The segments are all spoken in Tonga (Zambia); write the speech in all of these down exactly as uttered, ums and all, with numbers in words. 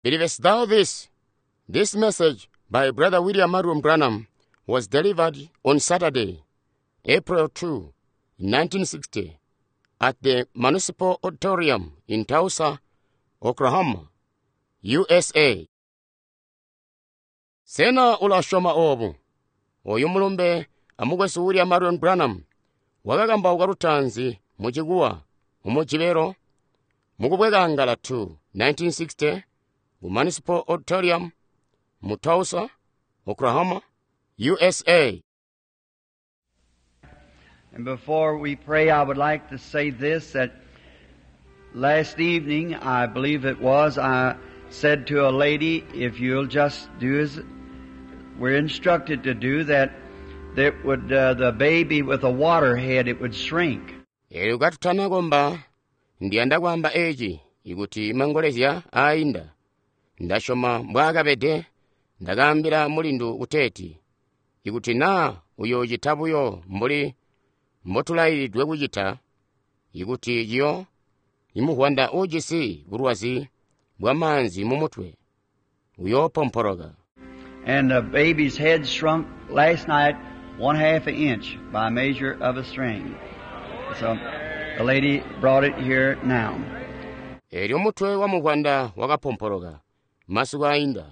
Believest thou this? This message by Brother William Marrion Branham was delivered on Saturday, April two, nineteen sixty, at the Municipal Auditorium in Tulsa, Oklahoma, U S A. Sena ulasyoma obu? Oyu mulumbe amukwesu William Marrion Branham wakakambauka lutaanzi mu Chikuwa mu Mujibelo mukubwekangala two, nineteen sixty, ku Municipal Auditorium mu Tulsa, Oklahoma, U S A. And before we pray, I would like to say this, that last evening, I believe it was, I said to a lady, if you'll just do as we're instructed to do, that that would, uh, the baby with a water head, it would shrink. Elyo katutana komba, ndiyanda kwaamba eci, ikuti mangolezya ainda. Ndasyoma mbwaakabede, ndakaambila mulindu kuteeti, ikuti naa uyoocita buyo mbuli mbotulailidwe kucita, ikuti ciyo imuvwanda uujisi bulwazi bwamaanzi mumutwe uyoopompoloka. And the baby's head shrunk last night one half an inch by measure of a string. So the lady brought it here now. Elyo mutwe wa muvwanda wakapompoloka masiku ainda,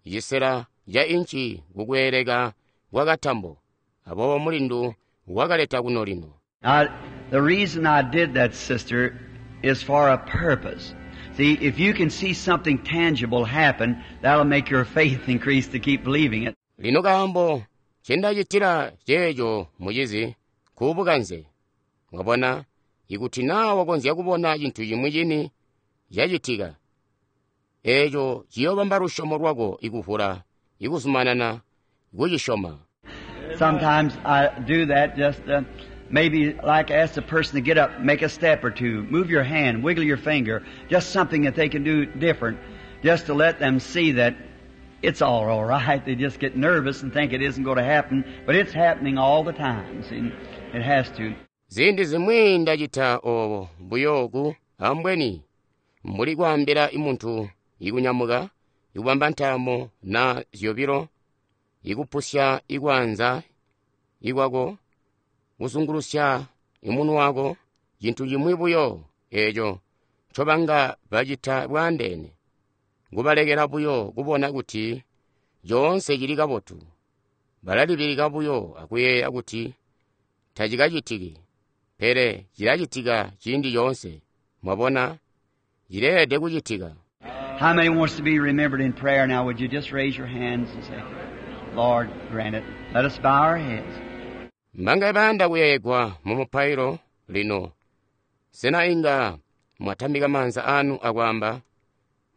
cisela ca inci kukweeleka kwa katambo, aboobo mulindu wakaleta kuno lino. Now, the reason I did that, sister, is for a purpose. See, if you can see something tangible happen, that'll make your faith increase to keep believing it. Lino kaambo ncendacitila ceeco mucizi kuubukanze. Mwabona, ikuti naa wakonzya kubona cintu cimwi cini cacitika, eeco ciyoobamba lusyomo lwako ikuvula, ikuzumanana kucisyoma. Sometimes I do that just, uh, maybe like ask the person to get up, make a step or two, move your hand, wiggle your finger, just something that they can do different, just to let them see that it's all, all right. They just get nervous and think it isn't gonna happen, but it's happening all the time. See, it has to. Ziindi zimwi ndacita obo buyo ku ambweni mbuli kwaambila muntu ikunyamuka, ikubamba ntaamo na zyobilo, ikupusya ikwaanza ikwako, kuzungulusya imunwe wako, cintu cimwi buyo eeco ncobanga bacita bwaandeene, kubalekela buyo kubona kuti coonse cili kabotu. Balalibilika buyo akuyeeya kuti tacikacitiki, pele cilacitika ciindi coonse. Mwabona, cileelede kucitika. How many wants to be remembered in prayer now? Would you just raise your hands and say, Lord, grant it. Let us bow our heads. Mbangaye bayanda kuyeeyegwa mu mupailo lino. Sena inga mwatambika maanza anu akwaamba,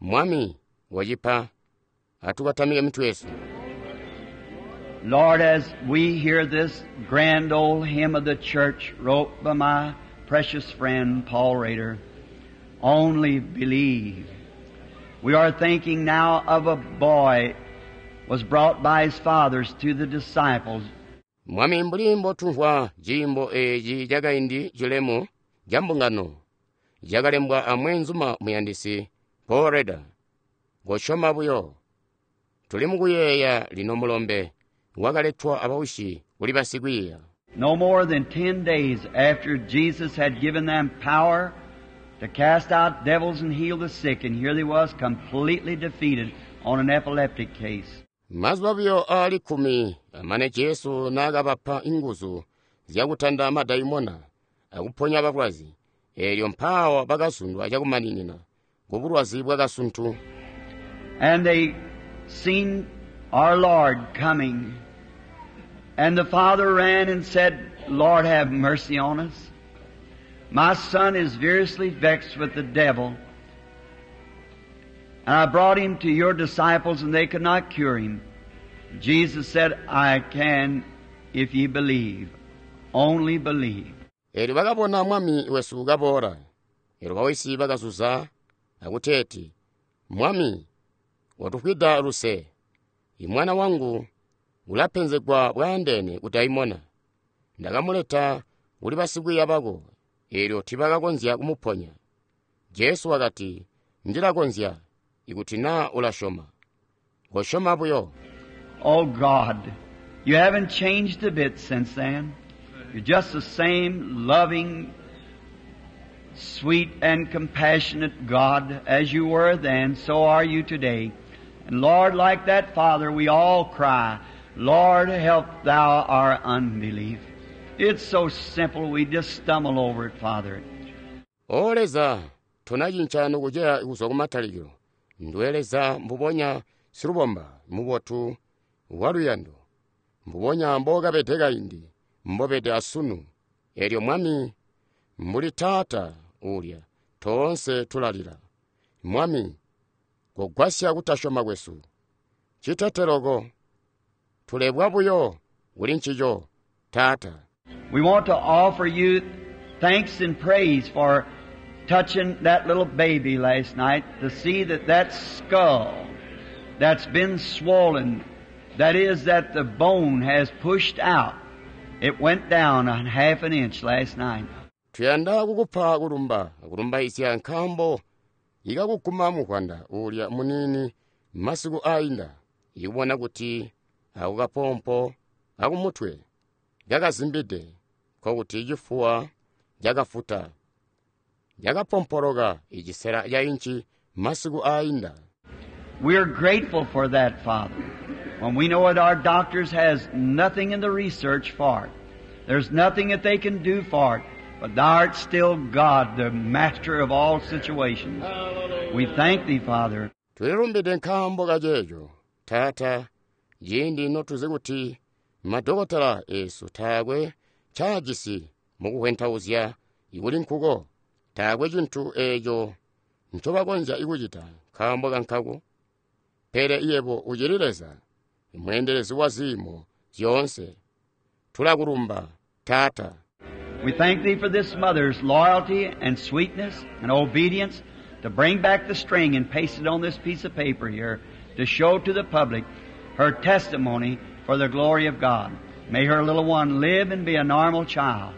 Mwami wacipa, atukatamike mitwe yesu. Lord, as we hear this grand old hymn of the church wrote by my precious friend Paul Rader, Only Believe. We are thinking now of a boy was brought by his fathers to the disciples. Mwami mbuli mbotumvwa ciimbo eeci cakaindi cilemu ca mbungano cakalembwa a mweenzuma muyandisi Paul Rader. Kosyoma buyo. Tuli mukuyeeya lino mulombe wakaletwa abaushi kuli basikwiiya. No more than ten days after Jesus had given them power to cast out devils and heal the sick, and here they was completely defeated on an epileptic case. Mazuba buyo aali kkumi amane Jesu naakabapa inguzu zyakutanda madaimona akuponya balwazi, eelyo mpaawa bakazundwa cakumaninina kubulwazi bwakasuntu. And they seen our Lord coming, and the father ran and said, Lord, have mercy on us. My son is variously vexed with the devil. And I brought him to your disciples, and they could not cure him. Jesus said, I can if ye believe. Only believe. Eelyo bakabona Mwami wesu kaboola. Eelyo bawisi bakazuza akuteeti, Mwami, watufwida luse. Imwana wangu ulapenzegwa bwaandeene ku daimona. Ndakamuleta kuli basikwiiya bako, eelyo tiibakakonzya kumuponya. Jesu wakati, Ndilakonzya, Ikuti naa ulasyoma. Kosyoma buyo. Oh God, you haven't changed a bit since then. You're just the same loving, sweet and compassionate God as you were then, so are you today. And Lord, like that Father, we all cry, Lord, help thou our unbelief. It's so simple, we just stumble over it, Father. O Leza, tonacinca nokuceya kuzwa kumatalikilo. Nduwe Leza mbubonya silubomba, mubotu waluyando. Mbubonya mbookabede kaindi, mbobede asunu. Elyo Mwami, mbuli Taata uulya, toonse tulalila. Mwami, kogwasya kutasyoma kwesu. Citeteloko, tulebwa buyo kuli ncico, Taata. We want to offer you thanks and praise for touching that little baby last night to see that that skull that's been swollen, that is, that the bone has pushed out, it went down a half an inch last night. Tuyanda kukupa kulumba, kulumbaizya nkaambo ikakuguma muvwanda uulya muniini masiku ainda, ikubona kuti ako kapompo akumutwe kakazimbide, nkokuti cifuwa cakafuta, cakapompoloka icisela ca inci masiku ainda. We're grateful for that, Father. When we know that our doctors has nothing in the research for it. There's nothing that they can do for it. But thou art still God, the master of all situations. We thank thee, Father. Tulilumbide nkaambo kaceeco, Taata, ciindi notuzi kuti madokotela esu taakwe ncaajisi mukuhwentauzya ikuli nkuko, taakwe cintu eeco ncobakonzya kucita nkaambo kankako. Pele yebo ucili Leza, mweendelezi wa ziimo zyoonse. Tulakulumba, Taata. We thank thee for this mother's loyalty and sweetness and obedience to bring back the string and paste it on this piece of paper here to show to the public her testimony for the glory of God. May her little one live and be a normal child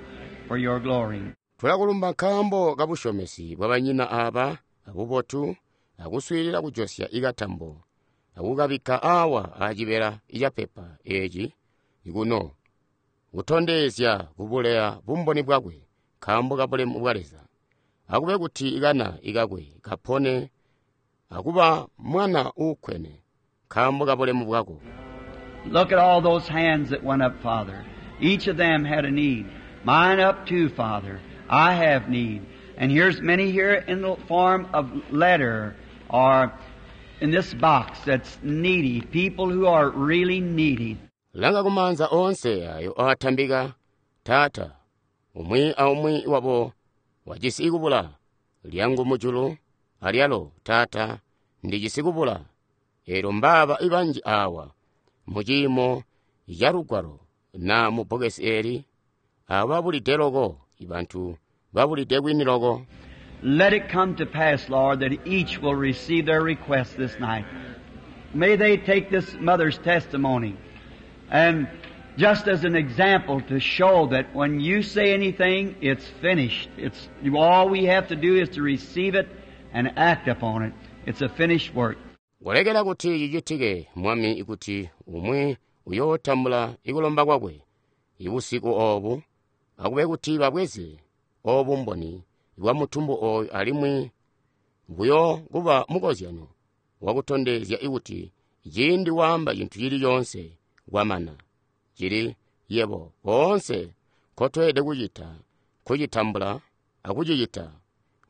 for your glory. Tulakulumba nkaambo kabusyomesi bwa banyina aba abubotu akuswiilila kujosya ikatambo akukabikka awa acibela icapepa eeci kuno kutondezya kubuleya bumboni bwakwe nkaambo kabulemu bwa Leza. Akube kuti ikana ikakwe kapone akuba mwana uukkwene nkaambo kabulemu bwako. Look at all those hands that went up, Father. Each of them had a need. Mine up too, Father. I have need. And here's many here in the form of letter or in this box that's needy, people who are really needy. Langa kumanza onse ayo aatambika, Taata, umwi aumwi wabo wajisi kubula, lyangu mujulu, alyalo, Taata, ndijisi kubula. Elyo mbaaba ibanji awa, mu ciimo ca lugwalo na mu bbokesi eli, abo babulide loko, ibantu babulide kwini loko. Let it come to pass, Lord, that each will receive their request this night. May they take this mother's testimony and just as an example to show that when you say anything, it's finished. It's all we have to do is to receive it and act upon it. It's a finished work. Kulekela kuti cicitike, Mwami, kuti umwi uyootambula ikulomba kwakwe ibusiku obu, akube kuti babweze obu mboni bwa mutumbu oyu alimwi buyo kuba mukozyano wakutondezya ikuti ciindi waamba cintu cili coonse kwamana. Cili yebo koonse nkotweelede kucita kucitambula akucicita,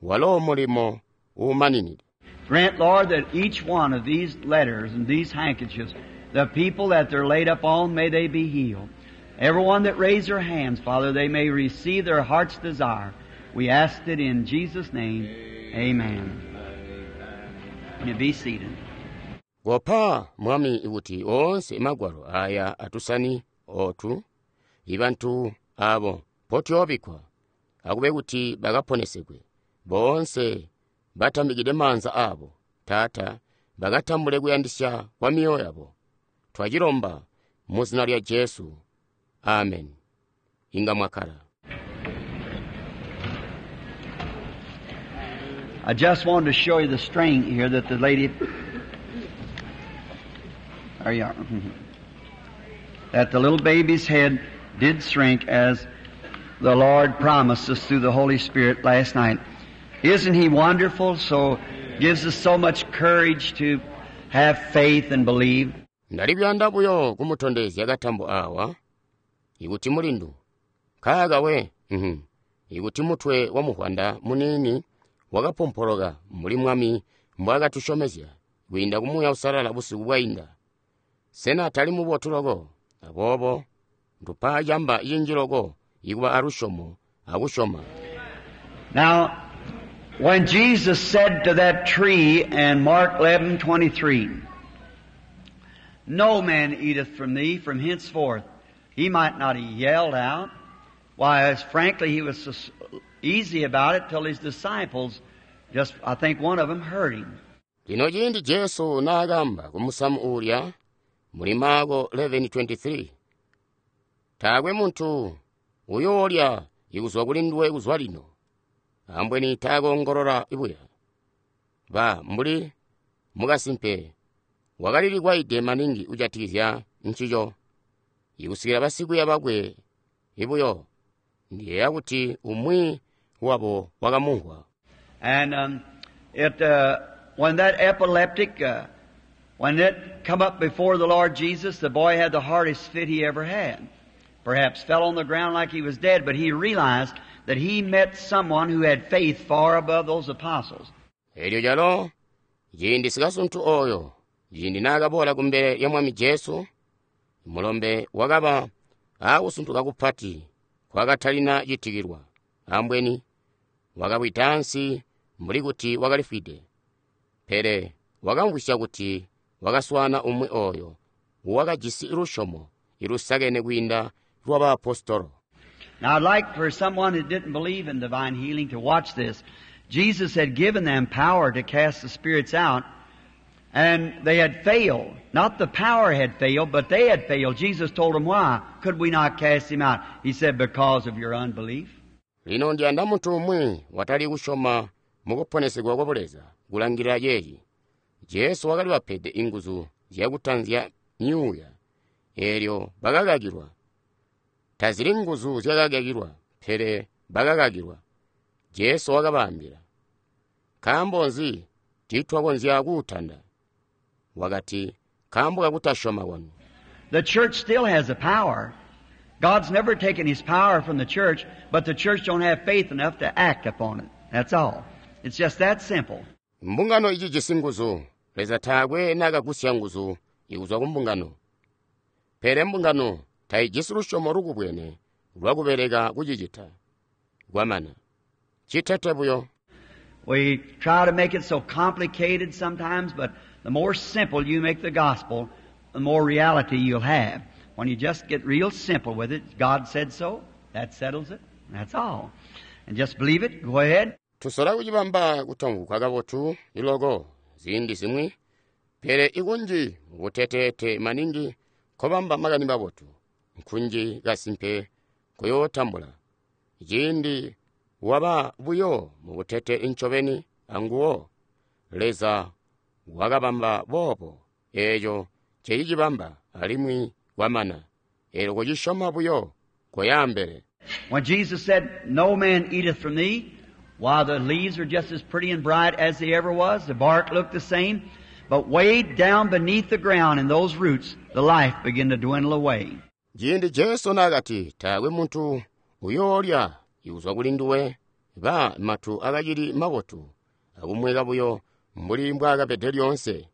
walo mulimo uumaninide. Grant, Lord, that each one of these letters and these handkerchiefs, the people that they're laid up on, may they be healed. Everyone that raised their hands, Father, they may receive their heart's desire. We ask it in Jesus' name. Amen. You be seated. Kopa Mwami kuti onse magwalo aya atusani otu ibantu abo potyoobikwa akube kuti bakaponesekwe bonse batambikide maanza abo, Taata, bakatambule kuyandisya kwa mioyo yabo. Twacilomba mu zina lya Jesu. Amen. Inga mwakala. I just wanted to show you the string here that the lady. There you are. That the little baby's head did shrink as the Lord promised us through the Holy Spirit last night. Isn't He wonderful? So gives us so much courage to have faith and believe. Ndali kuyanda buyo kumutondezya katambo awa ikuti mulindu nkaaka we mhm ikuti mutwe wa muvwanda muniini wakapompoloka mbuli Mwami mbwaakatusyomezya kwiinda ku Muuya Uusalala busiku bwainda. Sena tali mubotu loko? Aboobo ndupa camba cinji loko ikuba alusyomo akusyoma. Now, when Jesus said to that tree in Mark eleven twenty-three, "No man eateth from thee from henceforth," he might not have yelled out. Why, as frankly, he was so easy about it till his disciples, just, I think one of them heard him. Lino ciindi Jesu naakamba ku musamu uulya muli Marko eleven twenty-three, taakwe muntu uyoolya ikuzwa kuli nduwe kuzwa lino, ambweni taakoongolola buya. Ba mbuli mukasimpe wakalilikwaide maningi kujatikizya ncico, ikusikila basikwiiya bakwe ibuyo. Ndiyeeya kuti umwi wabo wakamumvwa. And, um, it, uh, when that epileptic, uh, when it come up before the Lord Jesus, the boy had the hardest fit he ever had. Perhaps fell on the ground like he was dead, but he realized that he met someone who had faith far above those apostles. Elyo calo, ciindi sikasuntu oyo, ciindi naakaboola kumbele lya Mwami Jesu, mulombe wakaba aakusuntuka kupati kwakatalina citikilwa. Ambweni wakawida ansi mbuli kuti wakalifwide, pele wakamvwisya kuti wakaswaana umwi oyo wakajisi lusyomo ilusakene kwiinda lwa baapostolo. Now I'd like for someone who didn't believe in divine healing to watch this. Jesus had given them power to cast the spirits out, and they had failed. Not the power had failed, but they had failed. Jesus told them why. Could we not cast him out? He said, because of your unbelief. Lino ndiyanda muntu umwi watali kusyoma mukuponesegwa kwa Buleza kulangilila ceeci. Jesu wakali bapede inguzu zyakutanzya myuuya, eelyo bakakakilwa. Tazili nguzu zyakakakilwa, pele bakakakilwa. Jesu wakabaambila, nkaambo nzi tiitwakonzya kuutanda? Wakati, nkaambo kakutasyoma kwanu. The church still has the power. God's never taken His power from the church, but the church don't have faith enough to act upon it. That's all. It's just that simple. Mbungano icijisi nguzu. Leza taakwe naakagusya nguzu ikuzwa ku mbungano. Pele mbungano taijisi lusyomo lukubwene lwakubeleka kucicita. Kwamana. Citete buyo. We try to make it so complicated sometimes, but the more simple you make the gospel, the more reality you'll have. When you just get real simple with it, God said so, that settles it, that's all. And just believe it, go ahead. Tusola kucibamba kutamvwika kabotu iloko ziindi zimwi, pele ikunji mukuteteete maningi nkobamba makani mabotu, nkunji kasimpe kuyootambula. Ciindi waba buyo mukutete ncobeni anguwo, Leza wakabamba boobo, eeco ncecicibamba alimwi kwamana. Eelyo kucisyoma buyo koyaambele. When Jesus said, no man eateth from thee, while the leaves are just as pretty and bright as they ever was, the bark looked the same, but way down beneath the ground in those roots, the life began to dwindle away. Ciindi Jesu naakati, taakwe muntu uyoolya ikuzwa kuli nduwe, ba matu akacili mabotu, akumweka buyo mbuli mbwaakabede lyoonse.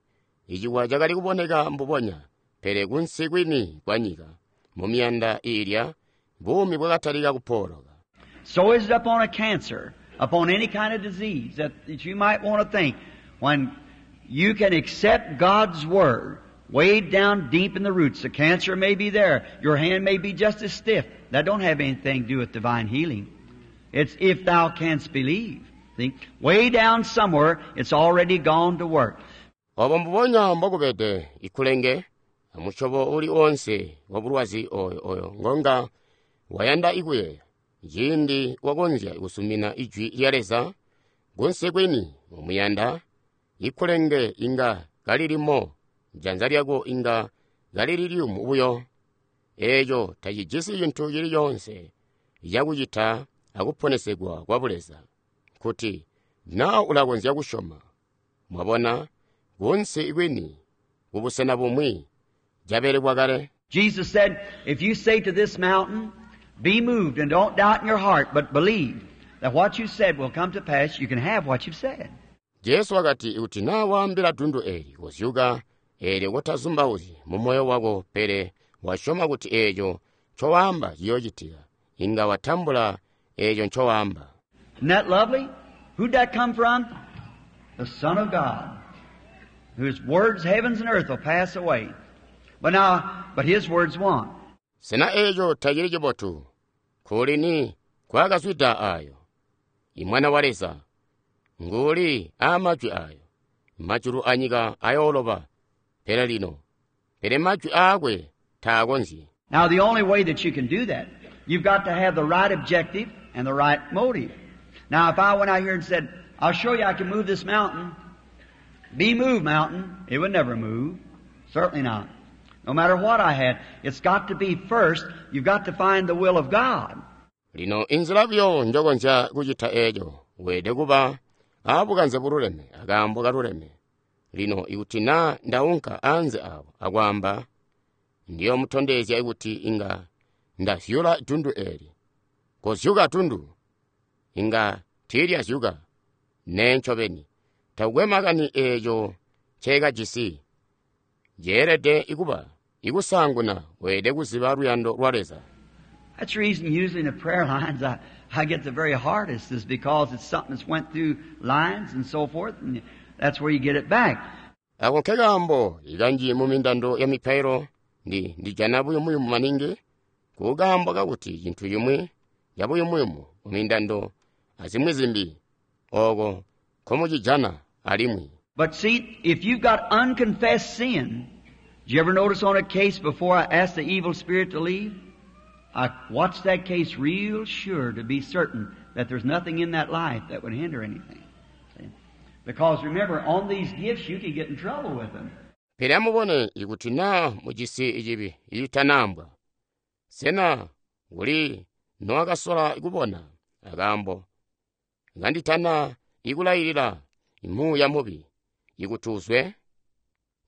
Iciwa cakali kuboneka mbubonya, pele kunsi kwini kwa nyika, mu miyanda iilya, buumi bwakatalika kupooloka. So is it upon a cancer, upon any kind of disease that, that you might want to think. When you can accept God's Word, way down deep in the roots, the cancer may be there, your hand may be just as stiff. That don't have anything to do with divine healing. It's if thou canst believe. See? Way down somewhere, it's already gone to work. Obo mbubonya mbokubede ikulenge, amusyobo uli onse wa bulwazi oyo oyo ngonga wayanda ikuyeeya. Ciindi wakonzya kusumina ijwi lya Leza, kunsi kwini Mumuyanda, ikulenge inga kalilimo, janza lyako inga kalili liyumu buyo. Eeco tacijisi cintu cili coonse cakucita akuponesegwa kwa Buleza. Kuti naa ulakonzya kusyoma. Mwabona, kunsi kwini, kubusena bumwi, cabelekwa kale. Jesus said, if you say to this mountain, be moved and don't doubt in your heart, but believe that what you said will come to pass, you can have what you've said. Jesu wakati kuti naa waambila dundu eli kozyuka, eelyo kotazumbauzyi mu moyo wako pele wasyoma kuti eeco ncowaamba ciyoocitika, inga watambula eeco ncowaamba. Isn't that lovely? Who'd that come from? The Son of God, whose words heavens and earth will pass away. But now, but His words won't. Sena eeco tacili cibotu? Nkuulini kwakazwida aayo? Imwana wa Leza nguuli aamajwi aayo. Majulu anyika ayooloba, pele lino, pele majwi aakwe taakonzyi. Now the only way that you can do that, you've got to have the right objective and the right motive. Now if I went out here and said, I'll show you I can move this mountain, be moved mountain, it would never move. Certainly not. No matter what I had, it's got to be first, you've got to find the will of God. Lino inzila buyo njokonzya kucita eeco, weelede kuba aabukanze bululeme akaambo kaluleme. Lino ikuti naa ndaunka anze awo akwaamba, ndiyomutondezya kuti inga ndazyula dundu eli. Kozyuka dundu, inga tiilyazyuka. Nee ncobeni, takukwe makani eeco nceekajisi. Ceelede kuba ikusaanguna weelede kuziba luyando lwa Leza. That's the reason usually in the prayer lines I, I get the very hardest is because it's something that's went through lines and so forth, and that's where you get it back. Ako nkekaambo ikanji mu mindando ya mipailo ndi ndijana buyumuyumu maningi kukaambo kakuti cintu cimwi cabuyumuyumu mu mindando azimwi zimbi ooko nkomucijana alimwi. But see, if you've got unconfessed sin, did you ever notice on a case before I asked the evil spirit to leave? I watched that case real sure to be certain that there's nothing in that life that would hinder anything. See? Because remember, on these gifts you can get in trouble with them. Pele amubone ikuti naa mujisi cibi icitanaambwa. Sena kuli nowakasola kubona akaambo kanditana ikulailila muuya mubi ikuti uzwe?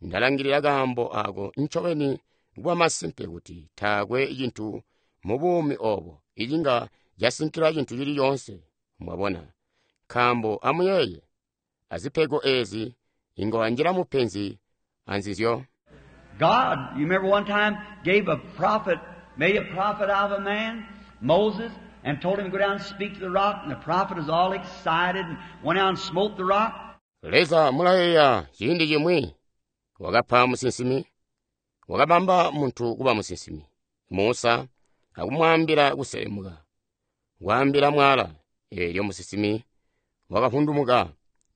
Ndalangilila kaambo ako ncobeni kuba masimpe kuti taakwe cintu mu buumi obo icinga casinkila cintu cili coonse. Mwabona, nkaambo amuyeeye, azipego eezi inga wanjila mupenzi anzizyo. God, you remember one time, gave a prophet, made a prophet out of a man, Moses, and told him to go down and speak to the rock, and the prophet was all excited and went out and smote the rock. Leza mulayeeya ciindi cimwi wakapa musinsimi, wakabamba muntu kuba musinsimi, Musa, akumwaambila kuselemuka, kwaambila mwala, eelyo musinsimi wakavundumuka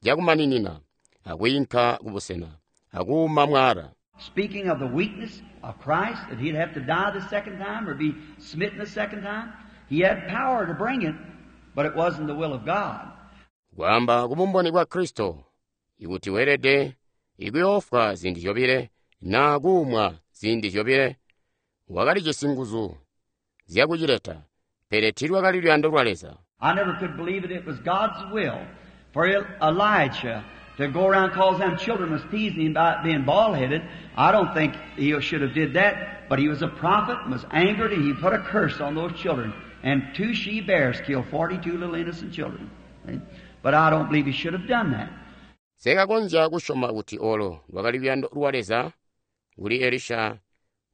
cakumaninina akwiinka kubusena akuuma mwala. Speaking of the weakness of Christ, that he'd have to die the second time or be smitten the second time, he had power to bring it, but it wasn't the will of God. Kwaamba kubumboni bwa Kristo, ikuti weelede ikuyoofwa ziindi zyobile naa kuumwa ziindi zyobile, wakalijisi nguzu zyakucileta, pele tiilwakali luyando lwa Leza. I never could believe it. It was God's will for Elijah to go around cause them children was teasing him about being bald-headed. I don't think he should have did that, but he was a prophet and was angered, and he put a curse on those children. And two she-bears killed forty-two little innocent children. But I don't believe he should have done that. Sekakonzya kusyoma kuti olo lwakali luyando lwa Leza kuli Elisha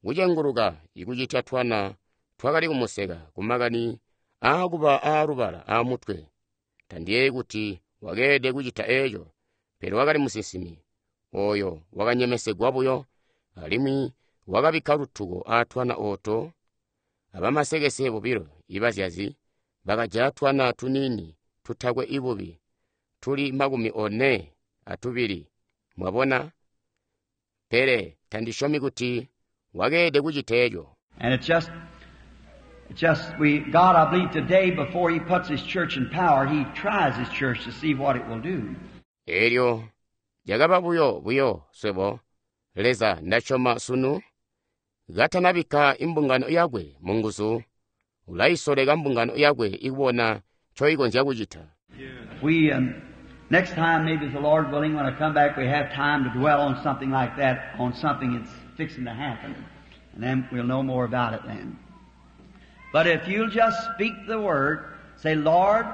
kucenguluka ikucitya twana twakali kumuseka kumakani aakuba aalubala aamutwe. Tandiyeeyi kuti wakeelede kucita eeco, pele wakali musinsimi oyo wakanyemesegwa buyo, alimwi wakabikka lutuko aatwana ooto. Abamasekese bobilo ibazyazi bakajaya twana tuniini tutakwe ibubi tuli makumi one atubili. Mwabona? Pele tandisyomi kuti wakeelede kucita eeco. And it's just, it's just we, God, I believe today, before He puts His church in power, He tries His church to see what it will do. Elyo cakaba buyo buyo swebo, Leza ndasyoma sunu, katanabikka imbungano yakwe mu nguzu, ulaisoleka mbungano yakwe ikubona ncoikonzya kucita. We, um, next time, maybe the Lord willing, when I come back, we have time to dwell on something like that, on something that's fixing to happen. And then we'll know more about it then. But if you'll just speak the word, say, Lord,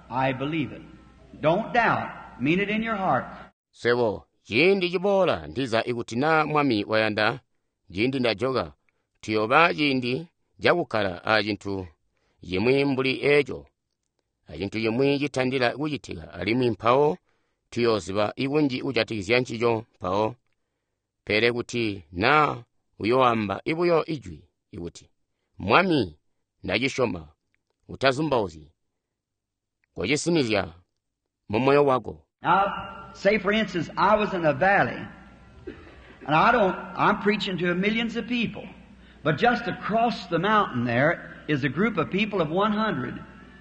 I believe it. Don't doubt. Mean it in your heart. Swebo, ciindi ciboola ndiza ikuti naa Mwami wayanda, ciindi ndajoka, tuyooba ciindi cakukkala a cintu cimwi mbuli eco, a cintu cimwi citandila kucitika, alimwi mpawo tuyooziba ikunji kujatikizya ncico mpawo. Pele kuti naa uyoamba ibuyo ijwi ikuti, Mwami, ndacisyoma, utazumbauzyi, kocisinizya mu moyo wako. Now, say for instance, I was in a valley, and I don't, I'm preaching to millions of people, but just across the mountain there is a group of people of one hundred,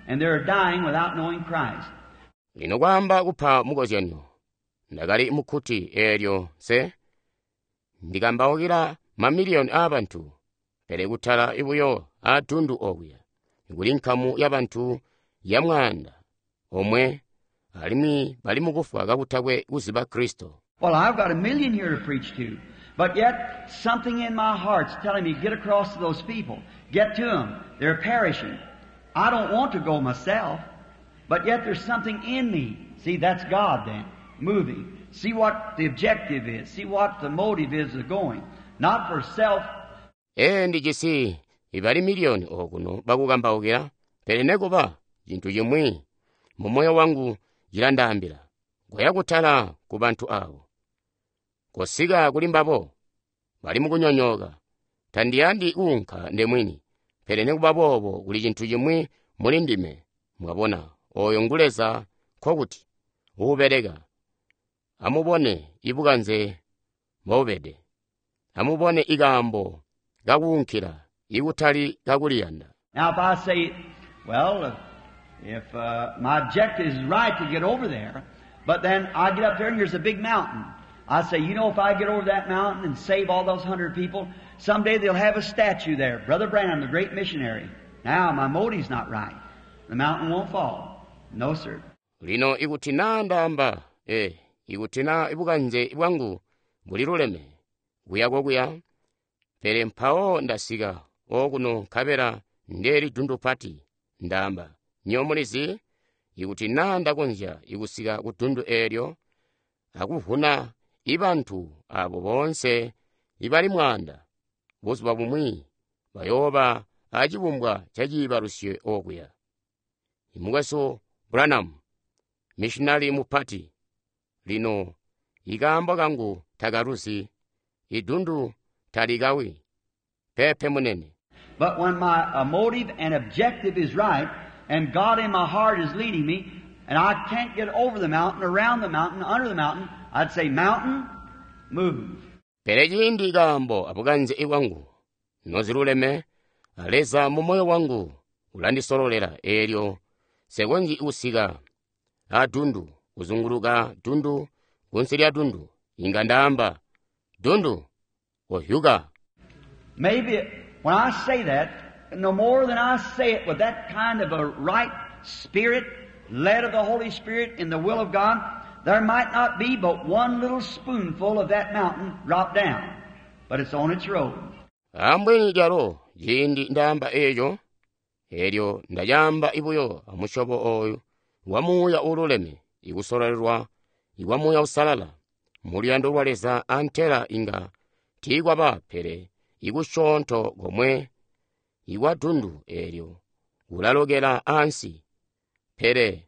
and they're dying without knowing Christ. Lino kwaamba kupa mukozyanyo, ndakali mukkuti eelyo nse ndikambaukila mamiliyoni aabantu, pele kutala ibuyo aadundu okuya, kuli nkamu yabantu ya mwaanda omwe, alimwi bali mukufwa kakutakwe kuziba Kristo. Well, I've got a million here to preach to, but yet something in my heart's telling me, get across to those people. Get to them. They're perishing. I don't want to go myself, but yet there's something in me. See, that's God then, moving. See what the objective is. See what the motive is of going. Not for self. Ee, ndijisi ibali miliyoni okuno bakukambaukila, pele nekuba cintu cimwi mu moyo wangu cilandaambila, koya kutala ku bantu abo. Kosika kuli mbabo, bali mukunyonyooka. Tandiyandi kuunka ndemwini, pele nekuba boobo kuli cintu cimwi muli ndime. Mwabona, oyo ngu Leza, nkokuti uubeleka. Amubone ibukanze mbobubede. Amubone ikaambo kakuunkila, ikutali kakuliyanda. Now if I say, well, if, uh, my objective is right to get over there, but then I get up there and here's a big mountain. I say, you know, if I get over that mountain and save all those hundred people, someday they'll have a statue there. Brother Branham, the great missionary. Now, my motive's not right. The mountain won't fall. No, sir. Lino ikuti naa ndaamba, eh, ikuti naa ibukanze bwangu buliluleme, kuya kokuya, pele mpawo ndasika okuno nkabela ndeli dundu pati, ndaamba, nyo mulizi, ikuti naa ndakonzya ikusika ku dundu eelyo, akuvuna ibantu abo boonse ibali mwaanda, buzuba bumwi bayooba acibumbwa ca ciibalusyo okuya. Imukwesu Branham, missionary mupati, lino ikaambo kangu takaluzi, idundu talikawi, pepe munene. But when my, uh, motive and objective is right, and God in my heart is leading me, and I can't get over the mountain, around the mountain, under the mountain, I'd say, mountain, move. Pele ciindi kaambo abukanze ibwangu noziluleme, Leza mu moyo wangu ulandisololela eelyo nsekonzyi kusika adundu, kuzunguluka dundu, kunsi lya dundu, inga ndaamba, dundu, kohyuka. Maybe when I say that, no more than I say it with that kind of a right spirit, led of the Holy Spirit in the will of God, there might not be but one little spoonful of that mountain drop down, but it's on its road. Ambweni lyalo ciindi ndaamba eeco, eelyo ndacaamba ibuyo amusyobo oyu wa muuya uululeme, ikusololelwa ikwa muuya usalala, mu luyando lwa Leza antela inga tiikwaba pele ikusyoonto komwe ikwa dundu eelyo kulalokela ansi, pele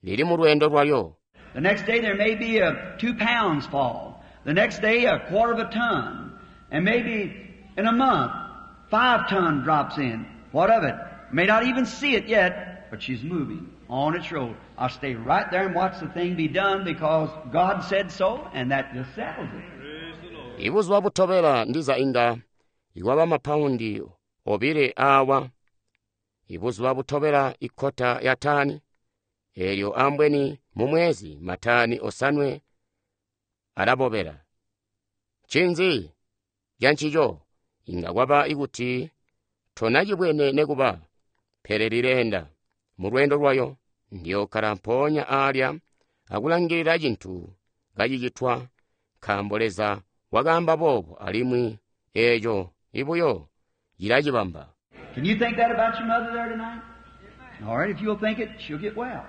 lili mu lweendo lwalyo. The next day there may be a two pounds fall. The next day a quarter of a ton. And maybe in a month, five ton drops in. What of it? May not even see it yet, but she's moving on its road. I'll stay right there and watch the thing be done because God said so, and that just settles it. Ibuzuba butobela ndiza inga ikwaba mapaundi obile awa. Ibuzuba butobela ikota ya tani. Elyo ambweni mu mwezi mataani osanwe alabobela. Ncinzi cancico inga kwaba ikuti tonacibwene nekuba, pele lileenda mu lweendo lwayo. Ndiyokkala mpoonya aalya akulangilila cintu kacicitwa, nkaambo Leza wakaamba boobo alimwi eeco ibuyo cilacibamba. Can you think that about your mother there tonight? All right, if you'll think it, she'll get well.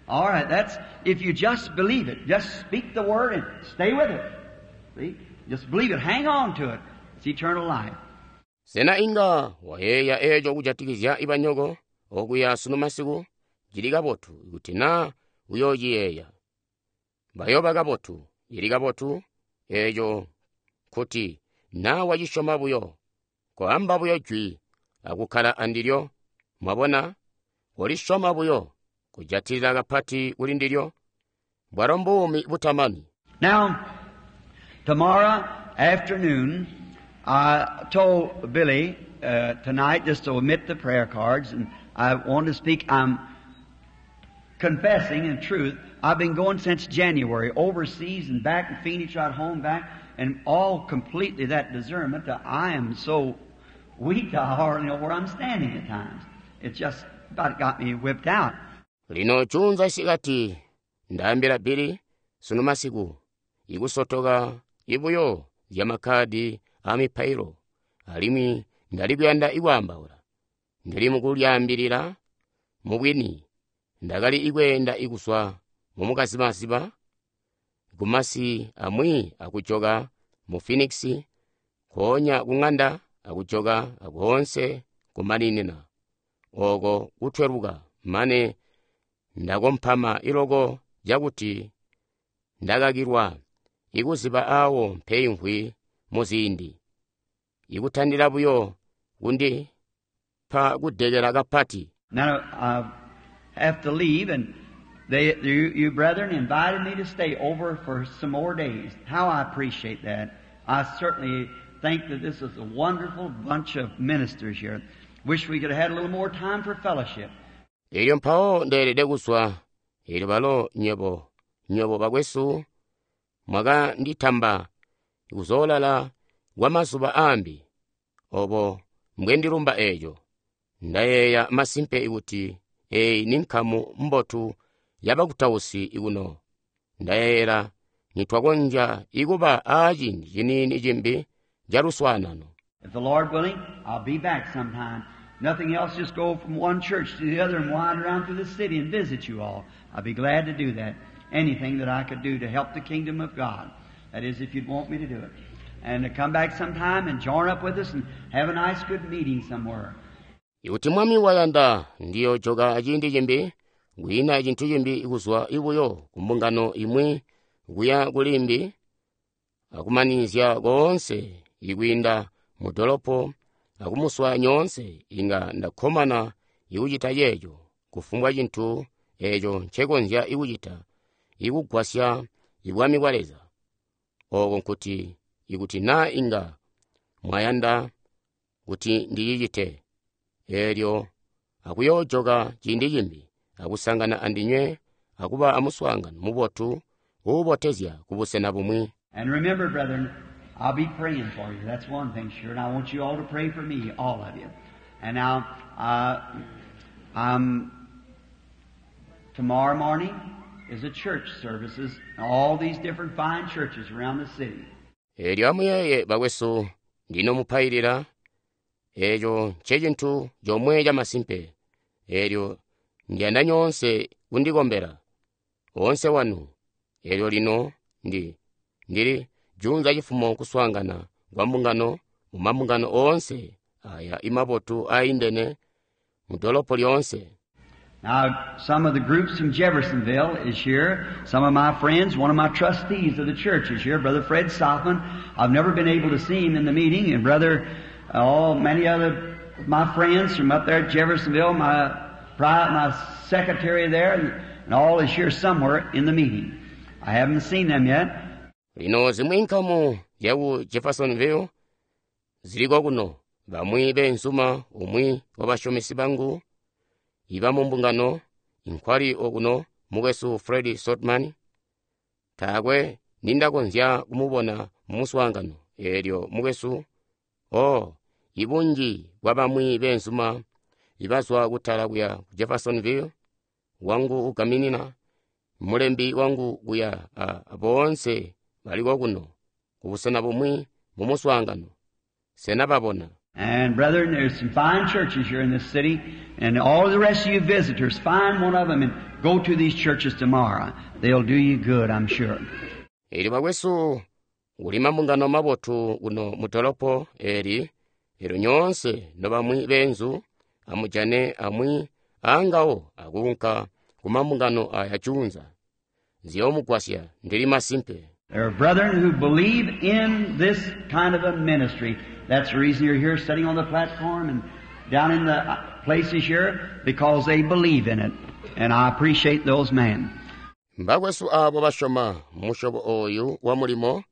All right, that's if you just believe it. Just speak the word and stay with it. See? Just believe it. Hang on to it. It's eternal life. Sena inga wayeeya eeco kujatikizya ibanyoko okuya sunu masiku? Cili kabotu kuti naa uyoociyeeya. Bayoba kabotu, cili kabotu eeco kuti naa wacisyoma buyo. Koamba buyo jwi akukkala andilyo. Mwabona? Kolisyoma buyo, kujatilila kapati kuli ndilyo. Bwalo mbuumi butamani. Now, tomorrow afternoon, I told Billy uh, tonight just to omit the prayer cards, and I want to speak. I'm confessing in truth. I've been going since January, overseas and back in Phoenix, right home, back, and all completely that discernment that I am so weak I hardly know where I'm standing at times. It just about got me whipped out. Lino juunza isikati ndaambila Billy sunu masiku ikusotoka ibuyo zya makkadi a mipailo alimwi ndali kuyanda ikwaambaula. Ndili mukulyaambilila mubwini ndakali ikweenda ikuswa mumukazimaziba kumasi amwi akujoka mu Phoenix nkoonya kung'anda akujoka akoonse kumaninina oko kutweluka mane ndakompama iloko cakuti ndakakilwa ikuziba awo mpeimvwi muziindi ikutandila buyo kundipa kudekela kapati. Now I have to leave, and they, you, you brethren invited me to stay over for some more days. How I appreciate that. I certainly think that this is a wonderful bunch of ministers here. Wish we could have had a little more time for fellowship. Elyo mpawo ndeelede kuzwa. Elyo balo nywebo, nywebo bakwesu mwakanditamba kuzoolala kwa mazuba aambi. Obo mbwendilumba eeco. Ndayeeya masimpe kuti eeyi ni nkamu mbotu yabakutausi ikuno. Ndayeeyela nitwakonzya ikuba aaciindi ciniini cimbi caluswaanano. If the Lord willing, I'll be back sometime. Nothing else, just go from one church to the other and wind around through the city and visit you all. I'd be glad to do that. Anything that I could do to help the kingdom of God. That is, if you'd want me to do it. And to come back sometime and join up with us and have a nice good meeting somewhere. Ikuti Mwami wayanda ndiyojoka ciindi cimbi, kwiina cintu cimbi kuzwa ibuyo ku mbungano imwi kuya kulimbi, akumanizya koonse ikwiinda mu dolopo akumuswaya nyoonse, inga ndakkomana ikucita ceeco, kufumbwa cintu eeco ncekonzya ikucita ikugwasya ibwami bwa Leza. Oko nkuti ikuti naa inga mwayanda kuti ndicicite, eelyo akuyoojoka ciindi cimbi akusangana andinywe akuba amuswaangano mubotu uubotezya kubusena bumwi. And remember, brethren, I'll be praying for you. That's one thing, sure. And I want you all to pray for me, all of you. And now, uh, um, tomorrow morning is a church services, all these different fine churches around the city. Eelyo amuyeeye bakwesu, ndinomupailila. Eeco ncecintu comwe camasimpe. Eelyo ndiyanda nyoonse kundikombela, oonse wanu. Eelyo lino ndi ndili juunza cifumo kuswaangana kwa mbungano mu mambungano oonse aya imabotu aindene mu dolopo lyoonse. Now, some of the groups from Jeffersonville is here. Some of my friends, one of my trustees of the church is here, Brother Fred Sothmann. I've never been able to see him in the meeting, and Brother, oh, many other my friends from up there at Jeffersonville, my private, my secretary there, and, and all is here somewhere in the meeting. I haven't seen them yet. Lino zimwi nkamu zyaku Jeffersonville ziliko kuno, bamwi beenzuma umwi wabashomesi bangu iba mu mbungano Nkwali okuno mukwesu Fred Sothmann. Taakwe nindakonzya kumubona mu muswaangano. Eelyo mukwesu, oh, ibunji bwa bamwi beenzuma ibazwa kutala kuya ku Jeffersonville, wangu ugaminina, mulembi wangu kuya, a boonse baliko kuno, kubusena bumwi mu muswaangano. Sena babona? And brethren, there's some fine churches here in this city, and all the rest of you visitors, find one of them and go to these churches tomorrow. They'll do you good, I'm sure. Eelyo bakwesu, kuli mambungano mabotu kuno mu dolopo eli, eelyo nyoonse nobamwi beenzu, amujane amwi aangawo akuunka ku mambungano aya juunza. Ziyoomugwasya, ndili masimpe. There are brethren who believe in this kind of a ministry. That's the reason you're here sitting on the platform and down in the places here, because they believe in it. And I appreciate those men. Mbakwesu aabo basyoma musyobo ooyu wa mulimo,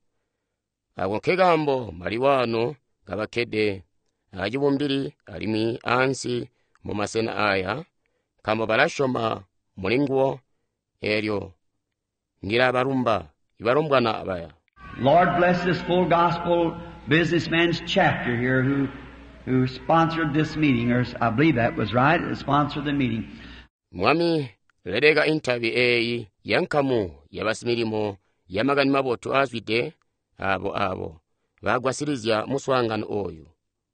ako nkekaambo maliwaano kabakkede acibumbili alimwi ansi mu masena aya, nkaambo balasyoma muli nguwo. Eelyo ndilabalumba ibalombwana abaya. Lord bless this full gospel businessman's chapter here who, who sponsored this meeting, or I believe that was right, sponsored the meeting. Mwami, leleka intabi eeyi ya nkamu ya basimilimo ya makani mabotu aazwide abo abo bagwasilizya muswaangano ooyu.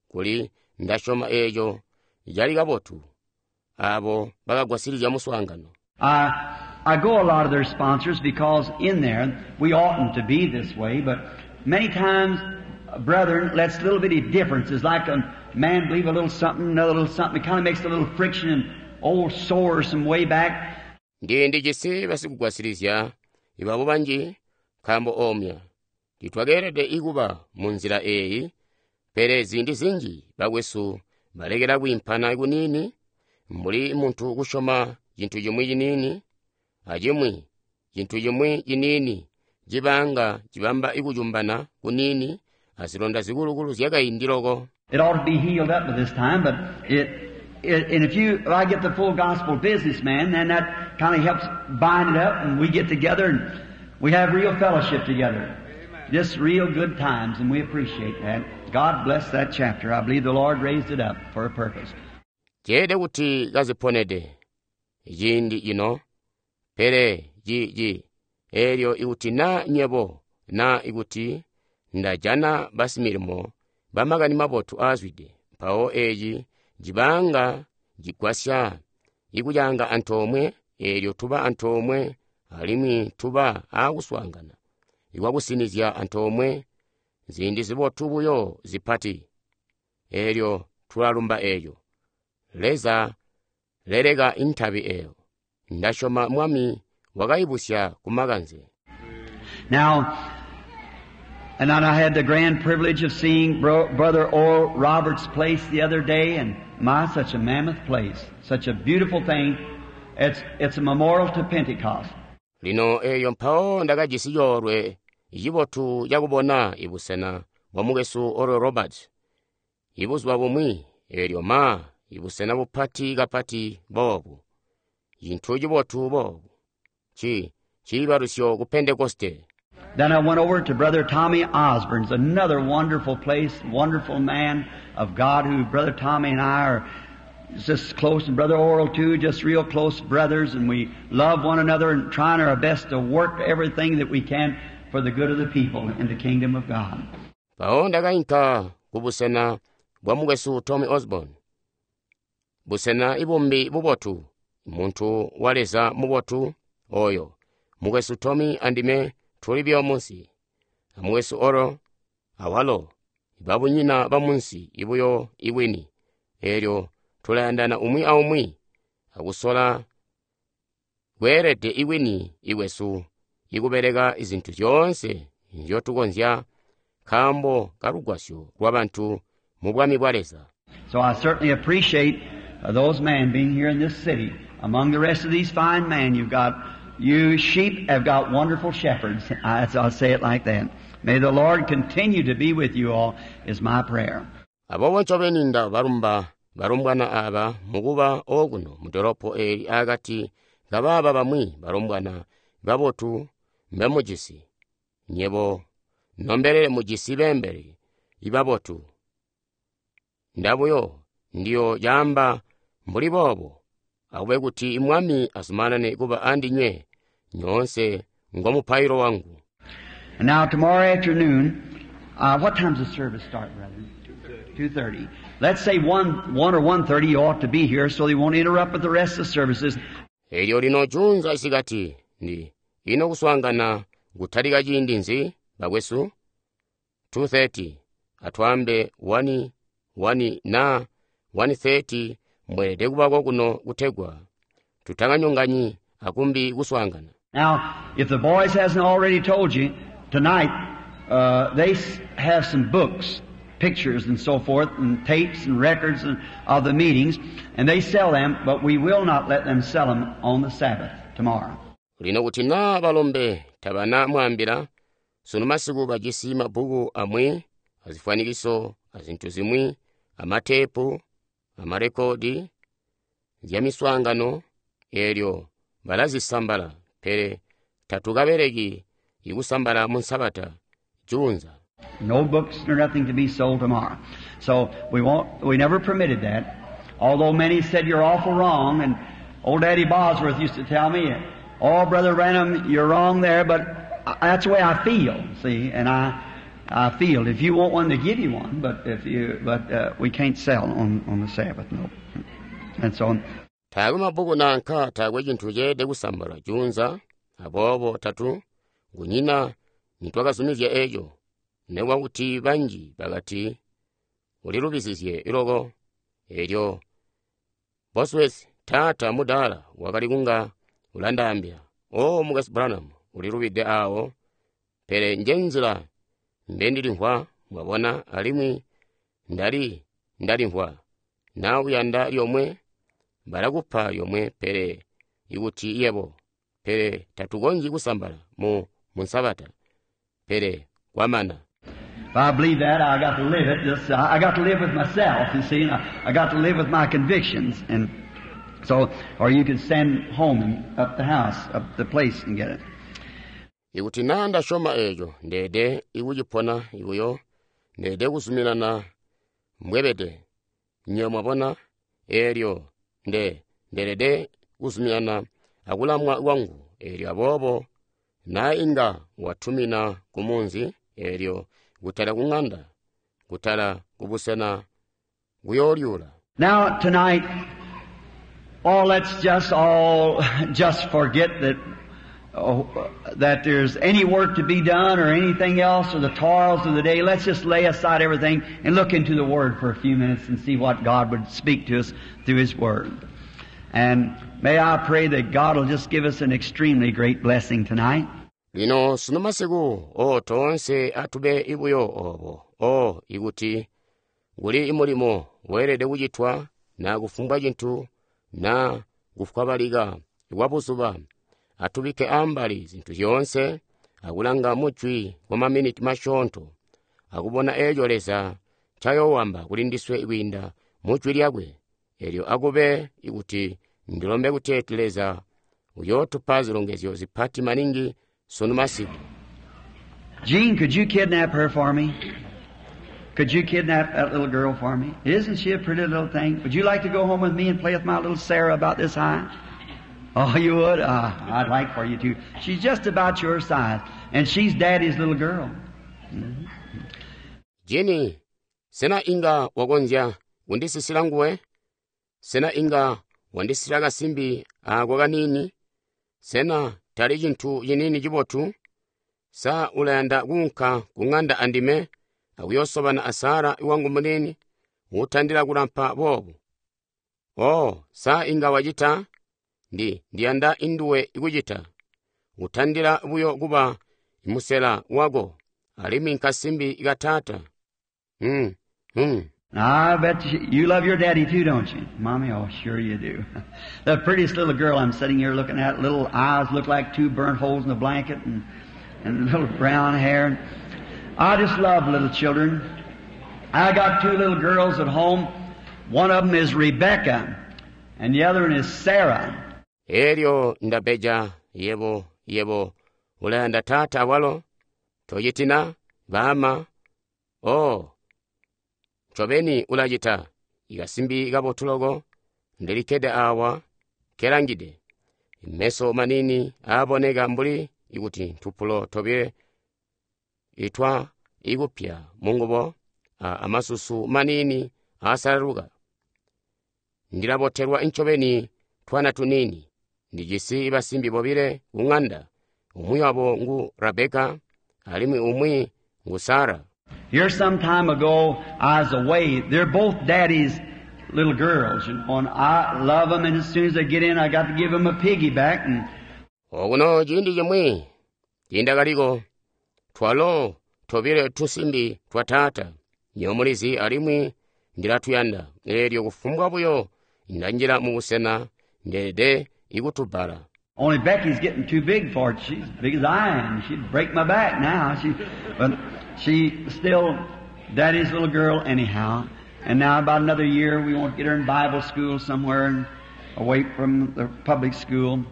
Kuli ndasyoma eeco cali kabotu, abo bakagwasilizya muswaangano. I, I go a lot of their sponsors because in there we oughtn't to be this way, but many times, brethren, lets little bitty differences, like a man believe a little something, another little something, it kinda makes a little friction and old sores some way back. Ndi ndijisi basikugwasilizya ibabo banji nkaambo omya titwakeelede ikuba mu nzila eeyi, pele ziindi zinji bakwesu balekela kwiimpana kuniini, mbuli muntu kusyoma cintu cimwi ciniini, acimwi cintu cimwi ciniini cibanga cibamba ikucumbana kuniini azilonda zikulukulu zyakaindi loko. It ought to be healed up by this time, but it, it, and if you, if I get the full gospel businessman, then that kinda helps bind it up, and we get together and we have real fellowship together. Just real good times, and we appreciate that. God bless that chapter. I believe the Lord raised it up for a purpose. Ceede kuti kaziponede ciindi cino, pele ci, ci, eelyo ikuti na nyebo, na ikuti ndajana basimilimo bamakani mabotu aazwide, mpawo eeci cibanga cigwasya ikucaanga antoomwe, eelyo tuba antoomwe alimwi tuba aakuswaangana ikwakusinizya antoomwe ziindi zibotu buyo zipati. Eelyo tulalumba eeco. Leza leleka intabi eeyo. Ndasyoma Mwami wakaibusya kumakanze. Now, and I had the grand privilege of seeing bro-, Brother Oral Roberts' place the other day, and my, such a mammoth place, such a beautiful thing. It's, it's a memorial to Pentecost. Lino eeyo mpawo ndakajisi coolwe cibotu cakubona ibusena bwa mukwesu Oral Roberts ibuzuba bumwi, eelyo ma ibusena bupati kapati boobu, cintu cibotu boobu, ci ciibalusyo ku Pentekoste. Then I went over to Brother Tommy Osborne's, another wonderful place, wonderful man of God who Brother Tommy and I are just close, and Brother Oral too, just real close brothers, and we love one another and trying our best to work everything that we can for the good of the people in the kingdom of God. Mpawo ndakainka kubusena bwa mukwesu Tommy Osborne, busena ibumbi bubotu, muntu wa Leza mubotu oyo. Mukwesu Tommy andime tuli buyo munsi, amukwesu Oral awalo babunyina ba munsi ibuyo ibwini. Eelyo tulayandana umwi aumwi akusola kweelede ibwini ibwesu ikubeleka izintu zyoonse nzyotukonzya nkaambo kalugwasyo lwabantu mu bwami bwa Leza. So I certainly appreciate, uh, those men being here in this city. Among the rest of these fine men, you've got, you sheep have got wonderful shepherds. I, I'll say it like that. May the Lord continue to be with you all is my prayer. Aboobo ncobeni ndabalumba balumbwana aba mukuba okuno mu dolopo eli akati kabaaba bamwi balombwana babotu mbemujisi. Nyebo nombelele mujisi beembeli ibabotu. Ndabuyo ndiyo caamba mbuli boobo, akube kuti Mwami azumanane kuba andinywe nyoonse ngomupailo wangu. And now tomorrow afternoon, uh, what time's the service start, brethren? two thirty. Let's say one, one or one thirty you ought to be here so they won't interrupt with the rest of the services. Elyo lino juunza isikati ndi ino kuswaangana kutalika ciindi nzi bakwesu? two thirty. Atwaambe one, one na one thirty mweelede kubako kuno kutegwa tutakanyonganyi akumbi kuswaangana. Now, if the boys hasn't already told you, tonight, uh, they s-, have some books, pictures and so forth, and tapes and records and, of the meetings, and they sell them, but we will not let them sell them on the Sabbath tomorrow. Lino kuti naa balombe tabana mwaambila, sunu masiku bajisi mabbuku amwi, azifwanikiso, azintu zimwi, amateepu, amarekodi, zya miswaangano, eelyo balazisambala, pele tatukabeleki ikusambala mu Nsabata juunza. No books or nothing to be sold tomorrow. So we won't, we never permitted that. Although many said you're awful wrong, and old Daddy Bosworth used to tell me, oh, Brother Branham, you're wrong there, but that's the way I feel, see, and I, I feel. If you want one, they give you one, but if you, but, uh, we can't sell on, on the Sabbath, no. And so on. Taakwe mabbuku nanka taakwe cintu ceelede kusambala juunza, aboobo tatu kunyina nitwakazumizya eco. Nekuba kuti banji bakati ulilubizizye iloko. Elyo Bosworth taata mudaala wakali kunga ulandaambila, O Mukwesu Branham, ulilubide awo, pele nje nzila mbendilimvwa, mwabona, alimwi ndali ndalimvwa. Na uyanda lyomwe balakupa lyomwe, pele ikuti yebo, pele tatukonzyi kusambala mu, mu Nsabata, pele kwamana. If I believe that, I got to live it. Just, I got to live with myself, you see, and I, I got to live with my convictions. And so, or you could send home and up the house, up the place and get it. Ikuti naa ndasyoma eco, ndeede ikucipona ikuyo, ndeede kuzuminana mbwebede. Nyo mwabona, eelyo nde, ndeelede kuzuminana akulamwa kwangu. Eelyo aboobo, naa inga watumina ku munzi, eelyo kutala ku ng'anda, kutala ku busena kuyolyula. Now tonight, oh, let's just all just forget that, oh, that there's any work to be done or anything else or the toils of the day. Let's just lay aside everything and look into the Word for a few minutes and see what God would speak to us through His Word. And may I pray that God will just give us an extremely great blessing tonight. Lino sunu masiku, o toonse atube ibuyo obo, o ikuti kuli imulimo weelede kucitwa na kufumbwa cintu na kufwabalika kwa buzuba, atubike ambali zintu zyoonse akulanga mujwi kwa maminiti masyoonto akubona eco Leza ncayoowamba kuli ndiswe kwiinda mujwi lyakwe. Elyo akube ikuti ndilombe kuteeti Leza uyootupa zilongezyo zipati maningi sunu masiku. Jean, could you kidnap her for me? Could you kidnap that little girl for me? Isn't she a pretty little thing? Would you like to go home with me and play with my little Sarah about this high? Oh, you would? Uh, I'd like for you to. She's just about your size, and she's Daddy's little girl. Mm-hmm. Jenny, sena inga wakonzya kundisisila nguwe? Sena inga wandisisila kasimbi ako kanini? Sena tali cintu cinini cibotu? Sa ulayanda kuunka ku ng'anda andime akuyosobana a Sara wangu munini utandila kulampa boobu? Oh, sa inga wacita? Ndi, ndiyanda induwe ikucita. Utandila buyo kuba musela wako, alimwi nkasimbi katata. Mm, mm. I bet you, you love your daddy too, don't you? Mommy, oh, sure you do. The prettiest little girl I'm sitting here looking at, little eyes look like two burnt holes in a blanket, and, and little brown hair. I just love little children. I got two little girls at home. One of them is Rebecca, and the other one is Sarah. Elyo ndabeja, yebo, yebo, ulayanda taata awalo? Tociti na, baama? Oh, ncobeni ulacita. Ikasimbi kabotu loko, ndilikkede awa, nkelangide. Meso maniini aaboneka mbuli ikuti ntupulo tobile itwa ikupya mungubo, a amasusu maniini aasalaluka. Ndilabotelwa ncobeni twana tuniini. Ndijisi basimbi bobile ku ŋanda. Umwi wabo ngu Rebeka, alimwi umwi ngu Sara. Here some time ago, I was away. They're both daddy's little girls, you know, and I love them, and as soon as they get in, I got to give them a piggyback. And Okuno ciindi cimwi ciindakaliko, twalo tobile tusimbi twa taata, nywebo mulizi, alimwi ndilatuyanda. Eelyo kufumbwa buyo ndanjila mu busena, ndeelede ikutubbala. Only Becky's getting too big for it. She's as big as I am. She'd break my back now. She, but she's still daddy's little girl anyhow. And now about another year, we want to get her in Bible school somewhere and away from the public school.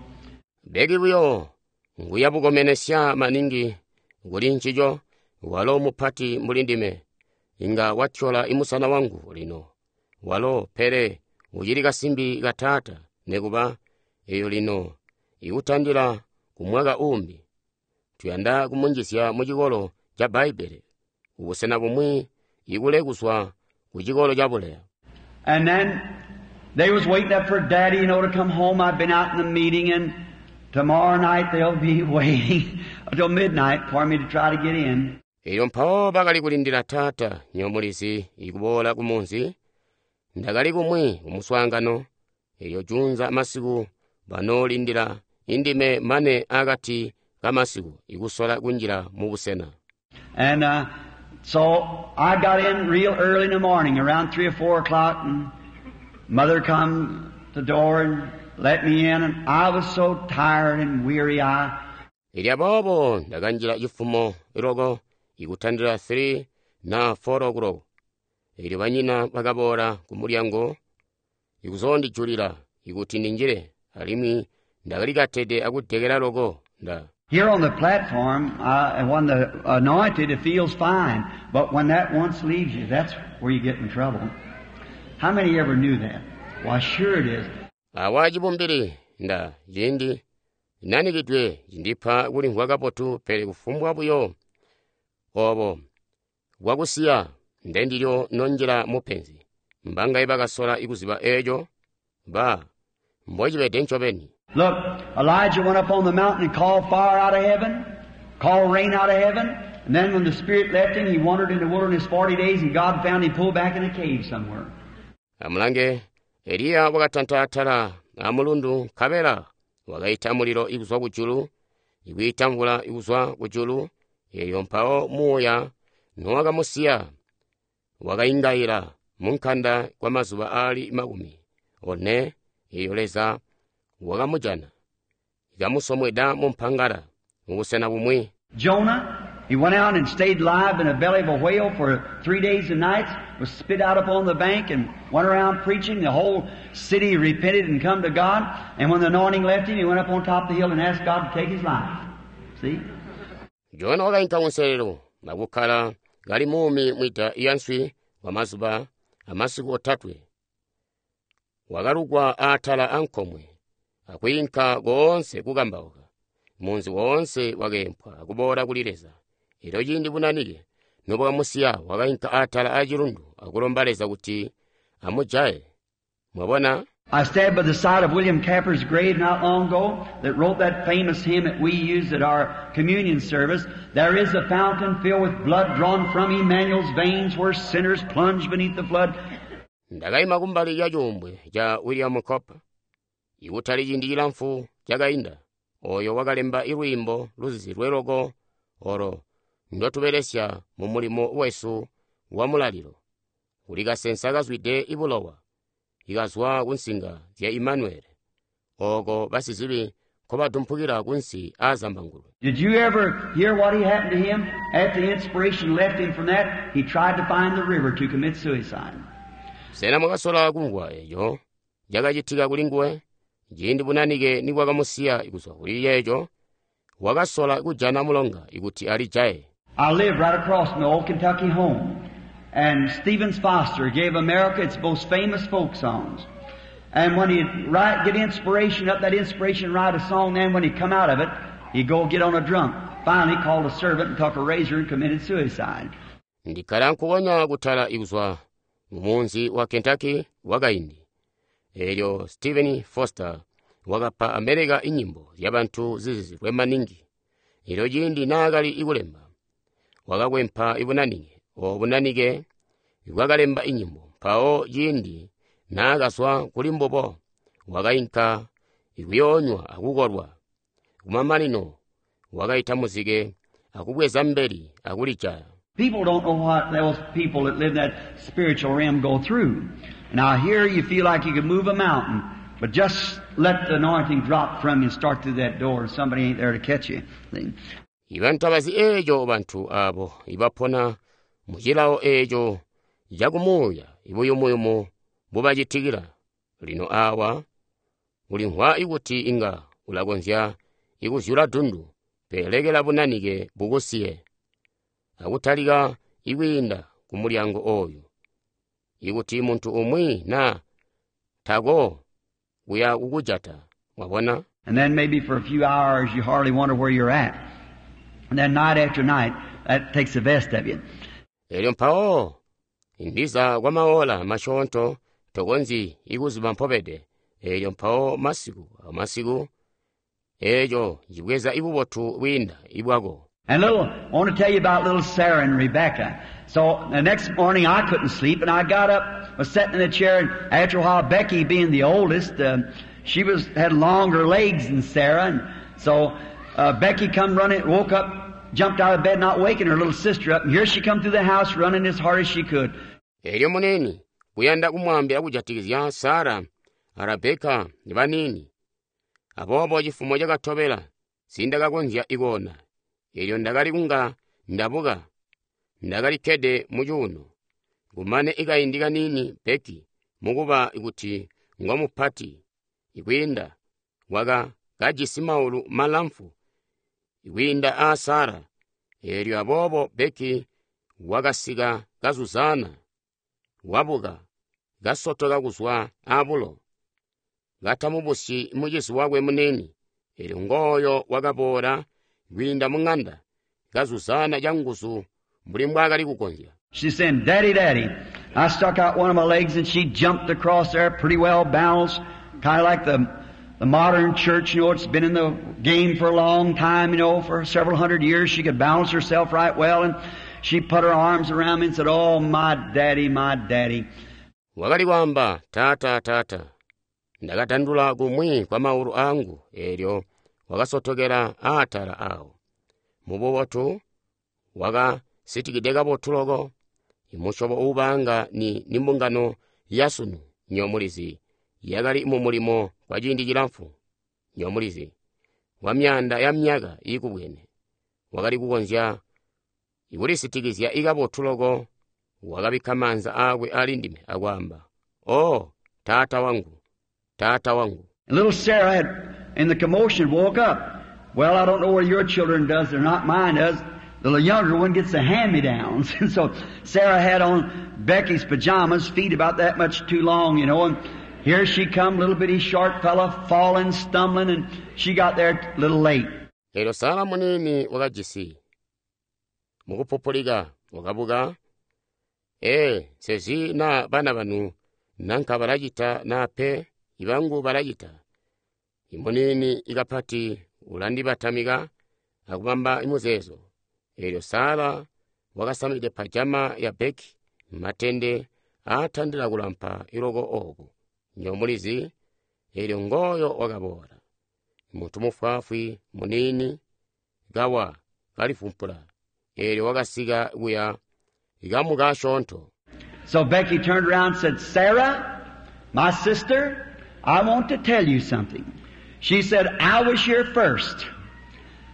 Becky buyo nguya bukomenesya maningi kuli ncico, walo mupati mbuli ndime. Inga watyola imusana wangu lino. Walo pele ucili kasimbi ka taata, nekuba eyo lino ikutandila ku mwaka uumbi. Tuyanda kumunjizya mu cikolo ca Bbaibbele, kubusena bumwi ikule kuzwa ku cikolo ca buleya. And then they was waiting up for Daddy, you know, to come home. I've been out in the meeting, and tomorrow night they'll be waiting until midnight for me to try to get in. Elyo mpawo bakali kulindila taata, nywebo mulizi, ikuboola ku munzi. Ndakali kumwi ku muswaangano, elyo juunza masiku banoolindila indime mane akati kamasiku ikusola kunjila mu busena. And, uh, so I got in real early in the morning, around three or four o'clock, and Mother come to the door and let me in, and I was so tired and weary. I Elyo aboobo ndakanjila cifumo loko ikutandila three na four o'clock. Elyo banyina bakaboola ku mulyango ikuzondijulila ikuti ndinjile, alimwi ndakalikatede akudekela loko nda. Here on the platform, uh, when the anointed, it feels fine. But when that once leaves you, that's where you get in trouble. How many ever knew that? Why, sure it is. Awa cibumbili nda ciindi nanikidwe cindipa kulimvwa kabotu, pele kufumbwa buyo obo bwakusiya ndendilyo nonjila mupenzi. Mbangaye bakasola ikuziba eco ba mbocibede ncobeni. Look, Elijah went up on the mountain and called fire out of heaven, called rain out of heaven, and then when the Spirit left him, he wandered in the wilderness forty days, and God found him pulled back in a cave somewhere. Amulange, Eliya wakatanta atala amulundu nkabela wakaita mulilo ikuzwa kujulu, ikwiita mvula ikuzwa kujulu, eyo mpawo muuya nowakamusiya wakaingaila munkanda kwa mazuba aali makumi one, eyo Leza wakamujana ikamusomweda mumpangala mubusena bumwi. Jonah, he went out and stayed alive in the belly of a whale for three days and nights, was spit out upon the bank and went around preaching. The whole city repented and come to God. And when the anointing left him, he went up on top of the hill and asked God to take his life. See? Jona wakainka kunselelo nakukkala kali muumi mwida yanswi kwa mazuba amasiku otatwe. Wakalugwa atala ankomwe akwiinka koonse kukambauka. Munzi woonse wakeempwa akuboola kuli Leza. Elyo ciindi bunanike nobwakamusiya wakainka atala acilundu akulomba Leza kuti amujaye. Mwabona? I stand by the side of William Capper's grave not long ago that wrote that famous hymn that we use at our communion service. There is a fountain filled with blood drawn from Emmanuel's veins where sinners plunge beneath the flood. Ndakaima kumbali ya cuumbwe ca William Cowper ikutali ciindi cilamfu cakainda, oyo wakalemba ilwiimbo luzizilwe loko olo ndotubelesya mu mulimo wesu wa mulalilo. Kuli kasensa kazwide ibulowa ikazwa kunsinga zya Emmanuel, oko basizibi nkobadumpukila kunsi aazambangulwe. Did you ever hear what he happened to him? After the inspiration left him from that, he tried to find the river to commit suicide. Sena mwakasola kumvwa eco cakacitika kuli nguwe? Ciindi bunanike nibwakamusiya kuzwa kuli ceeco, wakasola kujana mulonga kuti alijaye. I live right across from the old Kentucky home. And Stevens Foster gave America its most famous folk songs. And when he'd write, get inspiration up, that inspiration, write a song, then when he'd come out of it, he'd go get on a drunk. Finally called a servant and took a razor and committed suicide. Ndikkala nkukonya kutala kuzwa mumunzi wa Kentucky wakaindi. Eelyo Stephen Foster wakapa America inyimbo zyabantu zizizilwe maningi. Eelyo ciindi naakali kulemba, wakakwempa ibunanike, obo bunanike bwakalemba inyimbo. Mpawo ciindi naakazwa kuli mbubo, wakainka kuyoonywa akukolwa. Kumamanino wakaita muzike akubweza mbeli akulijaya. People don't know what those people that live in that spiritual realm go through. Now here you feel like you could move a mountain, but just let the anointing drop from you and start through that door and somebody ain't there to catch you. See? Ibantu abazi eeco bantu abo ibapona mu cilawo eeco cakumuuya ibuyumuyumu bubacitikila. Lino awa ulimvwa kuti inga ulakonzya ikuzyula dundu, pele lekela bunanike bukusiye akutalika ikwiinda ku mulyango oyu. Ikuti muntu umwi na tako kuya kukujata, mwabona? And then maybe for a few hours you hardly wonder where you're at. And then night after night, that takes the best of you. Elyo mpawo ndiza kwa maola masyoonto tokonzyi ikuziba mpobede. Elyo mpawo masiku amasiku eeco cibweza ibubotu bwiinda ibwako. And little, I want to tell you about little Sarah and Rebecca. So the next morning I couldn't sleep, and I got up, was sitting in the chair, and after a while Becky, being the oldest, uh, she was had longer legs than Sarah, and so uh, Becky come running, woke up, jumped out of bed, not waking her little sister up, and here she come through the house running as hard as she could. Elyo munene kuyanda kumwambila kujatikizya Sara a Rebeka baniini. Aboobo cifumo cakatobela sindakakonzya ikoona. Elyo ndakali kunga ndabuka, ndakali kkede mu cuuno. Kumane ikaindi kaniini Becky mukuba kuti ngomupati ikwiinda waka kajisi maulu malamfu ikwiinda aa Sara. Elyo aboobo Becky wakasika kazuzana, wabuka, kasotoka kuzwa abulo, katamubusyi mucizi wakwe munene. Elyo ngooyo wakaboola kwiinda mu ŋanda, kazuzana canguzu mbuli mbwaakali kukonzya. She said, Daddy, Daddy. I stuck out one of my legs and she jumped across there pretty well balanced, kinda like the, the modern church, you know, it's been in the game for a long time, you know, for several hundred years. She could balance herself right well, and she put her arms around me and said, Oh, my daddy, my daddy. Wakali kwaamba, Tata, tata. Ndakatandula kumwi kwa maulu angu, elyo wakasotokela aatala awo. Mububotu wakasitikide kabotu loko. Imusyobo uubanga ni, ni mbungano yasunu nyomulizi yakali mu mulimo kwa ciindi cilamfu nyomulizi wa myaanda ya myaka iikubwene. Wakali kukonzya kulisitikizya ikabotu loko. Wakabikka maanza aakwe ali ndime akwaamba, Oh, taata wangu, taata wangu. And little Sarah had, in the commotion, woke up. Well, I don't know where your children does or not. Mine does. The younger one gets the hand-me-downs. And so Sarah had on Becky's pajamas, feet about that much too long, you know, and here she come, little bitty short fella, falling, stumbling, and she got there a little late. Elyo Sara muniini wakajisi mukupupulika wakabuka. Ee, nsezi na bana banu nanka balacita na pe ibangu balacita. Imuniini ikapati ulandibatamika akubamba imuzeezo. Elyo Sara wakasamide pajama ya Becky matende aatandila kulampa iloko oku nyomulizi. Elyo ngooyo wakaboola muntu mufwaafwi muniini kawa kalifumpula. Elyo wakasika kuya ikamuka asyoonto. So Becky turned around and said, Sarah, my sister, I want to tell you something. She said, I was here first,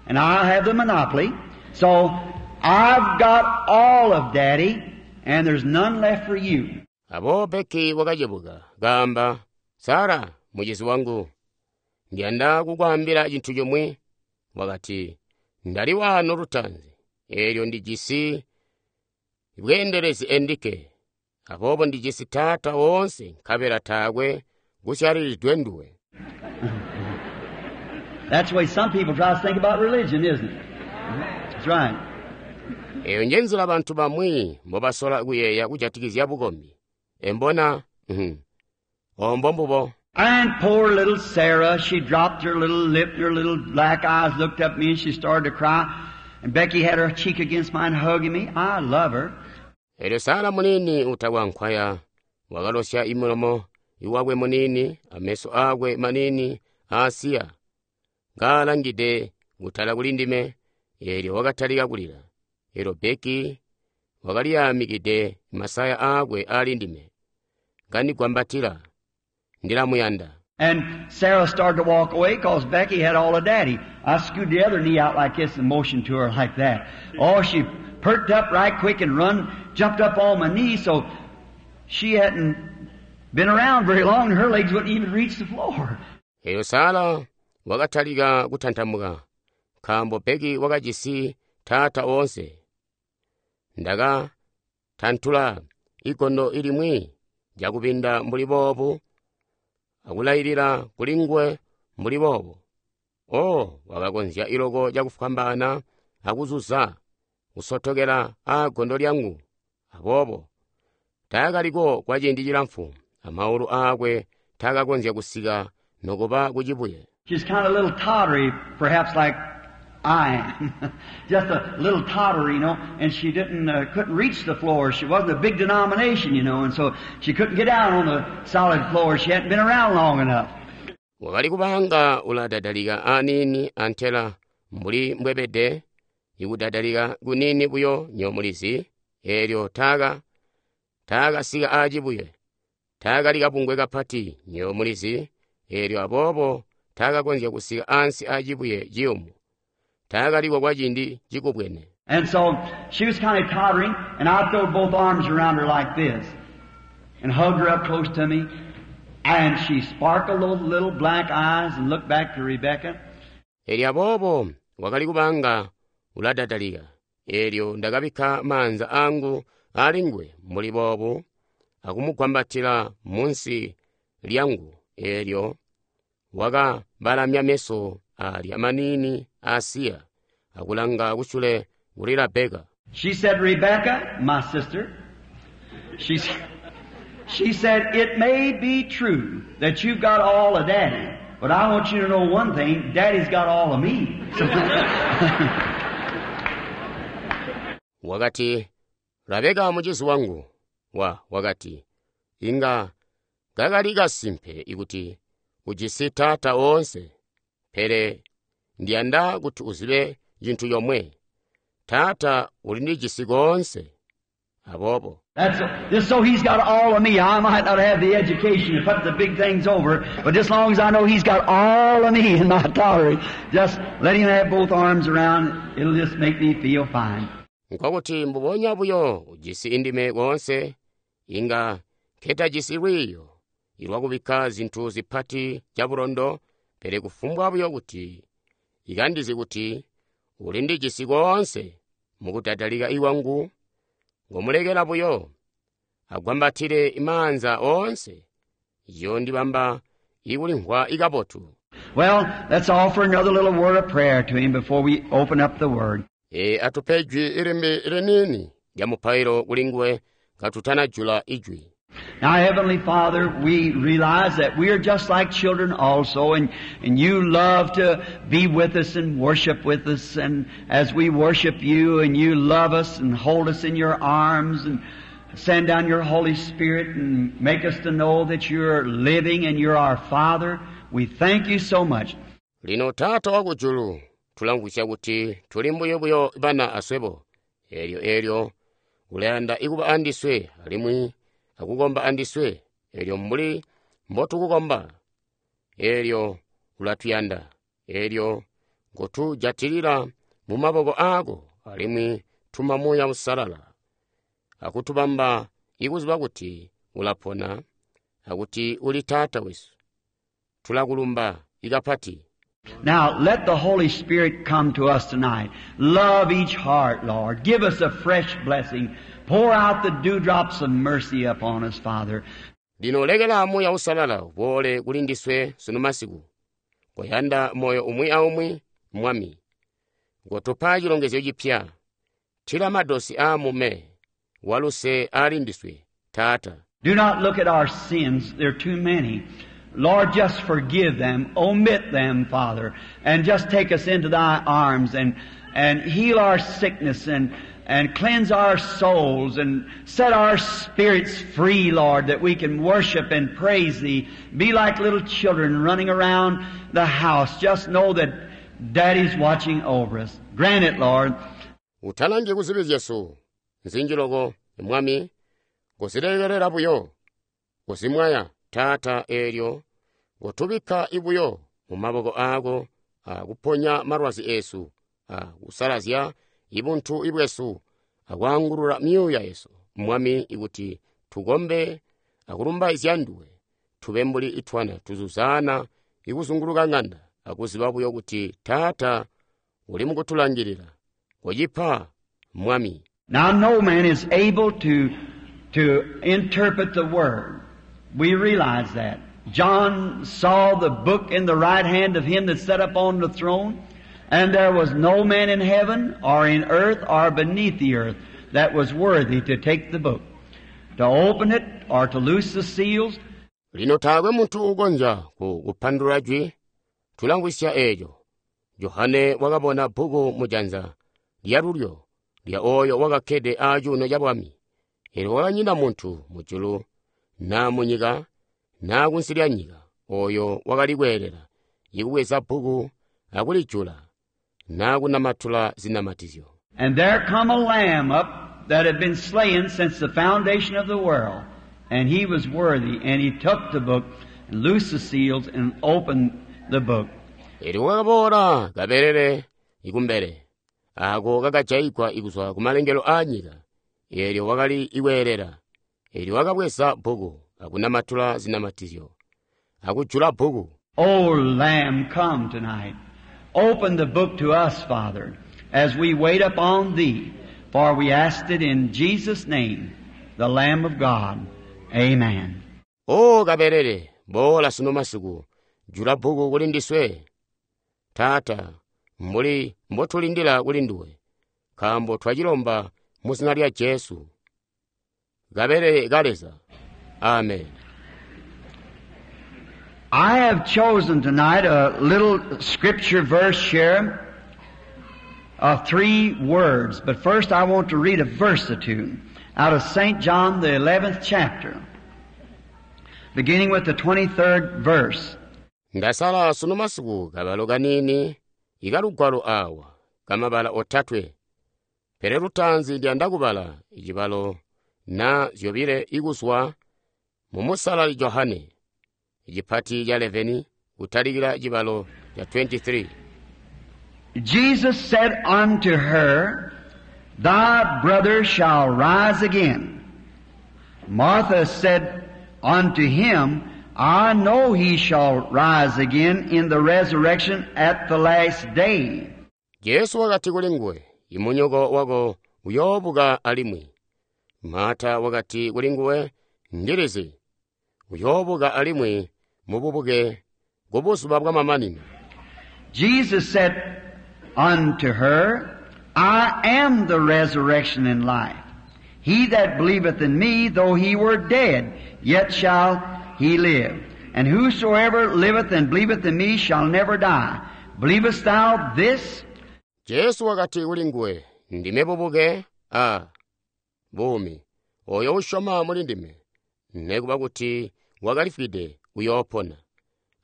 and I have the monopoly, so I've got all of Daddy, and there's none left for you. Abo Becky wakacebuka kaamba, Sara, mucizi wangu, Ndiyanda kukwaambila cintu cimwi. Wakati, Ndali waano lutaanzi, eelyo ndijisi bweendelezi endikke. Aboobo ndijisi taata woonse nkabela taakwe kusyalilidwe nduwe. That's the way some people try to think about religion, isn't it? That's right. Eyo njenzila bantu bamwi mbobasola kuyeeya kujatikizya bukombi. Embona, mhm. Ombo mbubo. And poor little Sarah, she dropped her little lip and her little black eyes looked up at me and she started to cry. And Becky had her cheek against mine hugging me. I love her. Elyo Sara munini utakwa nkwaya wakalosya imulomo iwakwe munini ameso akwe manini aasiya kaalangide kutala kuli ndime eelyo wakatalika kulila. Elyo Becky wakaliyamikide masaya aakwe ali ndime kandigwambatila ndilamuyanda. And Sarah started to walk away because Becky had all of Daddy. I scooted the other knee out like this and motioned to her like that. Oh, she perked up right quick and run, jumped up on my knee, so she hadn't been around very long and her legs wouldn't even reach the floor. Elyo Sara wakatalika kutantamuka nkaambo Becky wakajisi taata woonse. Ndaka tantula igondo ilimwi jakubinda mbuli boobu akulailila kuli nguwe mbuli boobu. Oh, wakakonzya iloko cakufwambaana akuzuza kusotokela aagondo lyangu. Aboobo taakaliko kwa ciindi cilamfu, amaulu aakwe taakakonzya kusika nokuba kucibuye. She's kind of a little tottery, perhaps like I am. Just a little tottery, you know, and she didn't, uh, couldn't reach the floor. She wasn't a big denomination, you know, and so she couldn't get down on the solid floor. She hadn't been around long enough. Wakali kubanga uladadalika aniini antela mbuli mbwebede ikudadalika kunini buyo nyomulizi eelyo taaka taakasika aacibuye taakali kabungwe kapati nyomulizi eelyo aboobo taakakonzya kusika ansi aacibuye ciyumu taakaliko kwa ciindi cikubwene. And so she was kind of tottering, and I threw both arms around her like this and hugged her up close to me. And she sparkled those little black eyes and looked back to Rebecca. Elyo aboobo wakali kubanga uladadalika eelyo ndakabikka maanza angu ali nguwe mbuli boobu akumugwambatila munsi lyangu eelyo wakabalamya meso alya manini asiya akulanga kusyule kuli Rebeka. She said, Rebecca, my sister, she, she said, it may be true that you've got all of Daddy, but I want you to know one thing, Daddy's got all of me. So, Wakati, Rebeka mucizi wangu, wa wakati, inga kakali kasimpe ikuti ujisi taata woonse, pele ndiyanda kuti uzibe cintu comwe, taata ulindijisi koonse. Aboobo. That's just so he's got all of me. I might not have the education to put the big things over, but just long as I know he's got all of me in my tolerance, just let him have both arms around. It'll just make me feel fine. Nkokuti mbubonya buyo ujisi indime koonse, inga nketajisi lwiiyo ilwakubikka zintu zipati cabulondo, pele kufumbwa buyo kuti ikandizi kuti ulindijisi koonse mukudadalika iwangu, ngomulekela buyo agwambatile maanza oonse, yondibamba ikulimvwa ikabotu. Well, let's offer another little word of prayer to him before we open up the Word. E atupe ijwi ilimbi linini lya mupailo kuli nguwe katutanajula ijwi. Now, Heavenly Father, we realize that we are just like children also, and, and you love to be with us and worship with us, and as we worship you, and you love us and hold us in your arms and send down your Holy Spirit and make us to know that you're living and you're our Father. We thank you so much. Lino Taata wakujulu, tulamvwisya kuti tuli mbuyo buyo bana aswebo. Elyo elyo ulayanda ikuba andiswe alimwi akukomba andiswe. Elyo mbuli mbotukukomba. Elyo ulatuyanda. Elyo ngotujatilila mu maboko aako alimwi tuma Muuya Uusalala akutubamba ikuziba kuti ulapona akuti uli Taata wesu. Tulakulumba ikapati. Now, let the Holy Spirit come to us tonight. Love each heart, Lord. Give us a fresh blessing. Pour out the dewdrops of mercy upon us, Father. Lino lekela Muuya Uusalala uboole kuli ndiswe sunu masiku. Koyanda moyo umwi aumwi, Mwami. Kotupa cilongezyo cipya. Tila madosi aamume waluse ali ndiswe, Taata. Do not look at our sins. They're too many. Lord, just forgive them. Omit them, Father. And just take us into Thy arms and, and heal our sickness and, and cleanse our souls and set our spirits free, Lord, that we can worship and praise Thee. Be like little children running around the house. Just know that Daddy's watching over us. Grant it, Lord. Utalangi kuzibi zyesu nzinji loko, Mwami, kuzilekelela buyo, kuzimwaya, Taata, eelyo kotubikka ibuyo mu maboko aako akuponya malwazi esu, akusalazya ibuntu ibwesu, akwaangulula myuuya yesu, Mwami, ikuti tukombe akulumbaizya nduwe, tube mbuli itwana tuzuzaana ikuzunguluka ng'anda, akuziba buyo kuti Taata uli mukutulangilila. Kocipa, Mwami. Now no man is able to, to interpret the Word. We realize that. John saw the book in the right hand of him that sat upon the throne, and there was no man in heaven or in earth or beneath the earth that was worthy to take the book, to open it or to loose the seals. Lino taakwe muntu uukonzya ku kupandulula jwi, tulamvwisya eeco. Johane wakabona bbuku mujanza lyalulyo lya oyo wakakkede aacuuno ca bwami. Eelyo kwakanyina muntu mujulu naa munyika naa kunsi lya nyika oyo wakali kweelela ikubweza bbuku akulijula naa kunamatula zinamatizyo. And there come a lamb up that had been slain since the foundation of the world, and he was worthy, and he took the book and loosed the seals and opened the book. Eelyo kwakaboola kabelele ikumbele, aako kakajaigwa ikuzwa kumalengelo aanyika. Eelyo wakali ikweelela. Eelyo wakabweza bbuku akunamatula zinamatizyo, akujula bbuku. O Lamb, come tonight. Open the book to us, Father, as we wait upon Thee. For we asked it in Jesus' name, the Lamb of God. Amen. O kabelele, boola sunu masiku, jula bbuku kuli ndiswe. Taata, mbuli mbotulindila kuli nduwe, nkaambo twacilomba mu zina lya Jesu. Kabelele ka Leza. Amen. I have chosen tonight a little scripture verse here of three words. But first I want to read a verse or two out of Saint John, the eleventh chapter, beginning with the twenty-third verse. Ndasala sunu masiku kabalo kanini ikalugwalo awa kamabala otatwe. Pele lutaanzi ndiyanda kubala icibalo na zyobile ikuzwa mu Musalali Johane, icipati ca eleveni kutalikila cibalo ca twenty-three. Jesus said unto her, Thy brother shall rise again. Martha said unto him, I know he shall rise again in the resurrection at the last day. Jesu wakati kuli nguwe, Imunyoko wako uyoobuka alimwi. Marta wakati kuli nguwe, Ndilizi, uyoobuka alimwi mububuke kubuzuba bwamamanino. Jesus said unto her, I am the resurrection and life. He that believeth in me, though he were dead, yet shall he live. And whosoever liveth and believeth in me shall never die. Believest thou this? Jesu wakati kuli nguwe, Ndime bubuke a buumi. Oyo usyoma muli ndime, nekuba kuti wakalifwide uyoopona.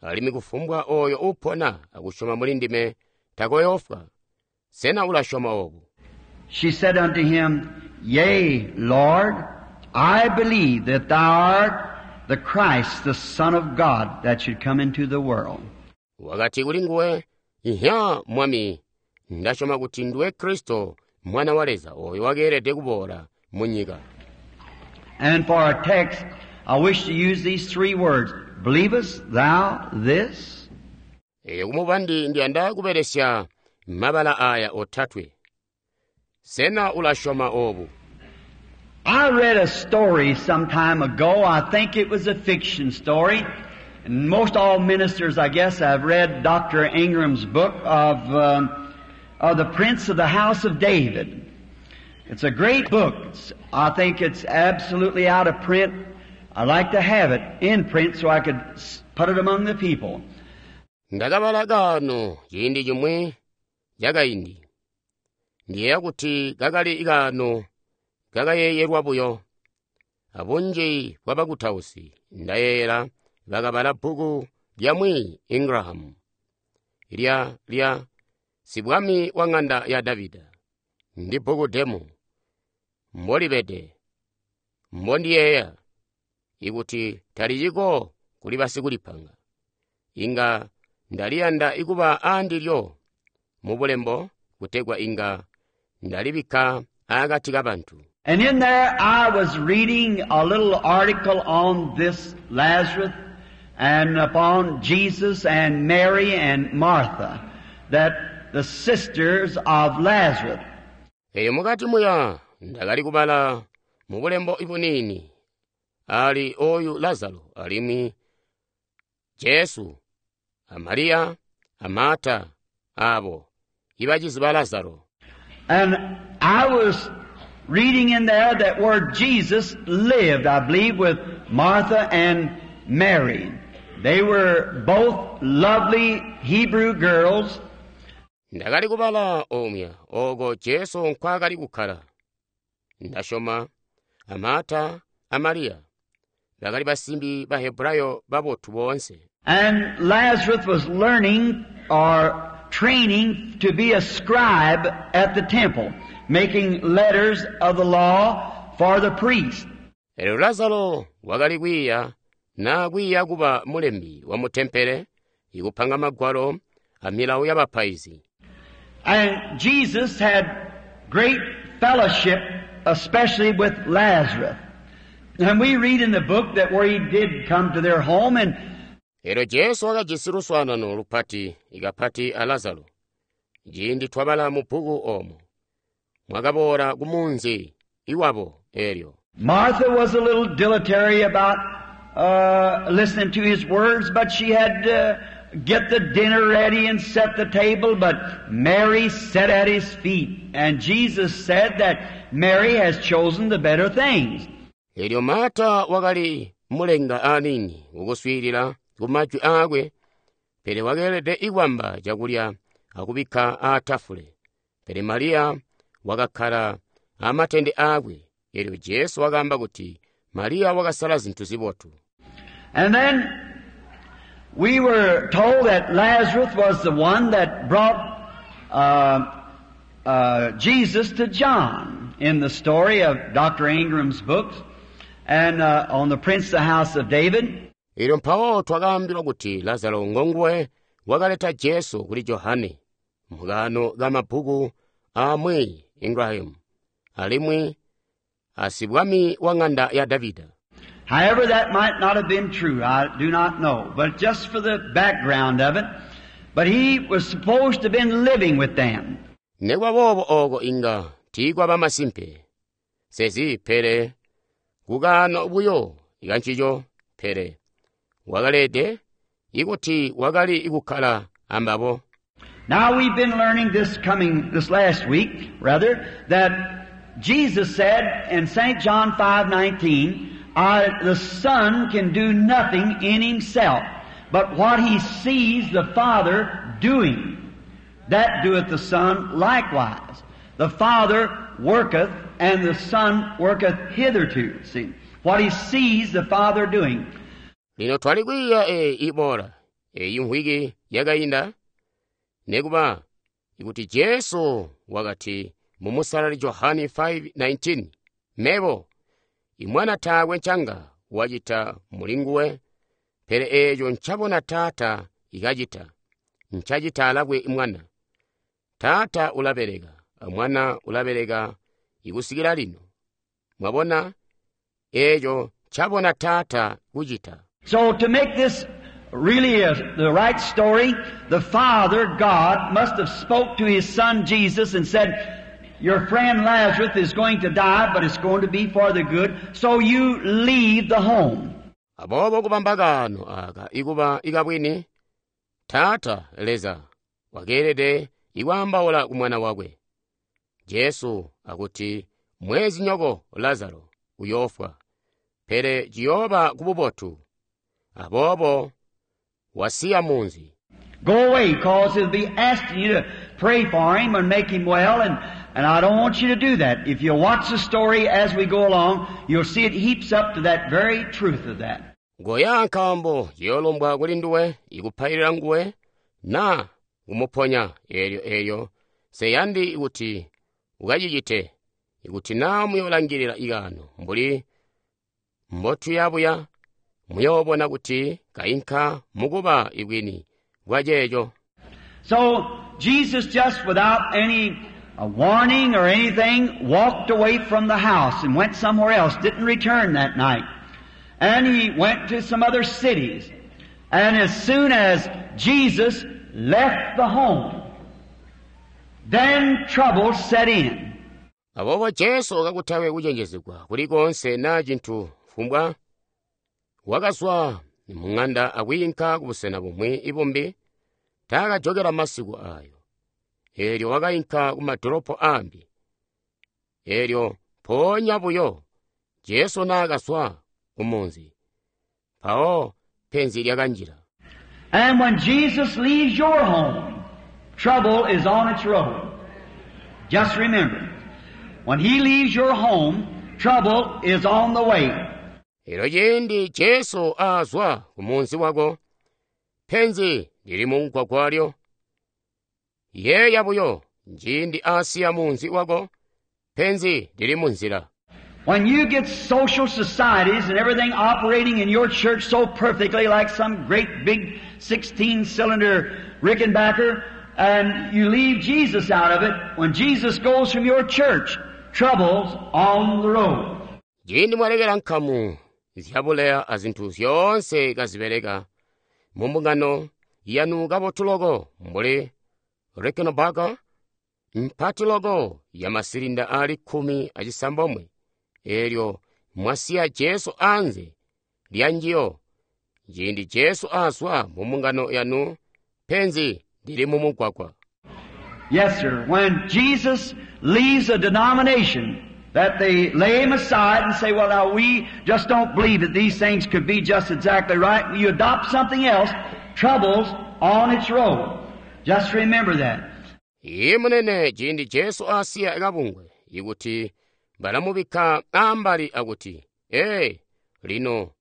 Alimwi kufumbwa oyo upona akusyoma muli ndime takoyoofwa. Sena ulasyoma obu? She said unto him, Yea, Lord, I believe that thou art the Christ, the Son of God, that should come into the world. Wakati kuli nguwe, Ihya, Mwami, ndasyoma kuti nduwe Kristo, Mwana wa Leza, oyo wakeelede kuboola mu nyika. And for our text, I wish to use these three words. Believest thou this? Eyo kumubandi ndiyanda kubelesya mabala aya otatwe. Sena ulasyoma obu? I read a story some time ago. I think it was a fiction story. And most all ministers, I guess, have read Doctor Ingram's book of, um, of the Prince of the House of David. It's a great book. It's, I think it's absolutely out of print. I'd like to have it in print so I could s- put it among the people. Ndakabala kaano ciindi cimwi cakaindi. Ndiyeeya kuti kakali kaano kakayeeyelwa buyo. Abunji bwabakutausi ndayeeyela bakabala bbuku lya Mwi Ingraham lya lya Sibwami wa ng'anda ya Davida. Ndi bbuku demu mbolibede mbondiyeeya ikuti taliciko kuli basikulipanga. Inga ndaliyanda ikuba aandilyo mu bulembo kutegwa inga ndalibikka akati kabantu. And in there I was reading a little article on this Lazarus and upon Jesus and Mary and Martha, that the sisters of Lazarus. Eyo mukati muya ndakali kubala mu bulembo ibuniini ali oyu Lazaro alimwi Jesu a Mariya a Marta abo ibacizi ba Lazaro. And I was reading in there that where Jesus lived, I believe, with Martha and Mary. They were both lovely Hebrew girls. Ndakali kubala omya oko Jesu nkwaakali kukkala. Ndasyoma a Marta a Mariya bakali basimbi ba Hebrayo babotu boonse. And Lazarus was learning or training to be a scribe at the temple, making letters of the law for the priest. Elyo Lazaro wakali kwiiya naa kwiiya kuba mulembi wa mu tempele, ikupanga magwalo a milawo ya bapaizi. And Jesus had great fellowship, especially with Lazarus. And we read in the book that where he did come to their home, and Elyo Jesu wakajisi luswaanano lupati ikapati a Lazaro. Ciindi twabala mu bbuku oomo, mwakaboola ku munzi iwabo elyo. Martha was a little dilatory about, uh, listening to his words, but she had to get the dinner ready and set the table, but Mary sat at his feet. And Jesus said that Mary has chosen the better things. Elyo Marta wakali mulenga aniini ukuswiilila ku majwi aakwe, pele wakeelede ikwamba cakulya akubikka aatafule. Pele Mariya wakakkala amatende aakwe. Elyo Jesu wakaamba kuti Mariya wakasala zintu zibotu. And then we were told that Lazarus was the one that brought, uh, uh, Jesus to John in the story of Doctor Ingram's books and, uh, on the Prince of the House of David. Elyo mpawo twakaambilwa kuti Lazaro ngonguwe wakaleta Jesu kuli Johane mukaano ka mabbuku amwi Ingraham alimwi asibwami wa ng'anda ya Davida. However, that might not have been true. I do not know. But just for the background of it, but he was supposed to have been living with them. Nekuba boobo ooko inga tiikwaba masimpe. Sezi pele kukaano buyo ikancico pele wakalede ikuti wakali kukkala ambabo. Now we've been learning this coming, this last week, rather, that Jesus said in Saint John five nineteen, I, the Son can do nothing in himself, but what he sees the Father doing, that doeth the Son likewise. The Father worketh, and the Son worketh hitherto. See, what he sees the Father doing. Lino twali kwiiya eyi iboola, eyi mvwiki yakainda, nekuba ikuti Jesu wakati mu Musalali Johani five nineteen, mebo imwana taakwe ncanga wacita mulinguwe, pele eeco ncabona Taata ikacita, ncacita alakwe mwana. Taata ulabeleka, mwana ulabeleka ikusikila lino. Mwabona eeco ncabona Taata kucita. So to make this really a, the right story, the Father, God, must have spoke to His Son Jesus and said, your friend Lazarus is going to die, but it's going to be for the good, so you leave the home. Aboobo kubamba kaano aka ikuba ikabwini, Taata Leza wakeelede ikwaambaula ku mwana wakwe Jesu akuti mwezinyoko Lazaro uyoofwa, pele ciyooba kububotu. Aboobo wasiya munzi. Go away, cause he'll be asking you to pray for him and make him well, and, and I don't want you to do that. If you watch the story as we go along, you'll see it heaps up to that very truth of that. Ngoya nkaambo ciyoolombwa kuli nduwe ikupailila nguwe na kumuponya eelyo eelyo nseyandi kuti ukacicite ikuti naa muyoolangilila ikaano mbuli mbotuyabuya muyoobona kuti kainka mukuba ibwini bwa ceeco. So Jesus, just without any a warning or anything, walked away from the house and went somewhere else, didn't return that night. And he went to some other cities. And as soon as Jesus left the home, then trouble set in. Aboobo Jesu kakutakwe kucenjezegwa kulikonse naa cintu fumbwa wakazwa mung'anda akwiinka kubusena bumwi ibumbi, taakajokela masiku ayo. Eelyo wakainka kumadolopo ambi. Eelyo mpoonya buyo Jesu naakazwa kumunzi, mpawo penzi lyakanjila. And when Jesus leaves your home, trouble is on its road. Just remember, when He leaves your home, trouble is on the way. Eelyo ciindi Jesu aazwa kumunzi wako, penzi lili mumugwagwa. Yeeya buyo, ciindi aasiya munzi wako, penzi lili munzila. When you get social societies and everything operating in your church so perfectly like some great big sixteen-cylinder Rickenbacker, and you leave Jesus out of it, when Jesus goes from your church, trouble's on the road. Ciindi mwalekela nkamu zyabuleya azinthu zyoonse kazibeleka mu mbungano yanu kabotu loko mbuli Rickenbacker mpati loko ya masilinda ali khumi acisambomwe, eelyo mwasiya Jesu anze lya njiyo. Ciindi Jesu azwa mu mbungano yanu, penzi lili mu mugwagwa. Yes, sir. When Jesus leaves a denomination, that they lay him aside and say, well, now we just don't believe that these things could be just exactly right. You adopt something else, trouble's on its road. Just remember that. Iye munene ciindi Jesu asiya kabungwe ikuti balamubikka ambali akuti, ee, lino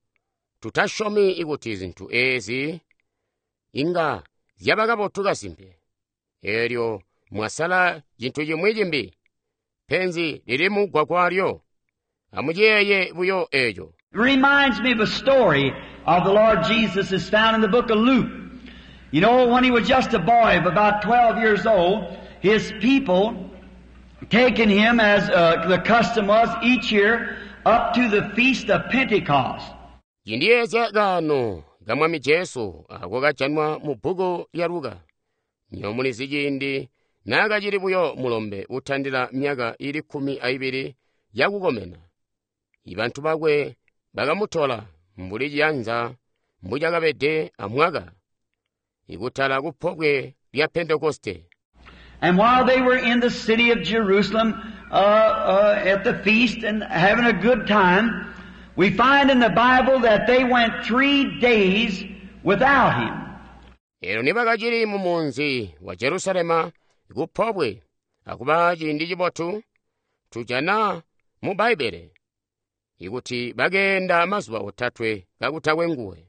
tutasyomi ikuti zinthu ezi inga zyaba kabotu kasimpe. Eelyo mwasala cintu cimwi cimbi, penzi lili mugwagwalyo. Amuciyeeye buyo eeco. It reminds me of a story of the Lord Jesus is found in the book of Luke. You know, when he was just a boy of about twelve years old, his people taking him, as, uh, the custom was each year, up to the feast of Pentecost. Cindiyezya kaano ka Mwami Jesu ako kajanwa mu bbuku lya Luka. Nyomulizi ciindi naakacili buyo mulombe utandila myaka ili kkumi aibili yakukomena, ibantu bakwe bakamutola mbuli ciyanza mbucakabede amwaka ikutala kupobwe lya Pentekoste. And while they were in the city of Jerusalem, uh, uh, at the feast and having a good time, we find in the Bible that they went three days without him. Eelyo nibakacili mu munzi wa Jerusalema kupobwe akuba ciindi cibotu, tujana mu Bbaibbele ikuti bakeenda mazuba otatwe kakutakwe nguwe.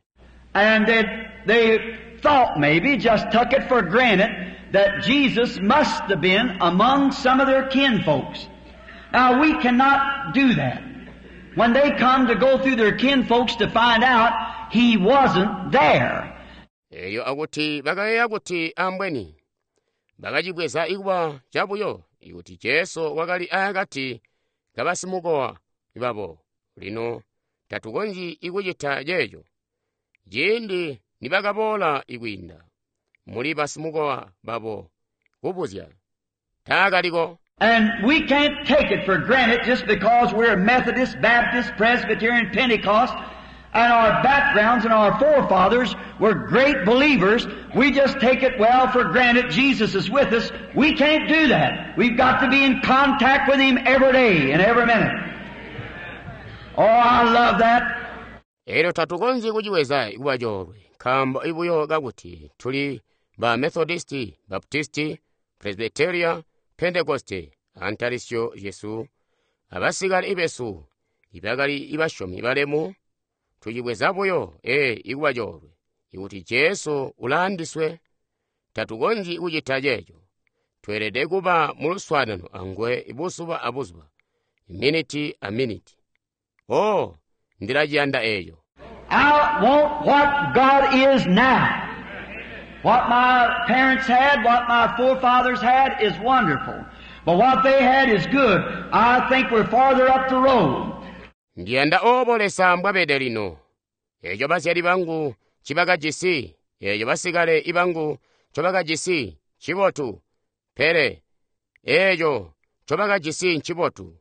And they, they thought maybe, just took it for granted, that Jesus must have been among some of their kinfolks. Now we cannot do that. When they come to go through their kinfolks to find out, he wasn't there. Eelyo akuti bakayeeya kuti ambweni bakacibweza ikuba cabuyo ikuti Jesu wakali akati kabasimukowa babo. Lino tatukonzyi ikucita ceeco. Ciindi nibakaboola ikwiinda muli basimukowa babo kubuzya taakaliko. And we can't take it for granted just because we're Methodist, Baptist, Presbyterian, Pentecost, and our backgrounds and our forefathers were great believers. We just take it well for granted Jesus is with us. We can't do that. We've got to be in contact with Him every day and every minute. Oh, I love that. Elyo tatukonzyi kuciweza kuba coolwe nkaambo ibuyo kakuti tuli ba Methodisti, Baptisti, Presbyteria, Pentekoste, antalisyo zyesu abasikale besu ibakali ibasyomi balemu tucibweza buyo ee ikuba coolwe ikuti Jesu ulaandiswe. Tatukonzyi kucita ceeco. Tweelede kuba mu luswaanano anguwe buzuba abuzuba, miniti a miniti. Oh, ndilaciyanda eeco. I want what God is now. What my parents had, what my forefathers had is wonderful. But what they had is good. I think we're farther up the road. Ndiyanda obo Leza mbwabede lino. Eeco bazyali bangu ncibakajisi, eeco basikale ibangu ncobakajisi ncibotu. Pele eeco ncobakajisi ncibotu.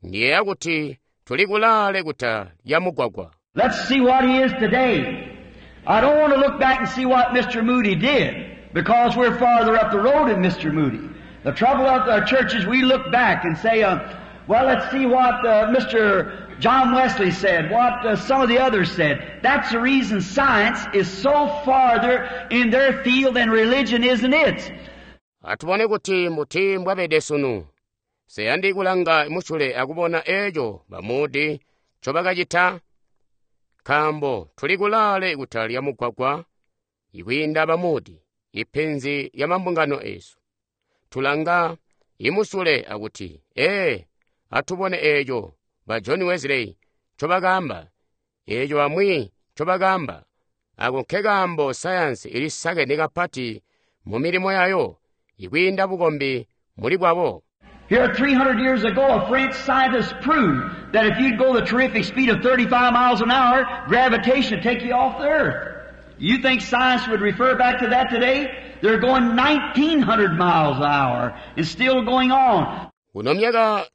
Ndiyeeya kuti tuli kulaale kuta lya mugwagwa. Let's see what He is today. I don't want to look back and see what Mister Moody did, because we're farther up the road than Mister Moody. The trouble with our churches, we look back and say, uh, well, let's see what, uh, Mister John Wesley said, what, uh, some of the others said. That's the reason science is so farther in their field than religion is in its. Atubone kuti mbuti mbwabede sunu. Seyandi kulanga musyule akubona eeco ba Moody ncobakacita, nkaambo tuli kulaale kuta lya mugwagwa ikwiinda ba Moody, ipenzi lya mambungano eesu. Tulanga imusyule akuti, ee, atubone eeco ba John Wesley ncobakaamba, eeco bamwi ncobakaamba. Ako nkekaambo sayansi ilisakene kapati mu milimo yayo ikwiinda bukombi muli bwabo. Here three hundred years ago, a French scientist proved that if you'd go the terrific speed of thirty-five miles an hour, gravitation would take you off the earth. You think science would refer back to that today? They're going nineteen hundred miles an hour and still going on. Kuno myaka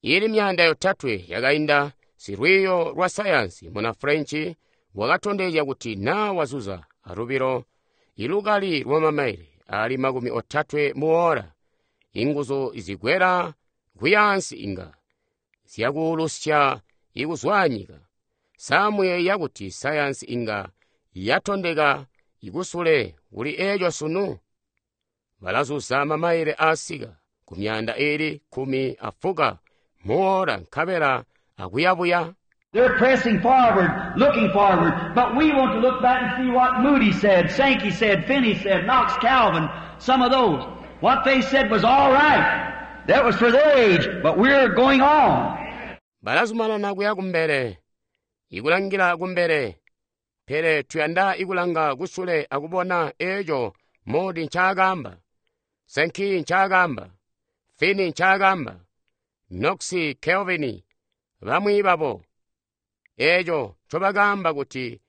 ili myanda yotatwe yakainda, silwiiyo lwa sayansi muna French wakatondezya kuti naa wazuza alubilo ilukali lwa mamaile ali makumi otatwe mu ora, inguzu zigwera kuyansi inga zyakuulusya ikuzwanyika. Samuyeeya kuti sayansi inga yatondeka ikusule kuli eeco sunu. Balazuza mamaile asika ku myanda ili kumi afuka mu ora nkabela akuyabuya. They're pressing forward, looking forward, but we want to look back and see what Moody said, Sankey said, Finney said, Knox, Calvin, some of those. What they said was all right. That was for their age, but we're going on. Balazumanana kuya kumbele, ikulangila kumbele, pele tuyanda ikulanga kusule akubona eeco Moody ncaakamba, Sankey ncaakamba, Finney ncaakamba, Knox, Calvin, bamwi babo. Eeco ncobakaamba kuti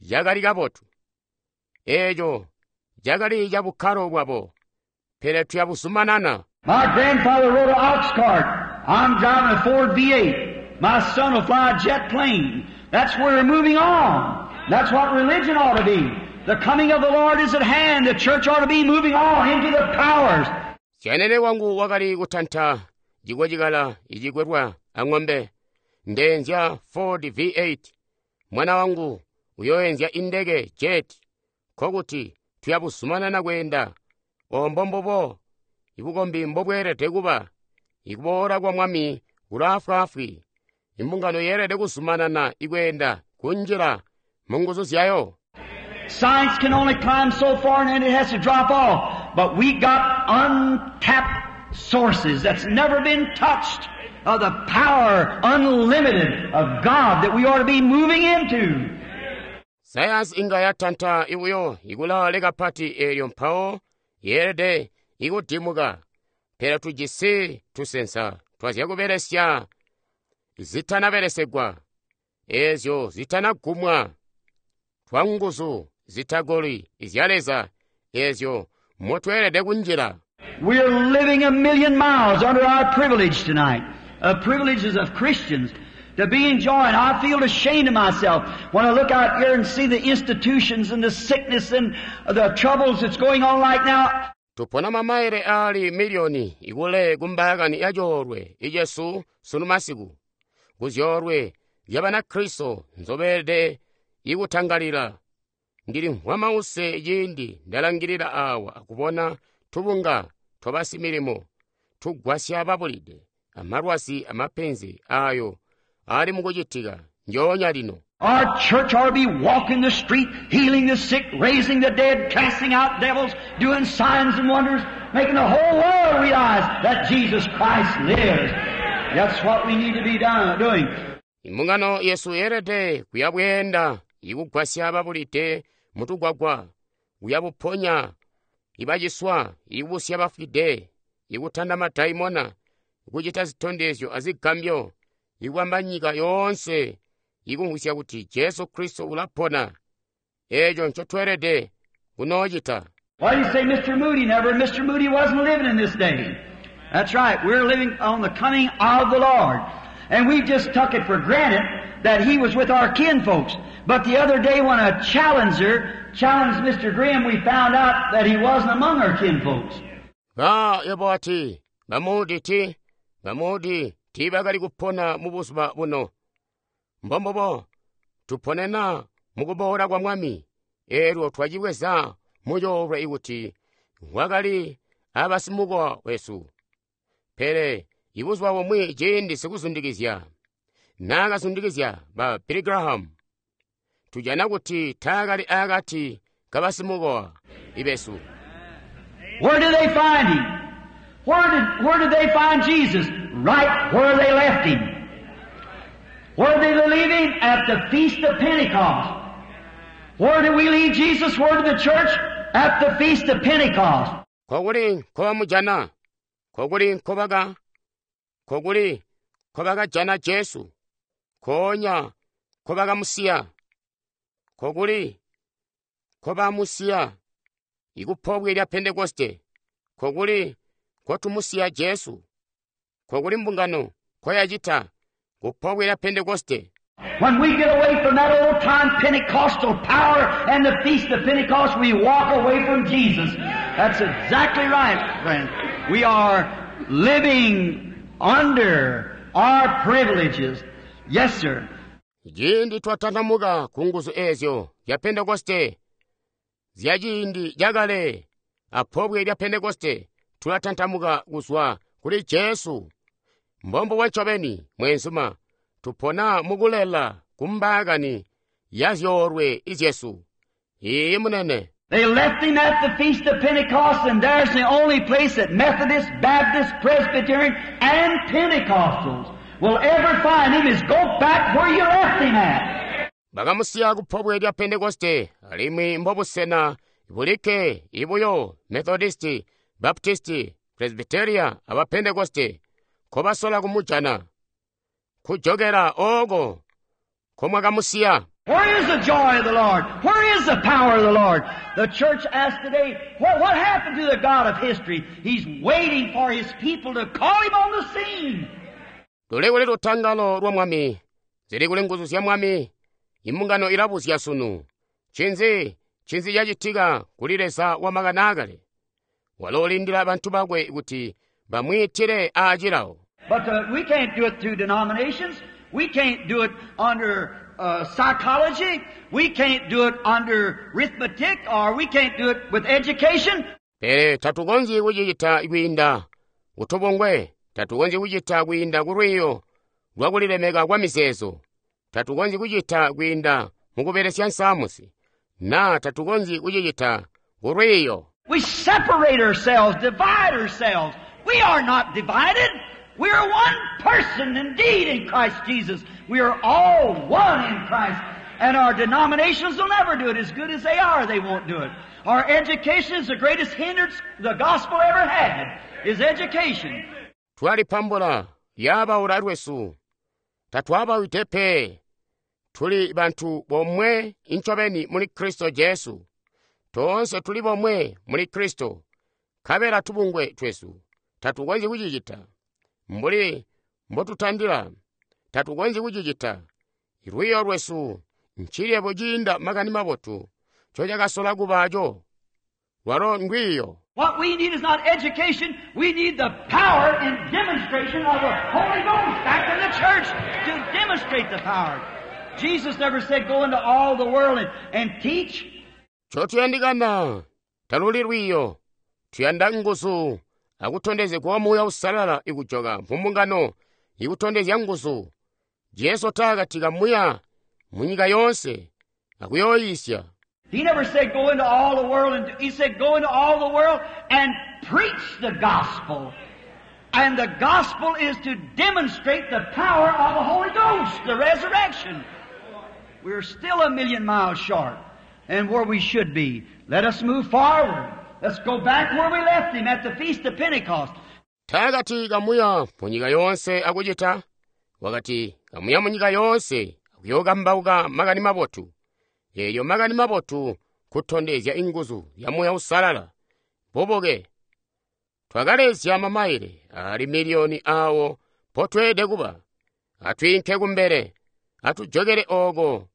cakali kabotu. Eeco cakali cabukkalo bwabo, pele tuyabuzumanana. My grandfather rode an ox cart. I'm driving a Ford V eight. My son will fly a jet plane. That's where we're moving on. That's what religion ought to be. The coming of the Lord is at hand. The church ought to be moving on into the powers. Syanene wangu wakali kutanta cikwecikala icikwelwa ang'ombe. Ndeenzya Ford V eight. Mwana wangu uyoenzya indeke jet. Nkokuti tuyabuzumanana kweenda. Ombo mbubo ibukombi mbobweelede kuba. Ikuboola kwa Mwami kulaafwaafwi. Imbungano yeelede kuzumanana ikweenda kunjila mu nguzu zyayo. Science can only climb so far and then it has to drop off. But we got untapped sources that's never been touched of the power unlimited of God that we ought to be moving into. Sayansi inga yatanta ibuyo ikulaale kapati eelyo mpawo yeelede ikudimuka. Pele tujisi tusensa twazyakubelesya zitanabelesegwa, eezyo zitanagumwa, twa nguzu zitagoli zya Leza ezyo motweelede kunjila. We're living a million miles under our privilege tonight, the privileges of Christians, to be enjoying. I feel ashamed of myself when I look out here and see the institutions and the sickness and the troubles that's going on right now. Tupona mamaile ali miliyoni ikule kumbaakani ya coolwe icesu sunu masiku, ku zyoolwe zya Banakristo nzobeelede ikutangalila. Ndilimvwa mause ciindi ndalangilila awa akubona tubunga twabasimilimo tugwasya babulide, amalwazi amapenzi ayo ali mukucitika njoonya lino. Our church ought to be walking the street, healing the sick, raising the dead, casting out devils, doing signs and wonders, making the whole world realize that Jesus Christ lives. That's what we need to be done, doing. Imbungano yesu yeelede kuyabweenda ikugwasya babulide mutugwagwa, kuyabuponya ibaciswa, ikubusya bafwide, ikutanda madaimona, ikucita zitondezyo azigambyo, ikubamba nyika yoonse ikumvwisya kuti Jesu Kristo ulapona. Eeco ncotweelede kunoocita. Why do you say Mister Moody never? Mister Moody wasn't living in this day. That's right. We're living on the coming of the Lord. And we just took it for granted that he was with our kinfolks. But the other day when a challenger challenged Mister Graham, we found out that he wasn't among our kinfolks. Ba yebo ati, ba Moody ti, ba Moody tiibakali kupona mu buzuba buno. Mbombobo, tuponena mukuboola kwa Mwami, eelyo twacibweza mucoolwe ikuti wakali abasimukowa wesu. Pele ibuzuba bumwi ciindi sikuzundikizya naakazundikizya ba Billy Graham, tujana kuti taakali akati kabasimukowa ibesu. Where did they find him? Where did, where did they find Jesus? Right where they left him. Where did they leave him? At the Feast of Pentecost. Where did we leave Jesus? Where did the church? At the Feast of Pentecost. Kokuli nkobamujana, kokuli nkobaka, kokuli nkobakajana Jesu, nkoonya nkobakamusiya, kokuli nkobamusiya ikupobwe lya Pentekoste, kokuli nkotumusiya Jesu, kokuli mbungano nkoyacita kupobwe lya Pentekoste. When we get away from that old time Pentecostal power and the Feast of Pentecost, we walk away from Jesus. That's exactly right, friend. We are living under our privileges. Yes, sir. Ciindi twatantamuka ku nguzu ezyo zya Pentekoste, zya ciindi cakale apobwe lya Pentekoste, tulatantamuka kuzwa kuli Jesu. Mbombo wa ncobeni, mweenzuma, tupona mukulela kumbaakani ya zyoolwe izyesu. Iiyi munene. They left him at the Feast of Pentecost, and there's the only place that Methodists, Baptists, Presbyterian, and Pentecostals will ever find him is go back where you left him at. Bakamusiya kupobwe lya Pentekoste, alimwi mbobusena bulikke ibuyo Methodisti, Baptisti, Presbyteria aba Pentekoste nkobasola kumujana. Kujokela oko nkomwakamusiya. Where is the joy of the Lord? Where is the power of the Lord? The church asks today, what, what happened to the God of history? He's waiting for his people to call him on the scene. Luli kuli lutangalo lwa Mwami, zili kuli nguzu zya Mwami, imbungano ilabuzya sunu. Ncinzi, ncinzi cacitika kuli Leza wa makani aakale? Walo ulindila bantu bakwe kuti bamwiitile aacilawo. But, uh, we can't do it through denominations. We can't do it under, uh, psychology. We can't do it under arithmetic, or we can't do it with education. Pele tatukonzyi kucicita kwiinda kutubungwe, tatukonzyi kucita kwiinda kulwiiyo lwakulilemeka kwa mizeezo, tatukonzyi kucita kwiinda mukubelesya nsamusi, na tatukonzyi kucicita kulwiiyo. We separate ourselves, divide ourselves. We are not divided. We are one person indeed in Christ Jesus. We are all one in Christ. And our denominations will never do it. As good as they are, they won't do it. Our education is the greatest hindrance the gospel ever had, is education. Twalipambula lyabaula lwesu. Tatwabawide pe. Tuli bantu bomwe incobeni muli Kristo Jesu. Toonse tuli bomwe muli Kristo. Nkabela tubungwe twesu tatukonzyi kucicita. Mbuli mbotutandila, tatukonzyi kucicita. Lwiiyo lwesu ncilebo ciinda makani mabotu ncocakasola kubaaco. Lwalo ndwiiyo. What we need is not education. We need the power and demonstration of the Holy Ghost back in the church to demonstrate the power. Jesus never said go into all the world and, and teach. Ncotuyandikana taluli lwiiyo. Tuyanda nguzu akutondezegwa Muuya Uusalala ikujoka mu mbungano ikutondezya nguzu. Jesu taakati kamuya munyika yoonse akuyooyiisya. He never said go into all the world and he said go into all the world and preach the gospel. And the gospel is to demonstrate the power of the Holy Ghost, the resurrection. We're still a million miles short and where we should be. Let us move forward. Let's go back where we left him at the Feast of Pentecost. Taakati kamuya munyika yoonse akucita, wakati kamuya munyika yoonse akuyookambauka makani mabotu. Eelyo makani mabotu kutondezya inguzu ya Muuya Uusalala. Bubuke. Twakalezya mamaile ali miliyoni aawo mpotweelede kuba. Atwiinke kumbele, atujokele ooko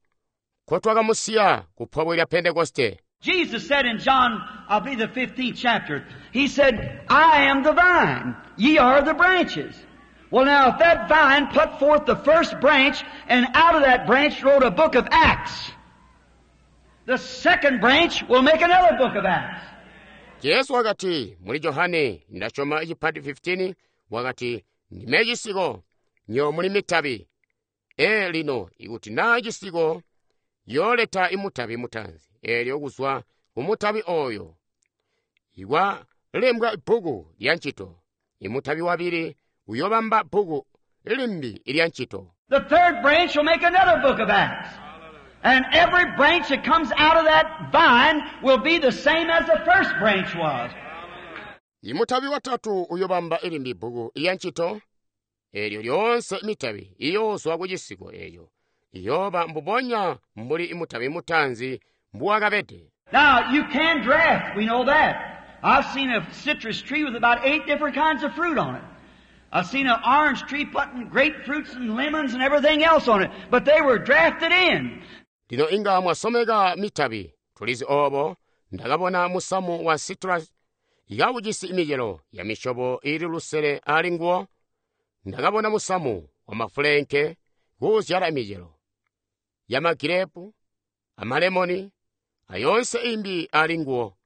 nkotwakamusiya ku pobwe lya Pentekoste. Jesus said in John, I'll be the fifteenth chapter, He said, I am the vine, ye are the branches. Well now, if that vine put forth the first branch, and out of that branch wrote a book of Acts, the second branch will make another book of Acts. Jesu wakati muli Johane ndasyoma icipati fifteen wakati ndime cisiko nyo muli mitabi. E lino ikuti naa cisiko yooleta imutabi mutaanzi eelyo kuzwa ku mutabi oyo ikwalembwa bbuku lya ncito. Imutabi wabili uyobamba bbuku limbi lya ncito. The third branch will make another book of Acts. And every branch that comes out of that vine will be the same as the first branch was. Imutabi watatu uyobamba ilimbi bbuku lya ncito. Eelyo lyoonse mitabi iyoozwa ku cisiko eeyo iyooba mbubonya mbuli imutabi mutaanzi mbuwakabede. Now, you can draft, we know that. I've seen a citrus tree with about eight different kinds of fruit on it. I've seen an orange tree putting grapefruits and lemons and everything else on it, but they were drafted in. Lino inga mwasomeka mitabi, tulizi obo, ndakabona musamu wa citrus ikawujisi imicelo ya misyobo ili lusele ali nguwo. Ndakabona musamu wa mafulenke kuuzyala imicelo ya magirepu, amalemoni, ayonse imbi ali nguwo,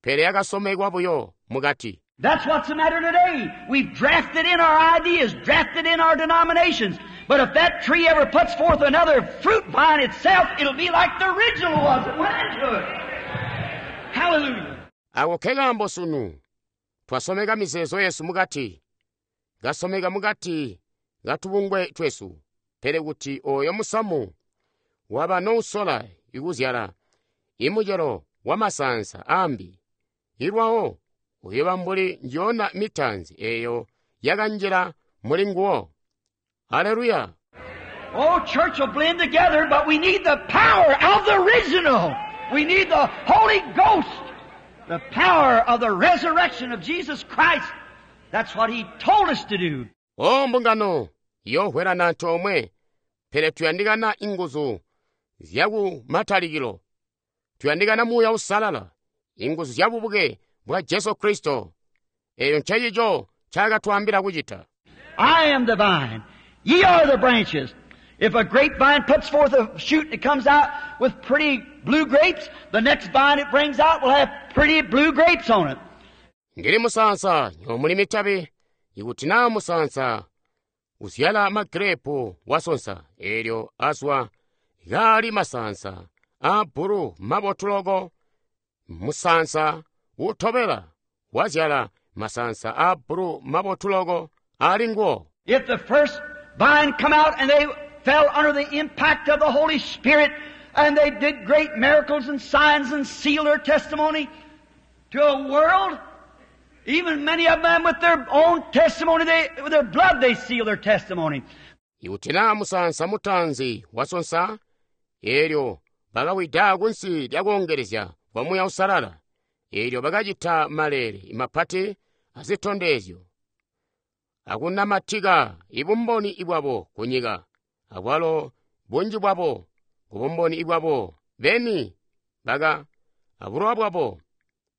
pele yakasomekwa buyo mukati. That's what's the matter today. We've drafted in our ideas, drafted in our denominations. But if that tree ever puts forth another fruit vine itself, it'll be like the original was that went into it. Hallelujah. Ako kekambo sunu, twasomeka mizeezo yesu mukati, kasomeka mukati katubungwe twesu, pele kuti oyo musamu waba nousola ikuzyala imucelo wa masansa ambi, ilwawo uyoba mbuli njona mitanzi eyo yakanjila muli nguwo. Haleluya. Oh, church will blend together, but we need the power of the original. We need the Holy Ghost, the power of the resurrection of Jesus Christ. That's what He told us to do. O mbungano yohwelana antoomwe, pele tuyandikana inguzu zyakumatalikilo. Tuyandikana Muuya Uusalala, inguzu zya bubuke bwa Jesu Kristo. Eyo ncencico ncaakatwaambila kucita. I am the vine. Ye are the branches. If a grapevine puts forth a shoot and it comes out with pretty blue grapes, the next vine it brings out will have pretty blue grapes on it. Ndili musansa nyomuli mitabi, ikuti naa musansa uzyala magirepu wasonsa, eelyo azwa kaali masansa a bbulu mabotu loko. Musansa utobela wazyala masansa a bbulu mabotu loko ali nguwo. If the first vine come out and they fell under the impact of the Holy Spirit and they did great miracles and signs and sealed their testimony to a world, even many of them with their own testimony, they, with their blood they seal their testimony. Ikuti naa musansa mutanzi wasonsa Eelyo bakawida kunsi lya koongelezya kwa Muuya Uusalala. Eelyo bakacita maleele mapati azitondezyo akunamatika ibumboni bwabo kunyika, abwalo bunji bwabo kubumboni bwabo beni baka abulowa bwabo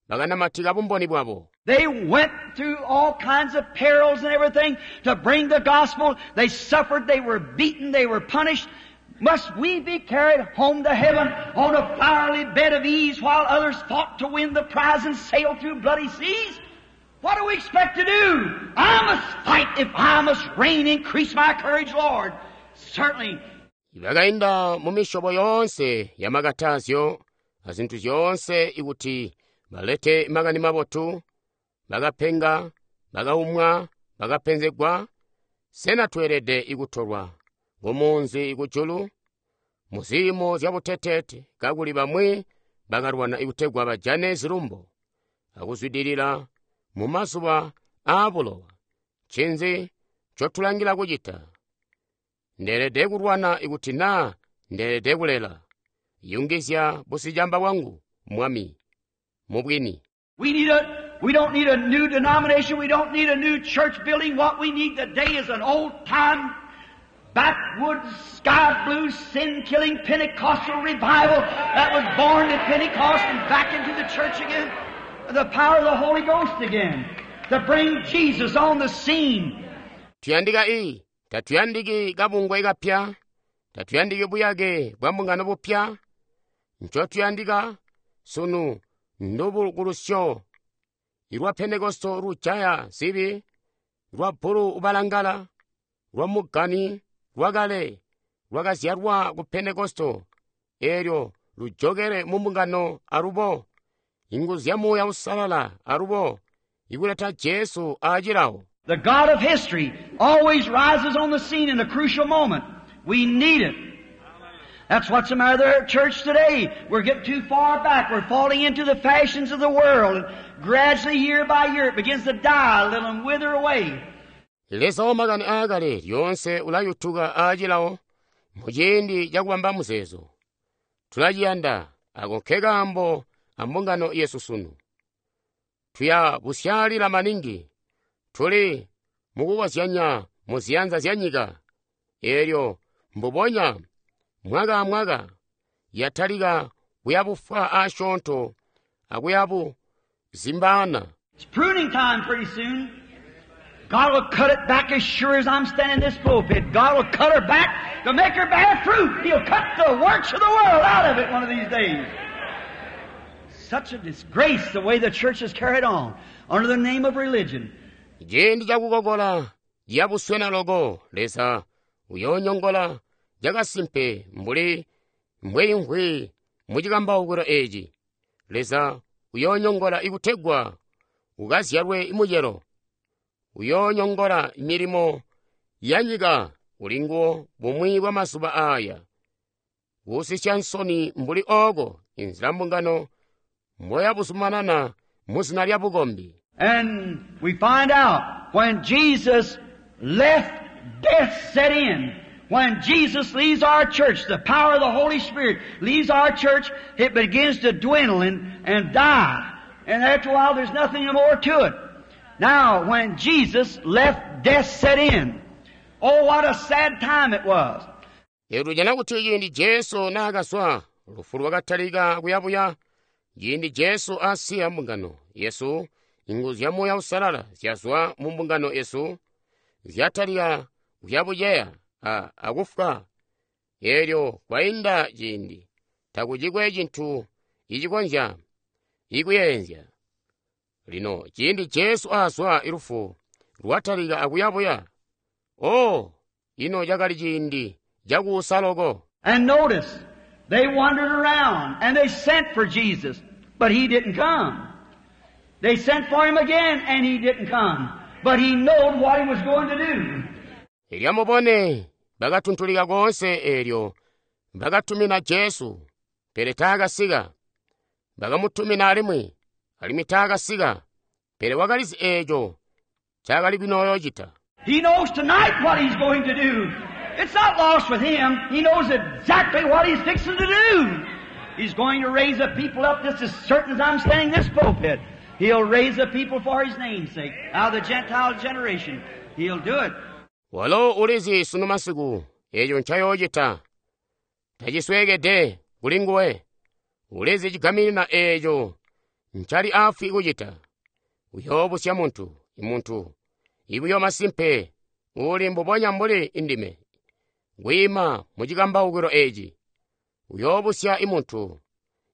bakanamatika bumboni bwabo. They went through all kinds of perils and everything to bring the gospel. They suffered, they were beaten, they were punished. Must we be carried home to heaven on a flowery bed of ease while others fought to win the prize and sail through bloody seas? What do we expect to do? I must fight if I must reign. Increase my courage, Lord. Certainly. Bakainda mu misyobo yoonse ya makatazyo azintu zyoonse ikuti balete makani mabotu, bakapenga, bakaumwa, bakapenzegwa. Sena tweelede ikutolwa kumunzi kujulu mu ziimo zya buteteete, kakuli bamwi bakalwana ikutegwa bajane zilumbo akuzwidilila mu mazuba aabulowa? Ncinzi ncotulangila kucita? Ndeelede kulwana ikuti naa ndeelede kulela. Yungizya busicamba bwangu, Mwami, mubwini. We need a, we don't need a new denomination. We don't need a new church building. What we need today is an old time, backwoods, sky blue, sin-killing Pentecostal revival that was born at Pentecost and back into the church again. The power of the Holy Ghost again. To bring Jesus on the scene. Tuyandika i, tatuyandiki kabungwe kapya, tatuyandiki buyake bwa mbungano bupya. Ncotuyandika sunu ndubukulusyo lwa Pentekosto lujaya zibi, lwa bbulu ubalangala, lwa mugani lwakale lwakazyalwa ku Pentekosto, eelyo lujokele mu mbungano alubo, inguzu zya Muuya Uusalala alubo, ikuleta Jesu aacilawo. The God of history always rises on the scene in a crucial moment. We need it. That's what's the matter with our church today. We're getting too far back. We're falling into the fashions of the world. And gradually, year by year, it begins to die a little and wither away. Leza wa makani aakale lyoonse ulayutuka aacilawo muciindi cakubamba muzeezo. Tulaciyanda ako nke kaambo ambungano yesu sunu. Tuya busyaalila maningi. Tuli mukukozyanya mu ziyanza zya nyika. Eelyo mbubonya mwaka amwaka yatalika kuyabufwa asyoonto akuyabuzimbaana. It's pruning time pretty soon. God will cut it back as sure as I'm standing in this pulpit. God will cut her back to make her bear fruit. He'll cut the works of the world out of it one of these days. Such a disgrace the way the church is carried on under the name of religion. Ciindi cakukokola yabuswena loko, Leza uyoonyongola cakasimpe mbuli mbweimvwi mucikambaukilo eeci. Leza uyoonyongola ikutegwa ukazyalwe mucelo. Uyoonyongola milimo ya nyika ulinguwo bumwi bwa mazuba aaya. Kuusisya nsoni mbuli ooko inzila mbungano mboyabuzumanana muzina lya bukombi. And we find out when Jesus left, death set in. When Jesus leaves our church, the power of the Holy Spirit leaves our church, it begins to dwindle and, and die. And after a while, there's nothing more to it. Now, when Jesus left, death set in. Oh, what a sad time it was. Lero tujana kuti ciindi Jesu naakazwa, lufu lwakatalika kuyabuya. Ciindi Jesu asiya mbungano yesu, inguzu zya Muuya Uusalala zyazwa mu mbungano yesu, zyatalika kuyabuceya a akufwa. Eelyo kwainda ciindi, takucikwe cintu icikonzya ikuyeenzya. Lino ciindi Jesu azwa, lufu lwatalika akuyabuya. Oh, ino cakali ciindi cakuusa loko. And notice, they wandered around and they sent for Jesus, but He didn't come. They sent for Him again and He didn't come. But He knowed what He was going to do. Elyo mubone bakatuntulika koonse eelyo bakatumina Jesu, pele taakasika. Bakamutumina alimwi, alimwi taakasika. Pele wakalizi eeco ncaakali kunoocita. He knows tonight what He's going to do. It's not lost with him. He knows exactly what he's fixing to do. He's going to raise a people up just as certain as I'm standing in this pulpit. He'll raise a people for his name's sake, out of the Gentile generation. He'll do it. Walo ulizi sunu masiku eco ncayoocita. Tacisweekede kuli nguwe. Ulizi cigaminina eco ncali afwi kucita. Uyoobusya muntu, imuntu, ibuyo masimpe, uli mbubonya mbuli indime. Kwiima mu cikambaukilo eci. Uyoobusya imuntu,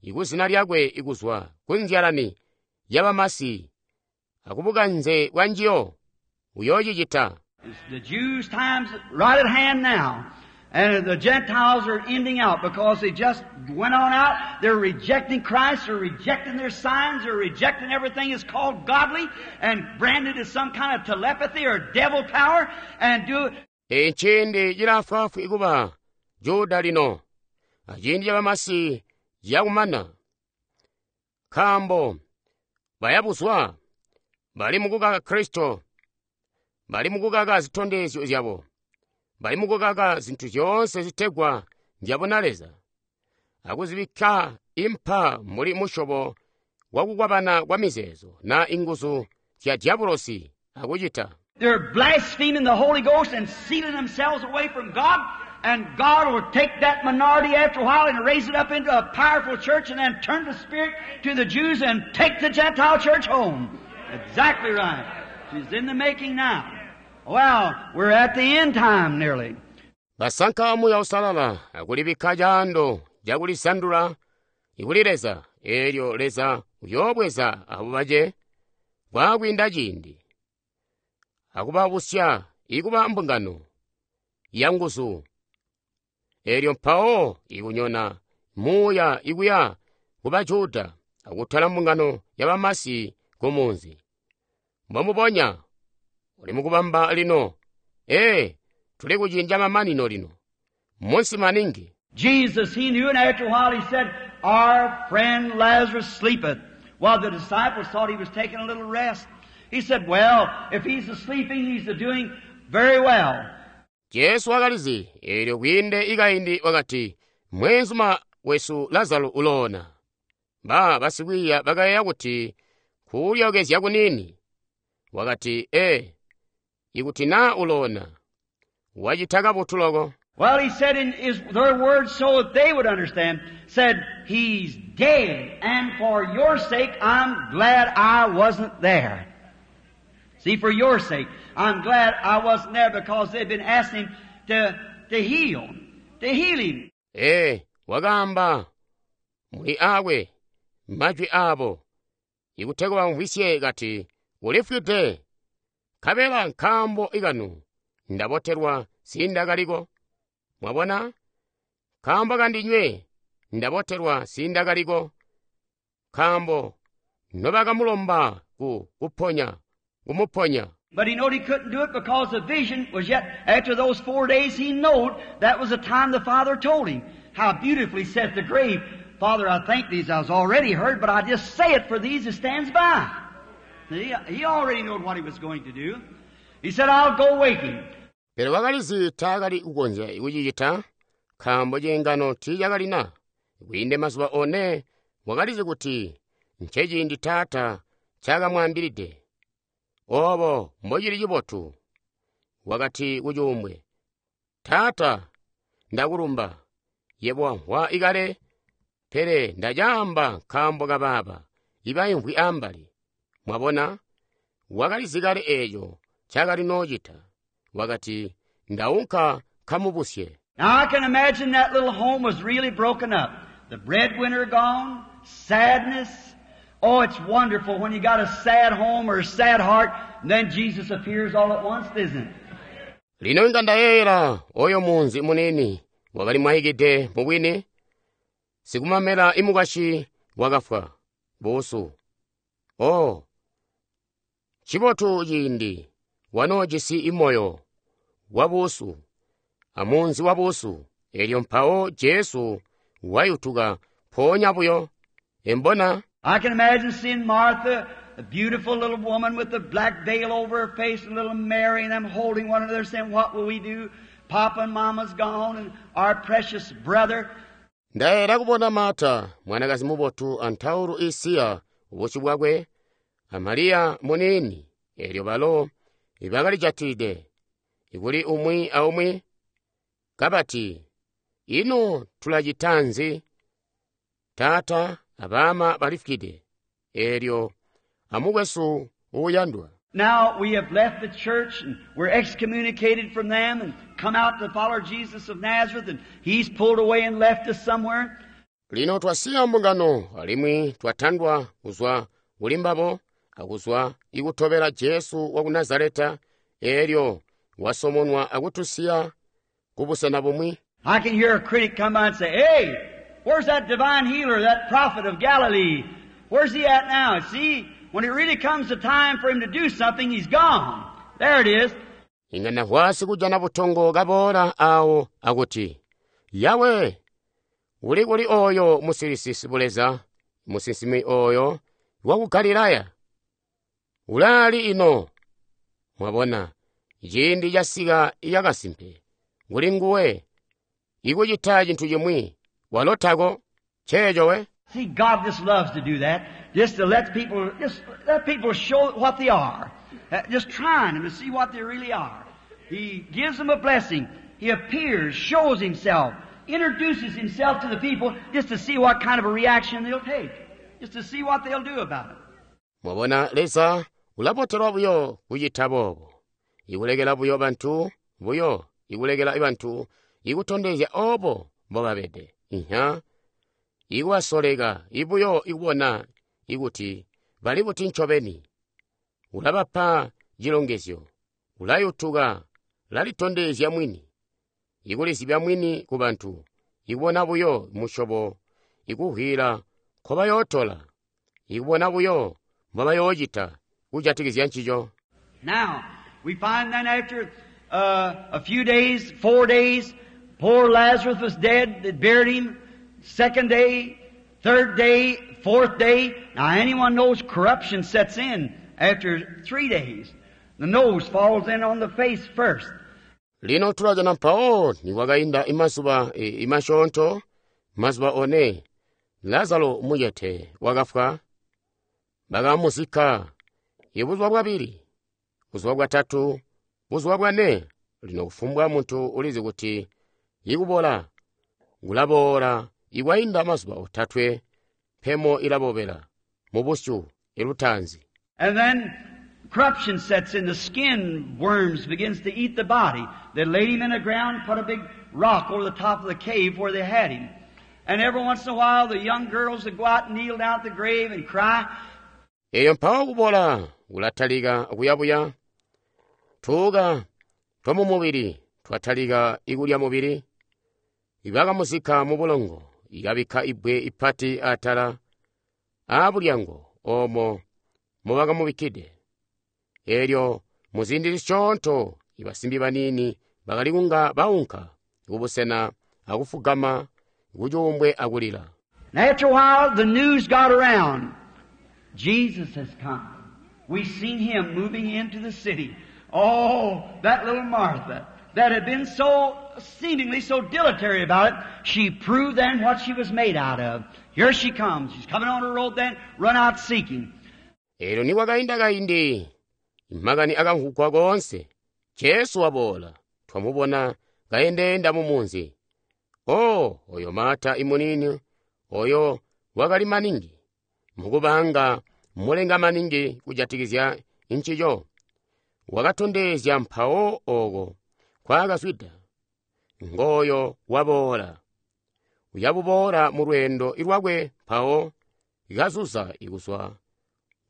ikuzina lyakwe ikuzwa kunzyalani yabamasi, akubukanze bwa njiyo, uyoocicita. It's the Jews' time's right at hand now. And the Gentiles are ending out because they just went on out. They're rejecting Christ. They're rejecting their signs. They're rejecting everything that's called godly and branded as some kind of telepathy or devil power and do Eciindi cilaafwaafwi kuba Juda lino, aciindi cabamasi ciyakumana. Nkaambo bayabuzwa, bali mukukaka Kristo, bali mukukaka zitondezyo zyabo, bali mukukaka zintu zyoonse zitegwa nzyabona Leza, akuzibikka impa muli musyobo wakukwabana kwa mizeezo na inguzu zya diabolosi akucita. They're blaspheming the Holy Ghost and sealing themselves away from God. And God will take that minority after a while and raise it up into a powerful church and then turn the Spirit to the Jews and take the Gentile church home. Exactly right. She's in the making now. Well, we're at the end time nearly. Basanka Muuya Uusalala akulibikka caando cakulisandula ikuli Leza, eelyo Leza uyoobweza abo bace kwaakwiinda ciindi, akubabusya ikuba mbungano yanguzu. Eelyo mpawo ikunyona muuya ikuya kuba Juda akutwala mbungano yabamasi kumunzi. Mbomubonya uli mukubamba lino. Ee, tuli kuciindi camamanino lino. Munsi maningi. Jesus, he knew, and after a while he said, Our friend Lazarus sleepeth. While the disciples thought he was taking a little rest. He said, Well, if he's a-sleeping, he's a-doing very well. Jesu wakalizi, eelyo kwiinde ikaindi wakati, Mweenzuma wesu Lazaro uloona. Ba basikwiiya bakayeeya kuti kulyookezya kuniini. Wakati, Ee, ikuti naa uloona, wacita kabotu loko. Well, he said in his, their words so that they would understand, said, He's dead, and for your sake I'm glad I wasn't there. See, for your sake, I'm glad I wasn't there because they'd been asking him to, to heal, to heal him. Ee, wakaamba muli aakwe majwi aabo, ikutegwa bamvwisye kati, Ulifwide, nkabela nkaambo ikanu ndabotelwa sindakaliko. Mwabona? Nkaambo kandinywe ndabotelwa sindakaliko. Nkaambo nobakamulomba ku kuponya, kumuponya. But he knowed he couldn't do it because the vision was yet, after those four days, he knowed that was the time the Father told him. How beautifully said the grave, Father, I thank these. I was already heard, but I just say it for these that stands by. He, he already knowed what he was going to do. He said, I'll go wake him. Pele wakalizi taakali kukonzya kucicita, nkaambo ciingano tiicakalina. Kwiinde mazuba one wakalizi kuti nceciindi Taata ncakamwaambilide. Obo mbocili cibotu. Wakati kucuumbwe, Taata, ndakulumba, yebo wamvwa ikale, pele ndacaamba nkaambo kabaaba ibaimvwi ambali. Mwabona, wakalizi kale eeco ncaakali noocita. Wakati, ndaunka nkamubusye. Now I can imagine that little home was really broken up. The breadwinner gone, sadness. Oh, it's wonderful when you got a sad home or a sad heart, and then Jesus appears all at once, isn't it? Lino inga ndayeeyela oyo munzi muniini wakali mwaikide mubwini, sikumamela imukwasyi wakafwa buusu. Oh, ncibotu ciindi wanoojisi imoyo wabuusu amunzi wabuusu, eelyo mpawo Jesu wayutuka mpoonya buyo. Embona? I can imagine seeing Martha, the beautiful little woman with the black veil over her face, and little Mary and them holding one another saying, What will we do? Papa and Mama's gone, and our precious brother. Ndayeera kubona Marta, mwanakazi mubotu antaulu isiya ubusyu bwakwe, a Mariya muniini, eelyo balo ibakalijatide kuli umwi aumwi kabati, ino tulacita nzi? Taata abaama balifwide, eelyo amukwesu uuyandwa. Now we have left the church and we're excommunicated from them and come out to follow Jesus of Nazareth, and he's pulled away and left us somewhere. Lino twasiya mbungano alimwi twatandwa kuzwa kuli mbabo akuzwa ikutobela Jesu waku Nazareta, eelyo wasomonwa akutusiya kubusena bumwi. I can hear a critic come by and say, hey, where's that divine healer, that prophet of Galilee? Where's he at now? See, when it really comes to time for him to do something, he's gone. There it is. Inga nahwasi kujana butongo kaboola awo akuti, Yawe, uli kuli oyo musilisi buleza, musinsimi oyo waku Galilaya? Ulaali ino? Mwabona, ciindi casika yakasimpe, kuli nguwe, ikucita cintu cimwi, walo tako, nceeco we. See, God just loves to do that, just to let people, just let people show what they are. Uh, just trying them to see what they really are. He gives them a blessing. He appears, shows himself, introduces himself to the people just to see what kind of a reaction they'll take, just to see what they'll do about it. Mwabona, Leza ulabotelwa buyo kucita boobo, ikulekela buyo bantu buyo, ikulekela bantu ikutondezya obo mbobabede. Inya, ikubasoleka ibuyo ikubona ikuti bali buti ncobeni. Ulabapa cilongezyo, ulayutuka, lalitondezya mwini, ikulizibya mwini ku bantu, ikubona buyo musyobo, ikuhwila nkobayootola, ikubona buyo mbobayoocita kujatikizya ncico. Now, we find then after, uh, a few days, four days, poor Lazarus was dead. They buried him. Second day, third day, fourth day. Now anyone knows corruption sets in after three days. The nose falls in on the face first. Lino tulajana mpawo nikwakainda imazuba e, imasyoonto, mazuba one, Lazaro mucete wakafwa, bakamuzikka. Ibuzuba bwabili, buzuba bwatatu, buzuba bwane. Lino kufumbwa muntu ulizi kuti ikubola kulaboola ikwainda mazuba otatwe, mpemo ilabobela mubusyu ilutaanzi. And then corruption sets in, the skin worms begins to eat the body. They laid him in the ground, put a big rock over the top of the cave where they had him. And every once in a while the young girls would go out and kneel down at the grave and cry. Eyo mpawo kubola kulatalika kuyabuya, tuuka twamumubili twatalika ikulya mubili. Ibakamuzikka mu bulongo, ikabikka ibbwe ipati atala aabulyango omo mubakamubikkide. Eelyo muziindi zisyoonto ibasimbi baniini bakali kunga baunka kubusena akufugama kucuumbwe akulila. And after a while the news got around. Jesus has come. We've seen him moving into the city. Oh, that little Martha that had been so seemingly so dilatory about it, she proved then what she was made out of. Here she comes. She's coming on her road then, run out seeking. Eelyo nikwakainda kaindi, makani akamvwugwa koonse. Jesu waboola, twamubona kaendeenda mu munzi. Oh, oyo Marta imunini, oyo wakali maningi, mukubanga mulenga maningi kujatikizya ncico. Wakatondezya mpawo oko kwakazwida. Ngoyo waboola. Uyabuboola mu lweendo lwakwe mpawo ikazuza ikuzwa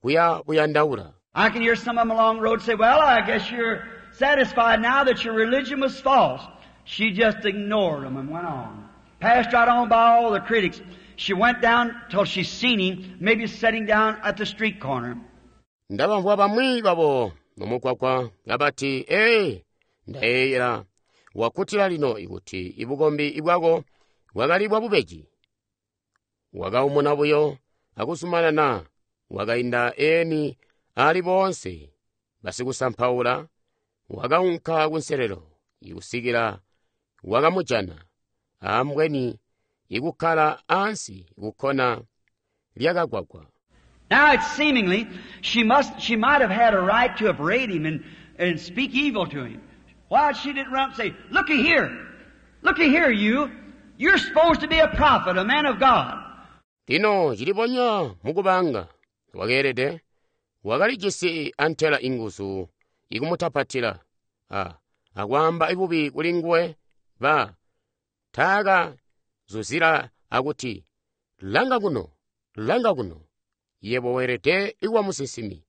kuya buyandaula. I can hear some of them along the road say, well, I guess you're satisfied now that your religion was false. She just ignored them and went on. Passed right on by all the critics. She went down till she seen him, maybe sitting down at the street corner. Ndabamvwa bamwi babo mumugwagwa abati, ee, ndayeeyera wakkutila lino ikuti ibukombi ibwako bwakali bwa bubeji. Wakaumuna buyo akuzumanana, wakainda eni ali boonse basikusampaula, wakaunka kunselelo ikusikila Wakamujana ambweni ikukkala ansi kukkona lyakagwagwa. Now it's seemingly she must she might have had a right to upbraid him and, and speak evil to him. Why she didn't run up and say, "Looky here, looky here, you. You're supposed to be a prophet, a man of God." Lino cilibonya mukubanga wakeelede wakalijisi antela inguzu ikumutapatila a akwaamba bubi kuli nguwe ba taaka zuzila akuti langa kuno langa kuno yebo weelede ikuba musinsimi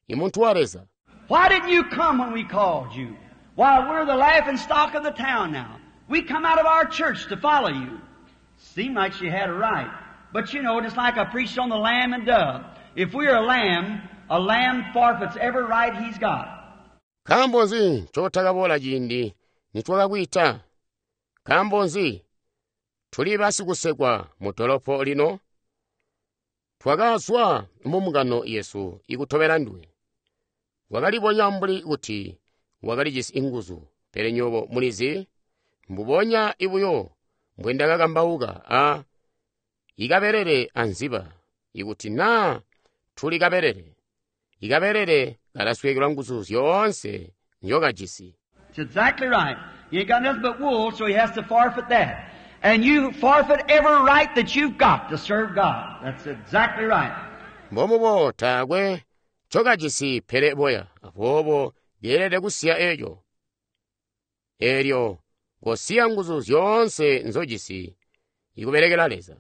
imuntu wa Leza. Why didn't you come when we called you? Why, we're the laughing stock of the town now. We come out of our church to follow you. Seemed like she had a right. But you know, just like I preached on the lamb and dove, if we're a lamb, a lamb forfeits every right he's got. Nkaambo nzi ncotakaboola ciindi nitwakakwiita? Nkaambo nzi tuli basikusekwa mu dolopo lino? Twakazwa mu mbungano yesu ikutobela nduwe. Wakalibonya mbuli kuti wakalijisi inguzu, pele nywebo mulizi mbubonya ibuyo mbwendakakambauka a ikabelele anziba. Ikuti naa tuli kabelele, ikabelele kalasweekelwa nguzu zyoonse nzyokajisi. It's exactly right. He ain't got nothing but wool, so he has to forfeit that. And you forfeit every right that you've got to serve God. That's exactly right. Mbomubo taakwe ncokajisi pele boya, aboobo yeelede kusiya eeco. Eelyo kosiya nguzu zyoonse nzojisi ikubelekela Leza.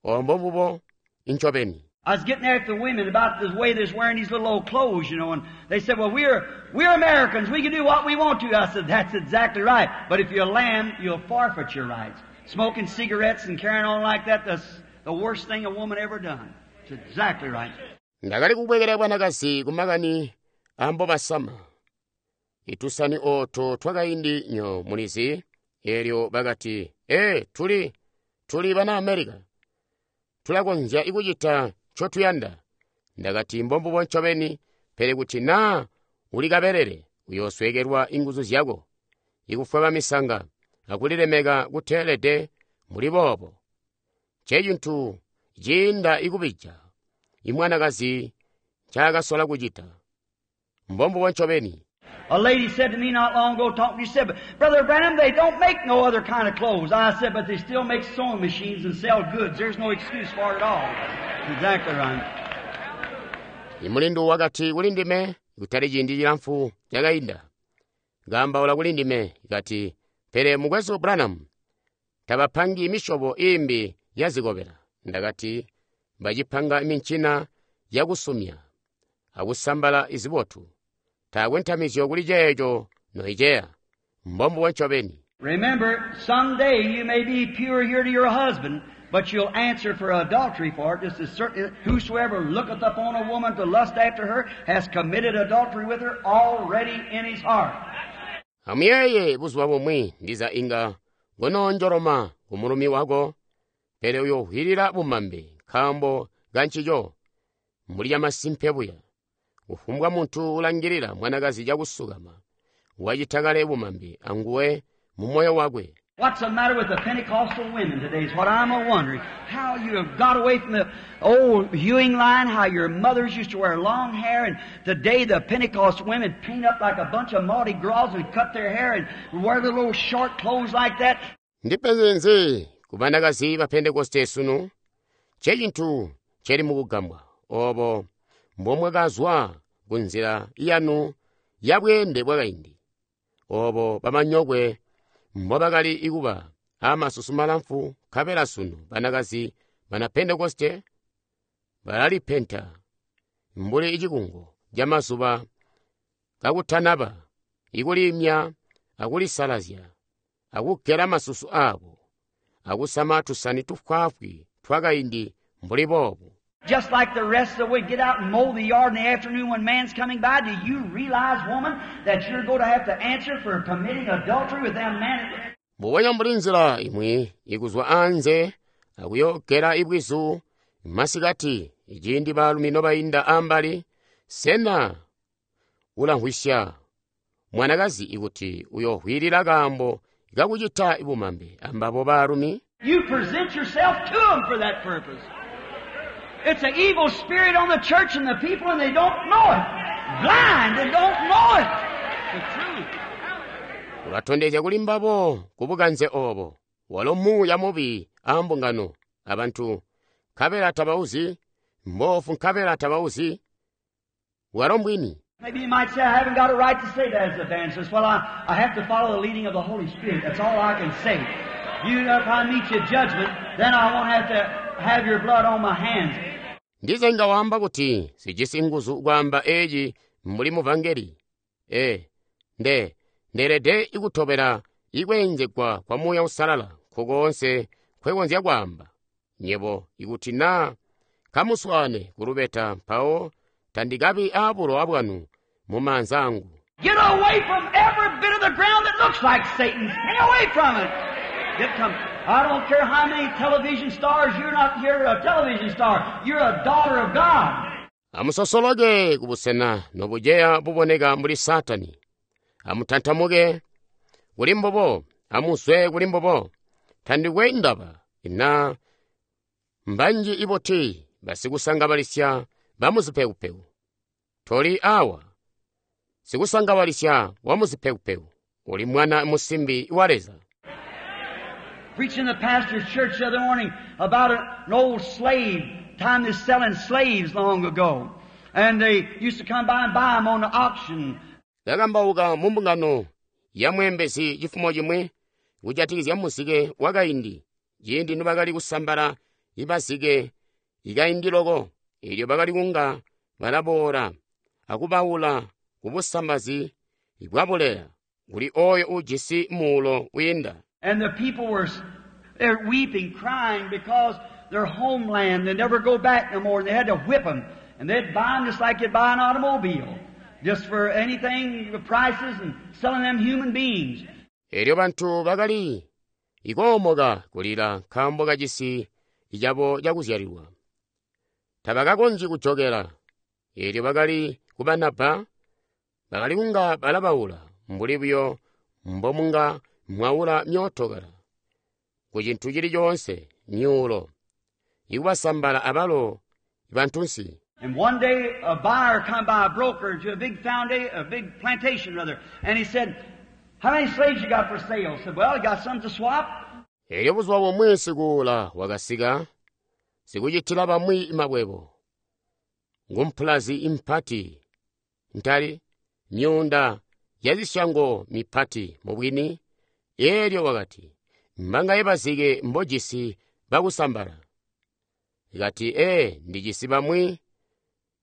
Ombo mbubo incobeni. I was getting after the women about the way they're wearing these little old clothes, you know, and they said, well, we're, we're Americans. We can do what we want to. I said, that's exactly right. But if you're a lamb, you'll forfeit your rights. Smoking cigarettes and carrying on like that, that's the worst thing a woman ever done. It's exactly right. Ndakali kubwekela bwanakazi kumakani ambo basama. Itusani oto twakaindi nyo mulizi, eelyo bakati, ee, tuli, tuli bana America. Tulakonzya ikucita ncotuyanda. Ndakati mbombubo ncobeni, pele kuti naa uli kabelele, uyoosweekelwa inguzu zyako, ikufweba misanga, akulilemeka kuteelede muli boobo. Ncecintu ciinda ikubija imwanakazi ncaakasola kucita. Mbombubo ncobeni. A lady said to me not long ago, talking to me, she said, but Brother Branham, they don't make no other kind of clothes. I said, but they still make sewing machines and sell goods. There's no excuse for it at all. Exactly right. Imulindu wakati kuli ndime, kutali ciindi cilamfu cakainda. Kaambaula kuli ndime, kati, pele mukwesu Branham, tabapangi misyobo iimbi ya zikobela. Ndakati, bacipanga mincina yakusumya, akusambala izibotu. Taakwe ntamizyo kuli ceeco noiceya. Mbombubo ncobeni. Remember, someday you may be pure here to your husband, but you'll answer for adultery for it. Just as certain, whosoever looketh upon a woman to lust after her has committed adultery with her already in his heart. Amuyeeye buzuba bumwi ndiza inga ngonoonjoloma ku mulumi wako, pele uyohwilila bumambe nkaambo kancico mbuli camasimpe buya. Kufumbwa muntu ulangilila mwanakazi cakusukama wacita kale bumambe anguwe mu moyo wakwe. What's the matter with the Pentecostal women today is what I'm a wondering. How you have got away from the old hewing line, how your mothers used to wear long hair, and today the Pentecost women paint up like a bunch of Mardi Gras and cut their hair and wear the little short clothes like that. Ndipenzi ku banakazi ba Pentekoste sunu, ncecintu celi mukugambwa obo mbomwakazwa ku nzila yanu ya bweende bwakaindi. Obo bamanyokwe mbobakali ikuba amasusu malamfu nkabela sunu banakazi bana Pentekoste balalipenta mbuli icikungo camazuba kakutanaba ikulimya akulisalazya akugela masusu abo akusama tusani tufwaafwi twakaindi mbuli boobo. Just like the rest of the way, get out and mow the yard in the afternoon when man's coming by. Do you realize, woman, that you're going to have to answer for committing adultery with that man? Mbubonya mbuli nzila imwi ikuzwa anze akuyogela ibwizu masikati iciindi baalumi nobainda ambali, sena ulamvwisya mwanakazi ikuti uyohwilila kaambo kakucita bumambe ambabo baalumi. You present yourself to them for that purpose. It's an evil spirit on the church and the people, and they don't know it. Blind and don't know it. The truth. Ulatondezya kuli mbabo kubukanze obo. Walo muuya mubi a mbungano abantu nkabela tabauzi, mbofu nkabela tabauzi. Walo mbwini. Maybe you might say, I haven't got a right to say that as an evangelist. Well, I, I have to follow the leading of the Holy Spirit. That's all I can say. You know, if I meet you at judgment, then I won't have to have your blood on my hands. Ndiza inga waamba kuti sijisi nguzu kwaamba eci mbuli muvangeli. E, nde, ndeelede ikutobela ikweenzegwa kwa Muuya Uusalala nkukoonse nkwekonzya kwaamba. Nyebo ikuti naa kamuswaane kulubeta mpawo tandikabi aabulowa bwanu mu maanza angu. Get away from every bit of the ground that looks like Satan. Stay away from it. Get come. I don't care how many television stars, you're not you're a television star. You're a daughter of God. Amusosoloke kubusena nobujeya buboneka mbuli Satani. Amutantamuke kuli mbobo, amuzwe kuli mbobo. Tandikwe ndaba na mbanji iboti basikusangabalisya bamuzipekupeku. Toli awa sikusangabalisya wamuzipekupeku. Uli mwana musimbi wa Leza. Preaching the pastor's church the other morning about an old slave, time they selling slaves long ago. And they used to come by and buy them on the auction. Kakambauka mu mbungano ya mweembezi cifumo cimwi kujatikizya muzike wakaindi, ciindi nibakali kusambala ibazike ikaindi loko, eelyo bakali kunga balaboola akubaula kubusambazi bwabuleya kuli oyo ujisi muulo wiinda. And the people were they're weeping, crying because their homeland, they never go back no more, and they had to whip them. And they'd buy them just like you'd buy an automobile, just for anything, the prices, and selling them human beings. Eelyo bantu bakali ikoomoka kulila nkaambo kacisi cabo cakuzyalilwa. Tabakakonzyi kujokela. Eelyo bakali kubanabba, bakali kunga balabaula mbuli buyo mbomunga mwaula myootokala ku cintu cili coonse myuulo, ikubasambala abalo bantunsi. And one day a buyer come by, a broker, to a big foundation, a big plantation rather, and he said, how many slaves you got for sale? I said, well, I got some to swap. Eelyo buzuba bumwi sikuula wakasika, sikucitila bamwi makwebo. Ngumpulazi impati, ntali, myuunda yazisyango mipati mubwini. Eelyo wakati, mbangaye bazike mbojisi bakusambala? Kati, ee, ndijisi bamwi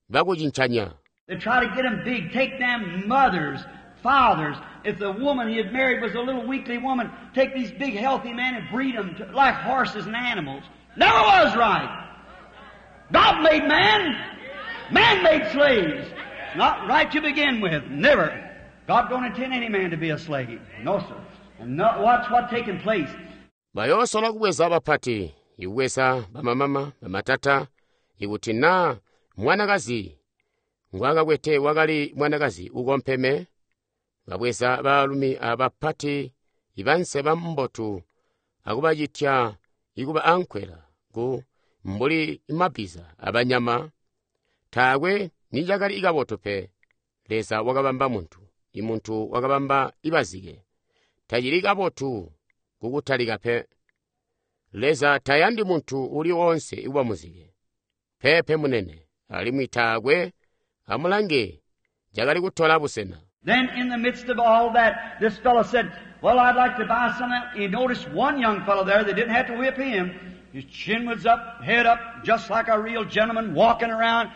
bakucincanya. They try to get them big, take them mothers, fathers. If the woman he had married was a little weakly woman, take these big healthy men and breed them to, like horses and animals. Never was right. God made man. Man made slaves. It's not right to begin with. Never. God don't intend any man to be a slave. No, sir. And no, watch what taking place. Bayoosola kubweza bapati, ikubweza bamamama, bamatata, ikuti naa mwanakazi ngwakakwete wakali mwanakazi ukompeme, babweza baalumi abapati ibanseba mbotu akubacitya ikuba ankwela ku mbuli mabbiza abanyama. Taakwe nicakali ikabotu pe. Leza wakabamba muntu, imuntu wakabamba ibazike. Tacili kabotu kukutalika pe. Leza tayandi muntu uli wonse ikuba muzike. Pepe munene, alimwi taakwe amulange cakali kutola busena. Then in the midst of all that, this fellow said, well, I'd like to buy some. He noticed one young fellow there. They didn't have to whip him. His chin was up, head up, just like a real gentleman walking around.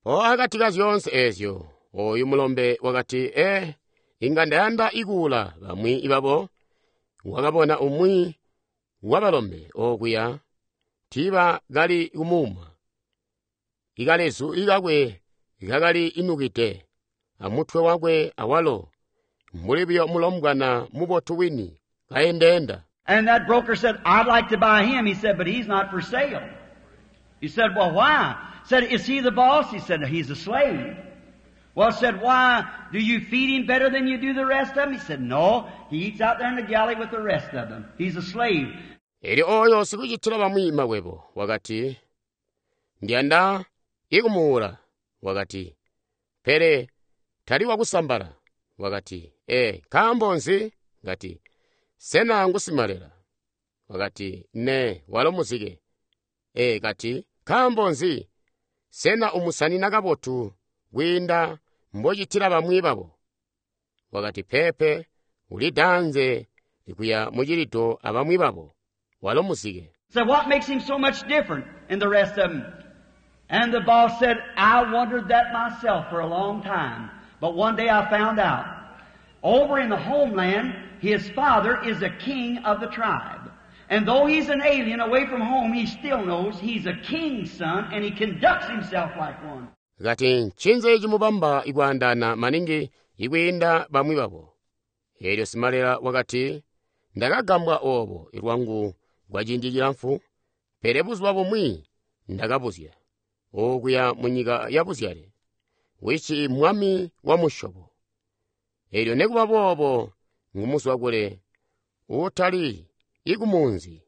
O akati ka zyoonse eezyo, oyu mulombe wakati, ee, inga ndayanda ikuula bamwi ibabo. Wakabona umwi wabalombe okuya, tiiba kali kumuuma. Ikalezu ikakwe kakali inukide, amutwe wakwe awalo, mbuli buyo mulombwana mubotu wini, kaendeenda. And that broker said, I'd like to buy him. He said, but he's not for sale. He said, well, why? Said, is he the boss? He said, he's a slave. Well, said, why, do you feed him better than you do the rest of them? He said, no, he eats out there in the galley with the rest of them. He's a slave. Elyo oyo sikucitila bamwi makwebo wakati, ndiyanda ikumuula. Wakati, pele tali wakusambala. Wakati, ee, nkaambo nzi? Kati, sena ngusimalela? Wakati, ne, walo muzike. Ee, kati, nkaambo nzi? Sena umusanina kabotu kwiinda mbocitila bamwi babo? Wakati, peepe, ulidanze kuya mucilido abamwi babo. Walo muzike. So what makes him so much different than the rest of them? And the boss said, I wondered that myself for a long time. But one day I found out. Over in the homeland, his father is a king of the tribe. And though he's an alien away from home, he still knows he's a king's son and he conducts himself like one. Kati ncinzi cimubamba ikwaandaana maningi ikwiinda bamwi babo. Elyo simalela wakati, ndakagambwa obo ilwangu kwa ciindi cilamfu, pele buzuba bumwi ndakabuzya okuya mu nyika ya buzyale, wisi mwami wa musyobo. Elyo nekuba boobo ngumuzwa kule utali ikumunzi,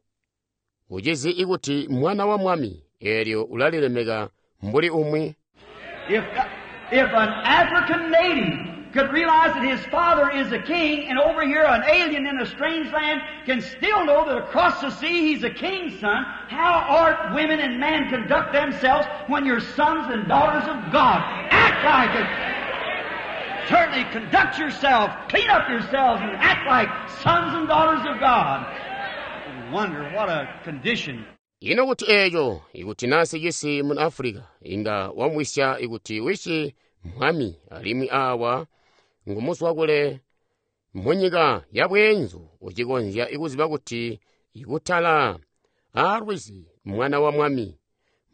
ucizi ikuti mwana wa mwami, elyo ulalilemeka mbuli umwi. If, if an African native could realize that his father is a king, and over here an alien in a strange land can still know that across the sea he's a king's son, how ought women and men conduct themselves when you're sons and daughters of God? Act like it. Certainly conduct yourself, clean up yourselves, and act like sons and daughters of God. Wonder what a condition. Ino kuti eeco ikuti nasi cisi mu Africa inga wamwisya ikuti wisi mwami alimwi awa ngumuzwa kule munyika ya bweenzu ucikonzya ikuziba kuti ikutala aalwizi mwana wa mwami.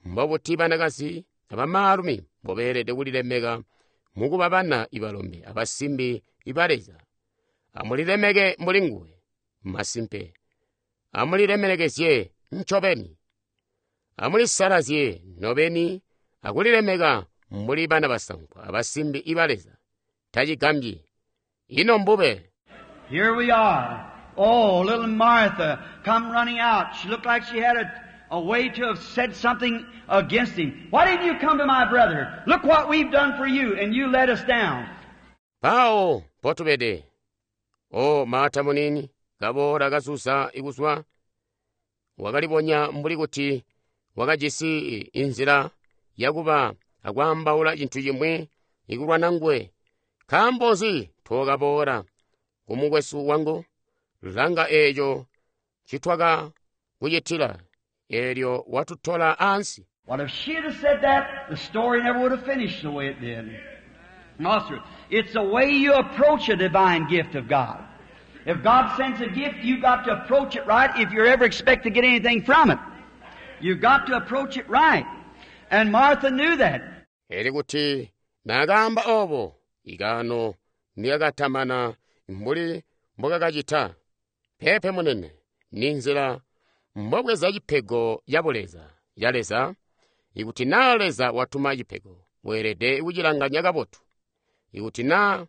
Mbobuti banakazi abamaalumi mbobeelede kulilemeka mukuba bana ibalombe abasimbi iba Leza. Amulilemeke mbuli nguwe masimpe. Amulilemekezye ncobeni. Amulisalazye nobeni akulilemeka mbuli bana basankwa abasimbi iba Leza. Tacigambyi. Ino mbube. Here we are. Oh, little Martha come running out. She looked like she had a, a way to have said something against him. Why didn't you come to my brother? Look what we've done for you, and you let us down. Pawo potubede. O Marta munini, kaboola kasusa ikuswa. Wakalibonya mbuli kuti wakajisi inzila yakuba akwaambaula cintu cimwi ikulwana nguwe. Nkaambo nzi tookaboola kumukwesu wangu? Langa eeco ncitwaka kucitila, eelyo watutola ansi. Well, if she'd have said that, the story never would have finished the way it did. No, sir. It's the way you approach a divine gift of God. If God sends a gift, you've got to approach it right if you ever expect to get anything from it. You've got to approach it right. And Martha knew that. Eli kuti naakaamba obo, ikaano niyakatamana mbuli mbokakacita. Peepe munene, ni nzila mbobweza cipego ya buleza ya Leza. Ikuti naa Leza watuma cipego, weelede kucilanganya kabotu. Ikuti naa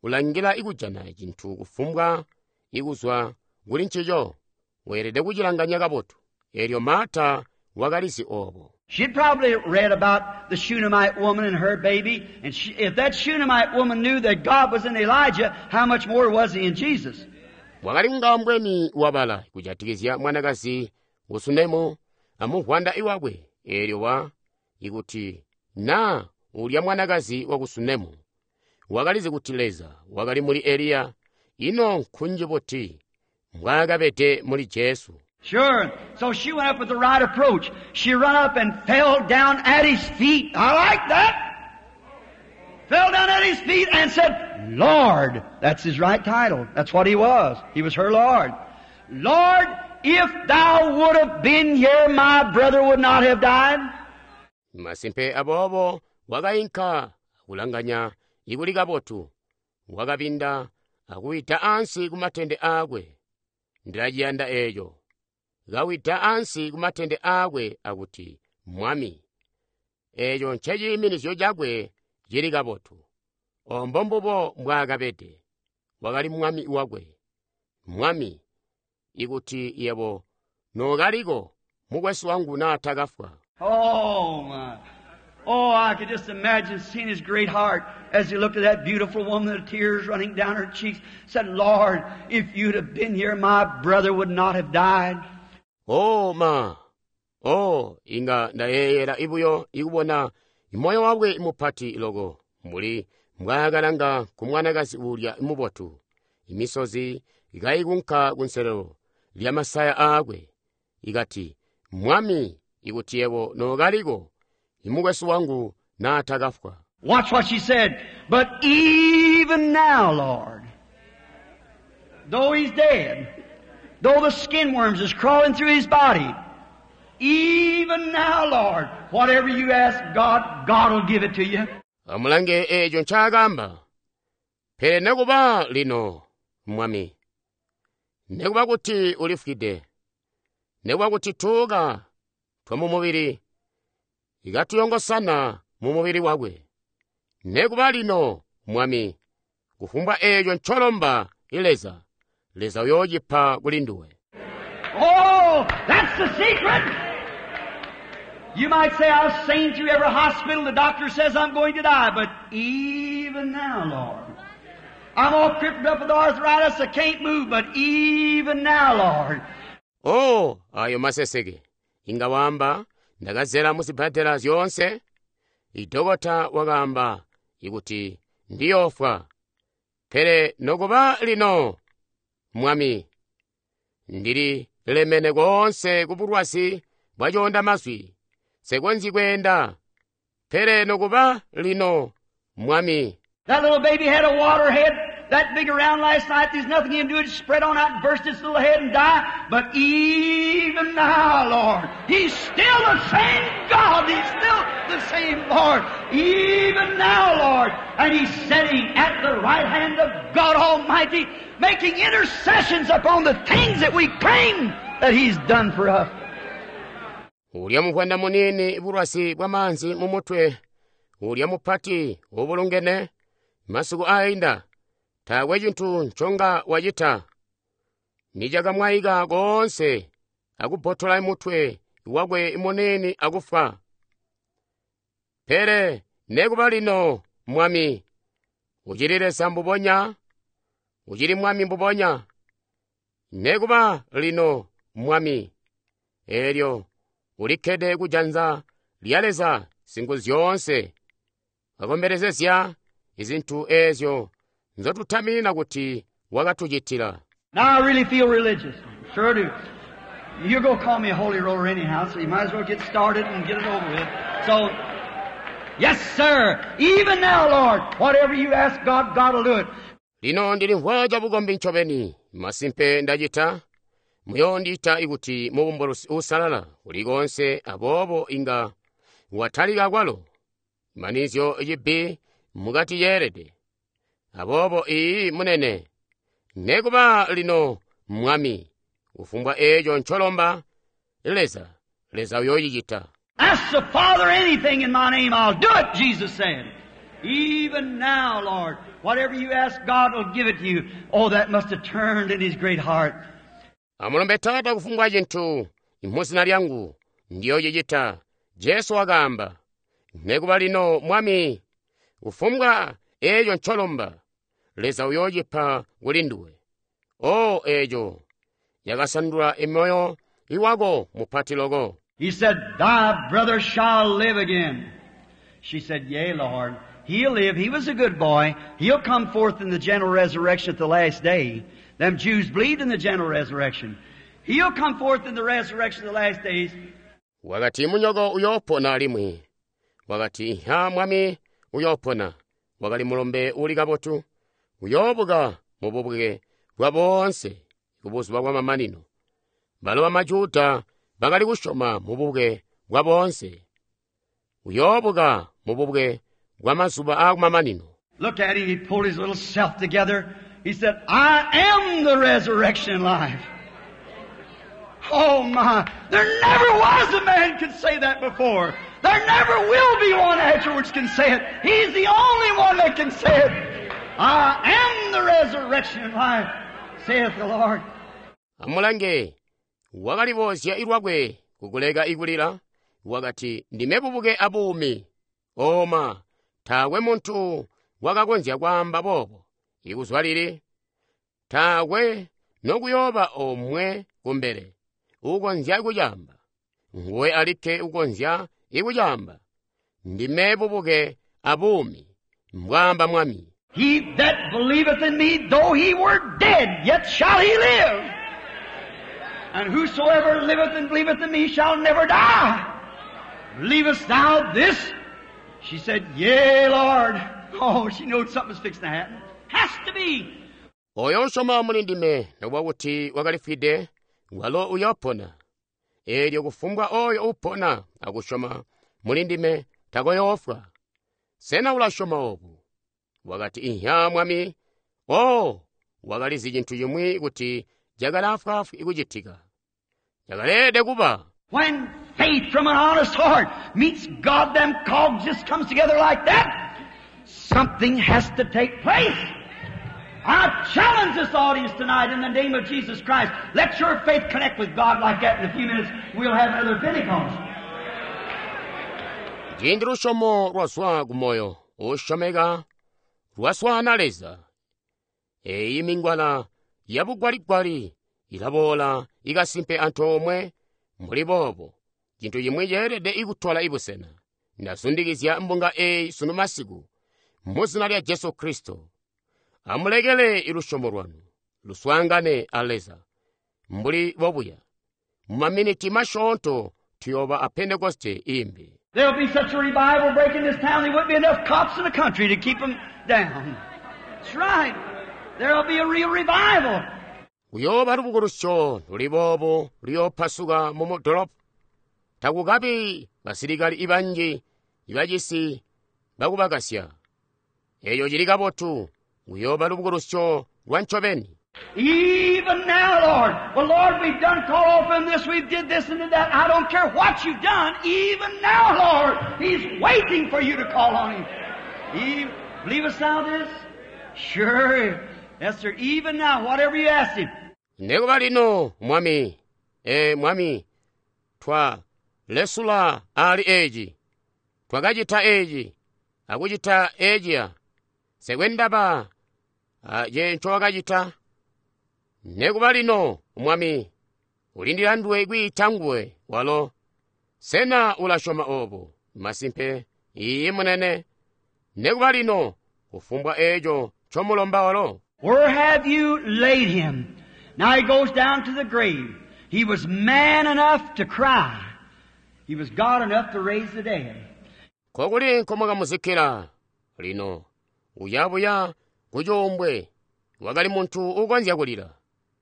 ulangila ikujana cintu kufumbwa ikuzwa kuli ncico, weelede kucilanganya kabotu. Elyo Marta wakalizi obo. She'd probably read about the Shunammite woman and her baby, and she, if that Shunammite woman knew that God was in Elijah, how much more was he in Jesus? Wakali ngambweni wabala kujatikizya mwanakazi usunemu amuvwanda iwakwe. Elyo wa ikuti na ulya mwanakazi wa kusunemu wakalizi kuti Leza wakali muli Eliya, ino nkunji buti mbwaakabede muli Jesu. Sure. So she went up with the right approach. She run up and fell down at his feet. I like that. Fell down at his feet and said, Lord. That's his right title. That's what he was. He was her Lord. Lord, if thou would have been here, my brother would not have died. Masimpe aboobo wakainka akulanganya ikuli kabotu. Wakabinda akuwida ansi kumatende aakwe. Ndilaciyanda eeco. Kawida ansi kumatende aakwe akuti, Mwami. Eeco nceciiminizyo cakwe Cili kabotu. Obo mbubo mbwaakabede. Wakali mwami wakwe. Mwami, ikuti yebo nookaliko, mukwesu wangu naatakafwa. Oh, my. Oh, I could just imagine seeing his great heart as he looked at that beautiful woman, the tears running down her cheeks, said, Lord, if you'd have been here, my brother would not have died. Oh, ma. Oh, inga ndayeeyela ibuyo ikubona moyo wakwe mupati loko mbuli mbwaakalanga ku mwanakazi uulya mubotu, imisozi kaikunka kunselelo lya masaya aakwe, ikati, Mwami, ikuti yebo nookaliko, imukwesu wangu naatakafwa. Watch what she said. But even now, Lord, though he's dead, though the skin worms is crawling through his body, even now, Lord, whatever you ask God, God will give it to you. Amulange eeco ncaakamba. Pele nekuba lino, Mwami, nekuba kuti ulifwide, nekuba kuti tuuka twamumubili ikatuyongosana mu mubili wakwe. Nekuba lino, Mwami, kufumbwa eeco ncolomba Leza, Leza uyoocipa kuli nduwe. Oh, that's the secret. You might say, I've seen through every hospital, the doctor says I'm going to die, but even now, Lord, I'm all crippled up with arthritis, I can't move, but even now, Lord. Oh, ayo maseseke. Inga wamba, ndakazela muzibhadela zyoonse. Idokota wakaamba ikuti ndiyofwa. Pele nokuba lino, Mwami, ndili lemene koonse ku bulwazi bwa coondamazwi. Nsekonzyi kweenda. Pele nokuba lino, Mwami. That little baby had a water head that big around last night. There's nothing you can do. It spread on out and burst its little head and die. But even now, Lord, He's still the same God. He's still the same Lord. Even now, Lord. And He's sitting at the right hand of God Almighty, making intercessions upon the things that we claim that He's done for us. Ulya muvwanda munini bulwazi bwa maanzi mu mutwe, ulya mupati ubulungene, masiku ainda, taakwe cintu nconga wacita. Nicakamwayika koonse akubbotola mutwe wakwe munini akufwa. Pele nekuba lino, Mwami, ucili Leza mbubonya, ucili Mwami mbubonya. Nekuba lino, Mwami, eelyo ulikkede kujanza lya Leza Singuzyoonse, akombelezezya izintu eezyo nzotutaminina kuti wakatucitila. Now I really feel religious. Sure do. You're going to call me a holy roller anyhow, so you might as well get started and get it over with. So, yes, sir. Even now, Lord, whatever you ask God, God will do it. Lino ndilimvwa cabukombi ncobeni, masimpe ndacita, muyoondiita ikuti mubumbulusi uusalala kulikonse aboobo inga watalika kwalo, manizyo cibbi mukati yeelede. Aboobo iyi munene, nekuba lino Mwami, kufumbwa eeco ncolomba Leza, Leza uyoocicita. Ask the Father anything in my name, I'll do it, Jesus said. Even now, Lord, whatever you ask, God will give it to you. Oh, that must have turned in his great heart. Amulombe Taata kufumbwa cintu muzina lyangu, ndiyoocicita. Jesu wakaamba, nekuba lino Mwami, kufumbwa eeco ncolomba, Leza uyoocipa kuli nduwe. O eeco yakasandula emoyo iwako mupati loko. He said, Thy brother shall live again. She said, Yea, Lord. He'll live. He was a good boy. He'll come forth in the general resurrection at the last day. Them Jews believed in the general resurrection. He'll come forth in the resurrection of the last days. Wakati munyoko uyoopona alimwi. Wakati ha Mwami uyoopona. Wakali mulombe uli kabotu. Uyoobuka mu bubuke bwa boonse ku buzuba bwa mamanino. Balo bamajuda bakali kusyoma mu bubuke bwa boonse. Uyoobuka mu bubuke bwa mazuba aakumamanino. Look at him. He pulled his little self together. He said, I am the resurrection and life. Oh my! There never was a man could say that before. There never will be one afterwards can say it. He's the only one that can say it. I am the resurrection and life, saith the Lord. Amulange, wakaliboozya lwakwe kukuleka ikulila, wakati, ndime bubuke abuumi. Oma, taakwe muntu wakakonzya kwaamba boobo. Ikuzwa lili, taakwe nokuyooba omwe kumbele ukonzya kucaamba. Nguwe alikke ukonzya ikucaamba. Ndime bubuke abuumi, mbwaamba Mwami. He that believeth in me, though he were dead, yet shall he live. And whosoever liveth and believeth in me shall never die. Believest thou this? She said, Yea, Lord. Oh, she knowed something was fixing to happen. Has to be. Oyo usyoma muli ndime nokuba kuti wakalifwide, walo uyoopona. Eelyo kufumbwa oyo upona akusyoma muli ndime takoyoofwa. Sena ulasyoma obu? Wakati, inhya Mwami. Oh, wakalizi cintu cimwi kuti cakali afwaafwi kucitika. Cakaleelede kuba. When faith from an honest heart meets God, them cogs just comes together like that. Something has to take place. I challenge this audience tonight in the name of Jesus Christ. Let your faith connect with God like that. In a few minutes, we'll have another Pentecost. Ciindi lusyomo lwazwa ku moyo usyomeka lwaswaana Leza. Eyi mingwala yabugwaligwali ilaboola ikasimpe antoomwe mbuli boobo. Cintu cimwi ceelede ikutola ibusena. Ndazundikizya mbunga eyi sunu masiku mu zina lya Jesu Kristo. Amulekele lusyomo lwanu luswaangane a Leza mbuli bobuya. Mu maminiti masyoonto tuyooba a Pentekoste imbi. There'll be such a revival break in this town, there wouldn't be enough cops in the country to keep 'em down. That's right. There'll be a real revival. Kuyooba lubukulusyo luli boobo luyoopasuka mu mudolopo. Takukabi basilikali ibanji ibacisi bakubakasya. Eeyo cili kabotu, kuyooba lubukulusyo lwa ncobeni. Even now, Lord. Well, Lord, we've done call off in this, we've did this and did that. I don't care what you've done. Even now, Lord, He's waiting for you to call on Him. He, believe us now this? Sure. Yes, sir. Even now, whatever you ask Him. Nekuba lino, Mwami, e Mwami, twa lesula ali eji, twakacita eji, akucita ejiya, sekwendaba, ye ncowakacita. Nekuba lino, Mwami, ulindila nduwe kwiita nguwe, walo. Sena ulasyoma obo? Masimpe, iiyi munene. Nekuba lino, kufumbwa eco ncomulomba walo. Where have you laid him? Now he goes down to the grave. He was man enough to cry. He was God enough to raise the dead. Kokuli nkomwakamuzikira lino, uyabuya kucuumbwe, wakali muntu ukonzya kulila.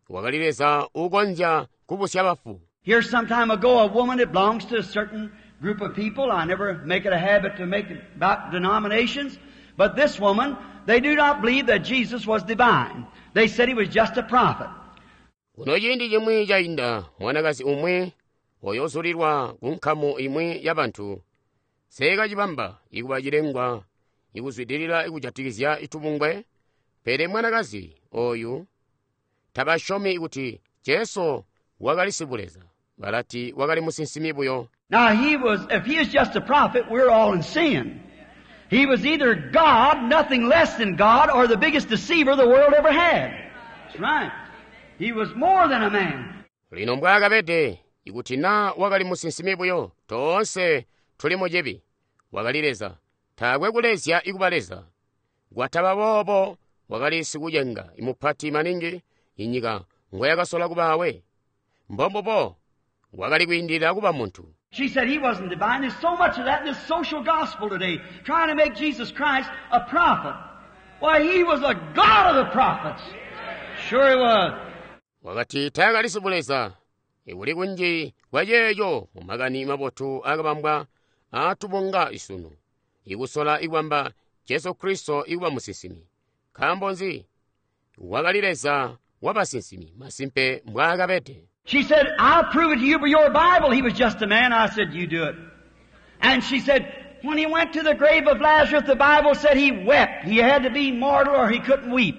Wakali Leza ukonzya kubusya bafu. Here some time ago, a woman that belongs to a certain group of people. I never make it a habit to make it about denominations. But this woman, they do not believe that Jesus was divine. They said he was just a prophet. Kuno ciindi cimwi cainda, mwanakazi umwi oyozulilwa ku nkamu imwi y'abantu. Seekacibamba ikuba cilengwa ikuzwidilila ikujatikizya itubungwe, pele mwanakazi oyu tabasyomi kuti Jesu wakali sibuleza, balati wakali musinsimi buyo. Now he was, if he is just a prophet, we're all in sin. He was either God, nothing less than God, or the biggest deceiver the world ever had. That's right. He was more than a man. Lino mbwaakabede, ikuti na wakali musinsimi buyo, toonse tuli mu cibi. Wakali Leza, taakwe kulezya ikuba Leza. Kwataba boobo, wakali sikucenga imupati maningi inyika ngoyakasola kubaawe. Mbombubo, wakali kwiindilila kuba muntu. She said he wasn't divine. There's so much of that in this social gospel today, trying to make Jesus Christ a prophet. Why, he was a God of the prophets. Sure he was. Wakati taakali sibuleza, ikuli kunji kwa ceeco mu makani mabotu akabambwa aatubunga isunu, ikusola ikubamba Jesu Kristo ikuba musinsimi. Nkaambo nzi? Wakali Leza wabasinsimi, masimpe mbwaakabede. She said, I'll prove it to you by your Bible. He was just a man. I said, you do it. And she said, when he went to the grave of Lazarus, the Bible said he wept. He had to be mortal or he couldn't weep.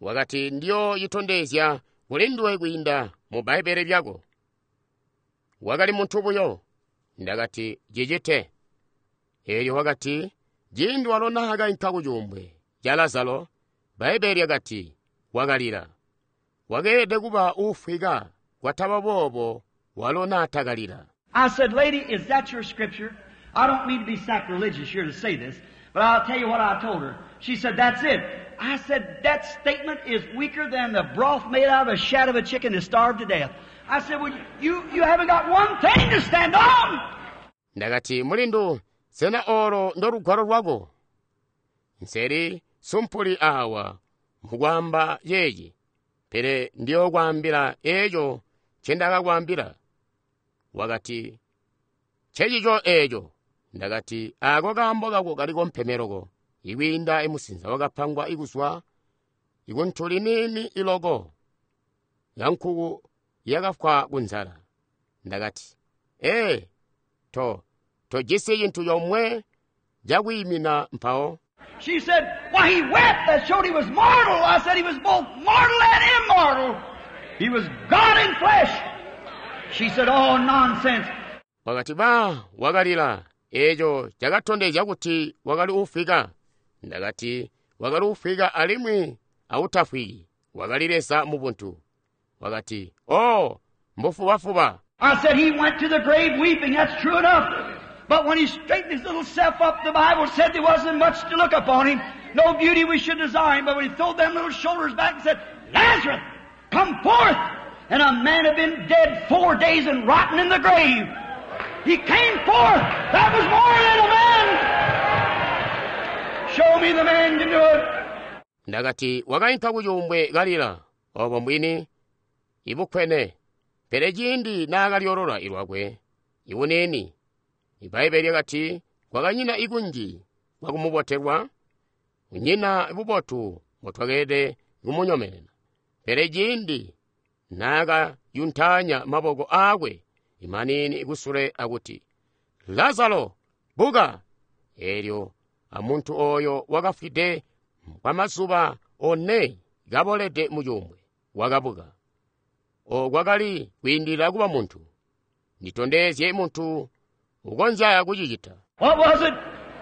Wakati ndiyo yitondezya kuli nduwe kwiinda mu Bbaibbele lyako. Wakali muntu buyo. Ndakati, cicite. Elyo wakati, ciindi walo naakainka ku cuumbwe ca Lazaro, Bbaibbele lyakati, wakalila. Wakeelede kuba uufwika, kwataba boobo walo naatakalila. I said, lady, is that your scripture? I don't mean to be sacrilegious here to say this, but I'll tell you what I told her. She said, that's it. I said, that statement is weaker than the broth made out of a shat of a chicken that starved to death. I said, well, you, you haven't got one thing to stand on. Ndakati, mulindu, sena olo ndo lugwalo lwako? Nseli sumpuli awa mukwaamba yeeyi, pele ndiyokwaambila eeco ncendakakwaambila. Wakati, ncecico eeco. Ndakati, ako kaambo kako kaliko mpemeloko, ikwiinda imusinza wakapangwa ikuzwa ikuntuli niini iloko ya nkuku yakafwa kunzala. Ndakati, ee, to tojisi cintu comwe cakwiimina mpawo. She said, why, he wept. That showed he was mortal. I said he was both mortal and immortal. He was God in flesh. She said, oh, nonsense. Wakati ba wakalila, eeco cakatondezya kuti wakali ufwika. Ndakati, wakali ufwika alimwi awutafwiki. Wakali Leza mu buntu. Wakati, oh, mbufubafuba. I said he went to the grave weeping. That's true enough. But when he straightened his little self up, the Bible said there wasn't much to look upon him. No beauty we should desire him. But when he threw them little shoulders back and said, Lazarus, come forth! And a man had been dead four days and rotten in the grave. He came forth. That was more than a man. Show me the man can do it. Ndakati wakainka ku cuumbwe kalila, obo mbwini ibukwene. Pele ciindi naakalyolola ilwakwe, ibuniini. Ibbaibbele lyakati kwakanyina ikunji kwakumubotelwa, kunyina bubotu mbotwakeelede kumunyomenena. Pele ciindi naakayuntaanya maboko aakwe imaniini kusule akuti, Lazaro, buka! Eelyo amuntu oyo wakafwide kwamazuba one kabolede mu cuumbwe, wakabuka. Okwakali kwiindilila kuba muntu. Nditondezye muntu ukonzya kucicita. What was it?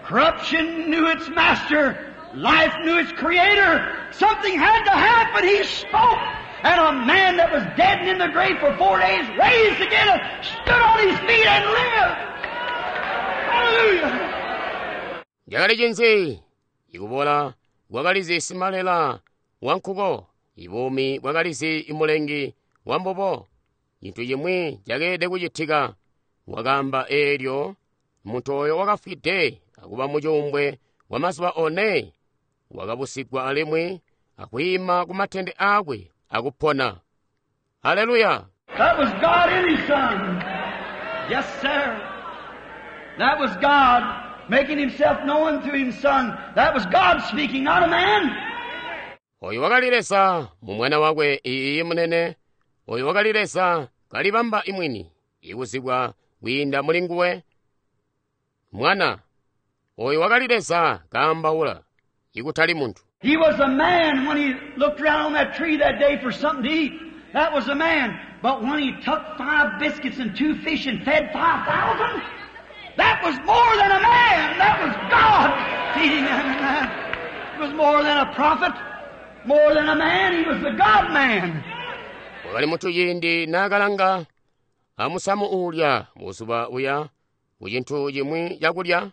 Corruption knew its master. Life knew its creator. Something had to happen. He spoke. And a man that was dead and in the grave for four days raised again and stood on his feet and lived. Hallelujah. Cakali cinzi? Ikubola kwakalizi simalela wankuko. Ibuumi bwakalizi imulengi wambubo. Cintu cimwi cakeelede kucitika. Wakaamba eelyo muntu oyo wakafwide akuba mu cuumbwe kwa mazuba one, wakabusigwa alimwi akwiima ku matende aakwe akupona. Haleluya! That was God in His Son. Yes, sir. That was God making Himself known through His Son. That was God speaking, not a man. Oyo wakali Leza mu mwana wakwe iiyi munene. Oyo wakali Leza kalibamba imwini, ikuzibwa kwiinda muli nguwe. Mwana, oyo wakali Leza kaambaula, ikutali muntu. He was a man when he looked around on that tree that day for something to eat. That was a man. But when he took five biscuits and two fish and fed five thousand, that was more than a man. That was God feeding them. It was more than a prophet, more than a man. He was the God man. Wakali muntu ciindi naakalanga amusamu uulya buzuba buya ku cintu cimwi cakulya,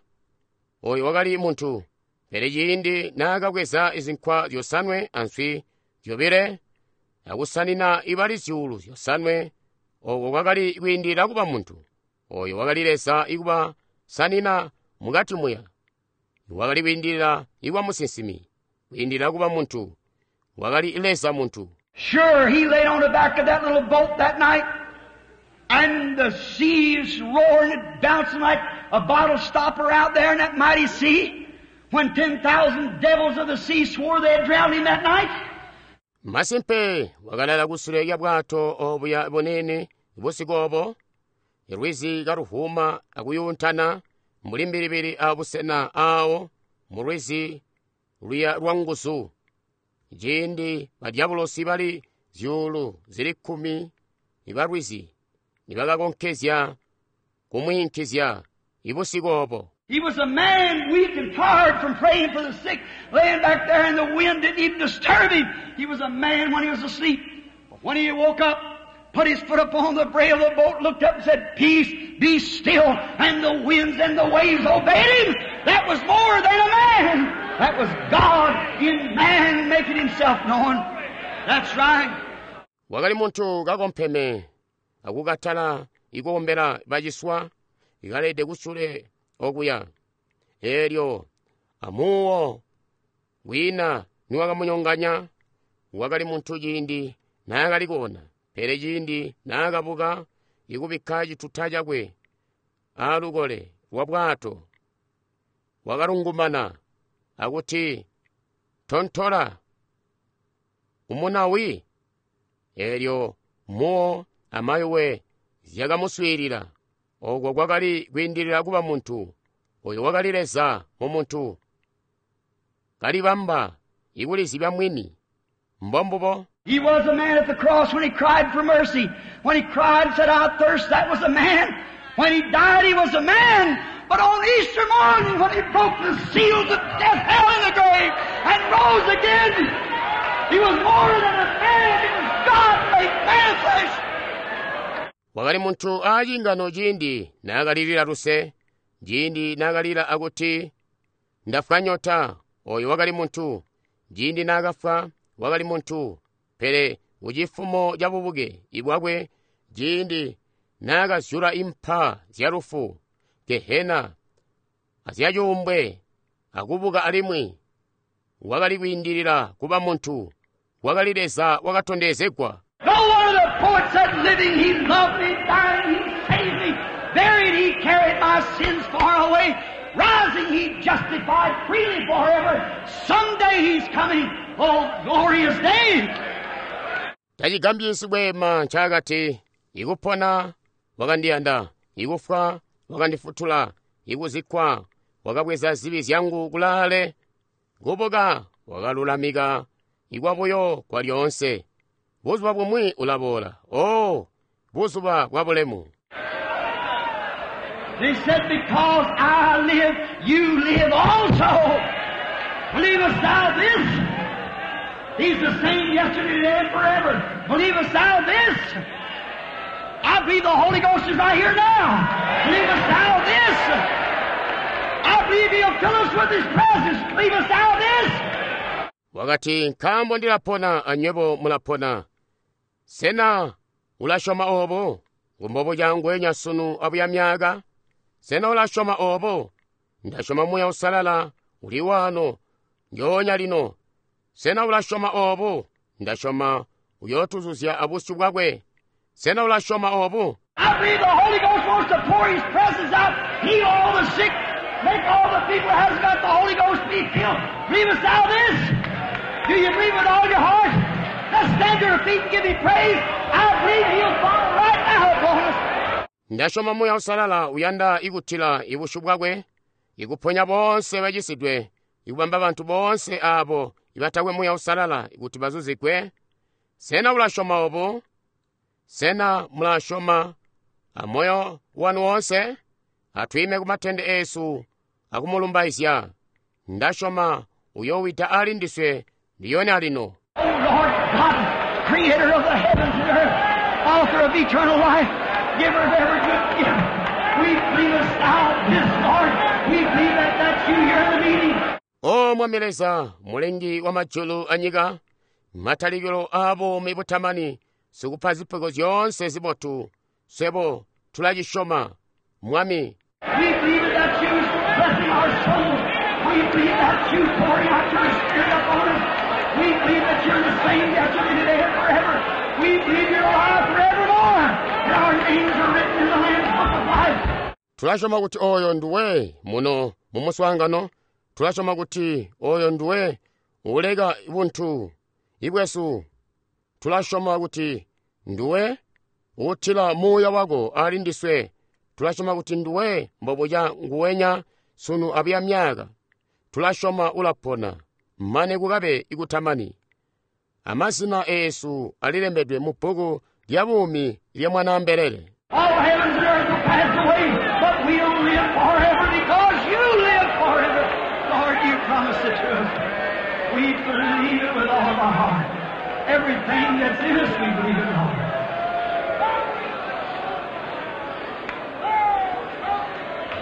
oyo wakali muntu. Pele ciindi naakabweza izinkwa zyosanwe answi zyobile akusanina ibali zyuulu zyosanwe, oko kwakali kwiindilila kuba muntu. Oyo wakali Leza ikuba sanina mukati muya. Wakali kwiindilila ikuba musinsimi, kwiindilila kuba muntu. Wakali Leza muntu. Sure, he laid on the back of that little boat that night, and the seas roaring and bouncing like a bottle stopper out there in that mighty sea. When ten thousand devils of the sea swore they had drowned him that night. Masimpe wakalala kusule lya bwato obuya buniini busiku obo, lwizi kaluvuuma akuyuuntana mbuli mbilibili abusena aawo mu lwizi luya lwanguzu. Ciindi badyabulosi bali zyuulu zili kkumi ibalwizi nibakakonkezya kumwiinkizya ibusiku obo. He was a man weak and tired from praying for the sick, laying back there and the wind didn't even disturb him. He was a man when he was asleep. But when he woke up, put his foot up on the brail of the boat, looked up and said, Peace, be still. And the winds and the waves obeyed him. That was more than a man. That was God in man making himself known. That's right. Wakali muntu kakompeme akukatala ikukombela baciswa ikalede kusule okuya. Eelyo amuwo wina niwakamunyonganya wakali muntu ciindi naakali koona, pele ciindi naakabuka ikubikka cituta cakwe aalukole lwa bwato wakalungumana akuti tontola umunawi. Eelyo muwo amayuwe zyakamuswiilila. Oko kwakali kwiindilila kuba muntu. Oyo wakali Leza mu muntu kalibamba ikulizibya mwini. Mbombubo. He was a man at the cross when he cried for mercy. When he cried and said, I thirst, that was a man. When he died, he was a man. But on Easter morning, when he broke the seals of death, hell, and the grave, and rose again, he was more than a man. He was God made manifest. Wakali muntu aacingano ciindi naakalilila luse, ciindi naakalila akuti ndafwa nyota, oyo wakali muntu. Ciindi naakafwa wakali muntu, pele kucifumo ca bubuke ibwakwe ciindi naakazyula impa zya lufu, Gehena azyacuumbwe akubuka alimwi, wakali kwiindilila kuba muntu, wakali Leza wakatondezegwa. No one of the poets said, living he loved me, dying he saved me, buried he carried my sins far away, rising he justified freely forever. Someday he's coming, oh glorious day! Tacigambyi sikweema ncaakati, ikupona wakandiyanda, ikufwa wakandifutula, ikuzikkwa wakabweza zibi zyangu kulaale, kubuka wakalulamika ikwabuyo kwa lyoonse. Buzuba bumwi ulaboola, oh, buzuba bwa bulemu. They said, because I live, you live also. Believest thou this? He's the same yesterday, today, and forever. Believest thou this? I believe the Holy Ghost is right here now. Believest thou this? I believe He'll fill us with His presence. Believest thou this? Wakati nkaambo ndilapona anywebo mulapona. Sena ulasyoma obo? Ngumbobo ngweenya sunu abuya myaka. Sena ulasyoma obo? Ndasyoma Muuya Uusalala uli waano njoonya lino. Sena ulasyoma obo? Ndasyoma uyootuzuzya abusyu bwakwe. Sena ulasyoma obo? I believe the Holy Ghost wants to pour His presence out, heal all the sick, make all the people who hasn't got the Holy Ghost be filled. Believest thou this? Do you believe with all your heart? Let's stand to our feet and give Him praise. I believe He'll fall right now upon us. Ndasyoma Muuya Uusalala uyanda ikutila ibusyu bwakwe, ikuponya boonse bacisidwe, ikubamba bantu boonse aabo ibatakwe Muuya Uusalala kuti bazuzigwe. Sena ulasyoma obo? Sena mulasyoma amoyo wanu wonse? Atwiime kumatende eesu akumulumbaizya. Ndasyoma uyoowida ali ndiswe ndiyona lino. Oh Lord God, creator of the heavens and earth, author of eternal life, giver of every good gift, we believe thou this, Lord. We believe that that's you here in the meeting. O Mwami Leza, mulengi wa majulu anyika, matalikilo a buumi butamani, sikupa zipego zyoonse zibotu, swebo tulacisyoma, Mwami. We believe that that's you blessing our souls. We believe that's you pouring out your Spirit upon us. We believe that you're the same yesterday, today, and forever. We believe you're alive forevermore. And our names are written in the Lamb's Book of Life. Tulasyoma kuti oyo nduwe muno mu muswaangano. Tulasyoma kuti oyo nduwe uleka buntu ibwesu. Tulasyoma kuti nduwe uutila muuya wako ali ndiswe. Tulasyoma kuti nduwe mbobuca nguwenya sunu abuya myaka. Tulasyoma ulapona mane kukabe ikutamani. Amazina eesu alilembedwe mu bbuku lya buumi lya Mwanaambelele. All heavens and earth will pass away, but we'll live forever because you live forever. Lord, you promised it to us. We believe it with all of our heart. Everything that's in us, we believe it, Lord.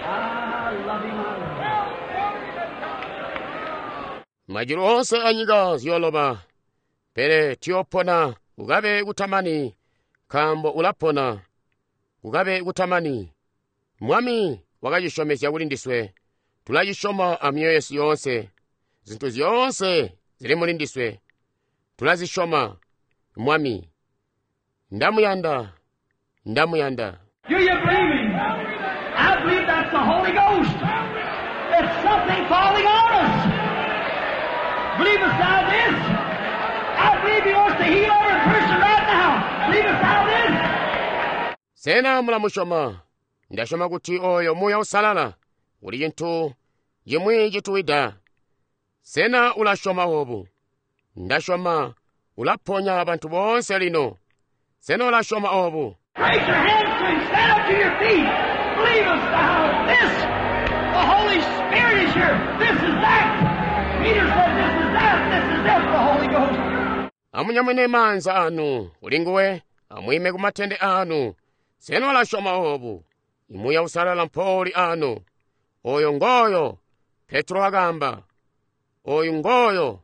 I love him, I love him. Majulu onse a nyika ziyoloba, pele tuyopona kukabe kutamani, nkaambo ulapona kukabe kutamani. Mwami wakacisyomezya kuli ndiswe, tulacisyoma a myoyo yesu yoonse. Zintu zyoonse zili muli ndiswe, tulazisyoma. Mwami, ndamuyanda, ndamuyanda. Do you believe him? I believe that's the Holy Ghost. It's something falling on us. Believe us now this. I believe he wants to heal every person right now. Believe us now this. Sena mulamusyoma? Ndasyoma kuti oyo Muuya Uusalala uli cintu cimwi cituwida. Sena ulasyoma obu? Ndasyoma ulaponya bantu boonse lino. Sena ulasyoma obu? Raise your hands to him. Stand up to your feet. Believe us now this. The Holy Spirit is here. This is that. Peter said this is that. This is it, the Holy Ghost. Amunyamwine maanza anu kuli nguwe, amwime ku matende anu. Sena ulasyoma obu? Imuuya Uusalala mpouli anu. Oyo ngoyo, Petro wakamba. Oyu ngoyo.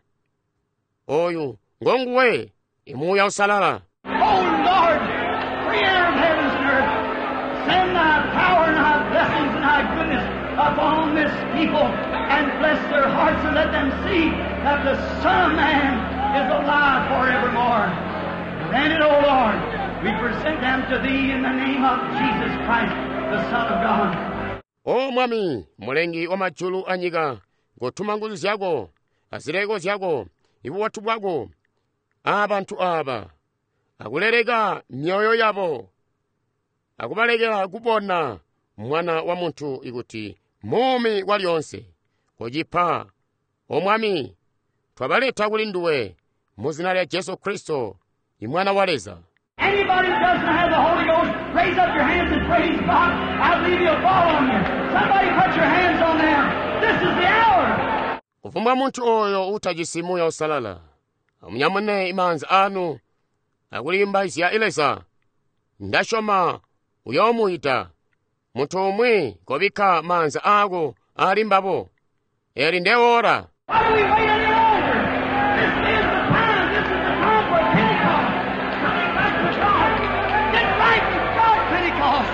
Oyu ngonguwe, Imuuya Uusalala. Oh Lord, creator of heavens and earth, send thy power and thy blessings and thy goodness upon this people and bless their hearts and let them see that the Son of Man is alive forevermore. Grant it, O Lord. We present them to thee in the name of Jesus Christ, the Son of God. O Mwami, mulengi wa majulu a nyika, ngotuma nguzu zyako, azileko zyako, ibubotu bwako, abantu aba, akuleleka myoyo yabo, akubalekela kubona mwana wa muntu ikuti muumi kwa lyonse. Kocipa, O Mwami, twabaleta kuli nduwe, mu zina lya Jesu Kristo, imwana wa Leza. Anybody who doesn't have the Holy Ghost, raise up your hands and praise God. I believe He'll fall on you. Somebody put your hands on them. This is the hour. Kufumbwa munthu oyo utajisi Muuya Uusalala, amunyamune imaanza anu akulimbaizya Leza. Ndasyoma uyoomuyita. Munthu umwi kobikka maanza ako ali mbabo. Eli ndewola. Why do we wait any longer? This is the time. This is the time for Pentecost. Coming back to God. Get right with God, Pentecost.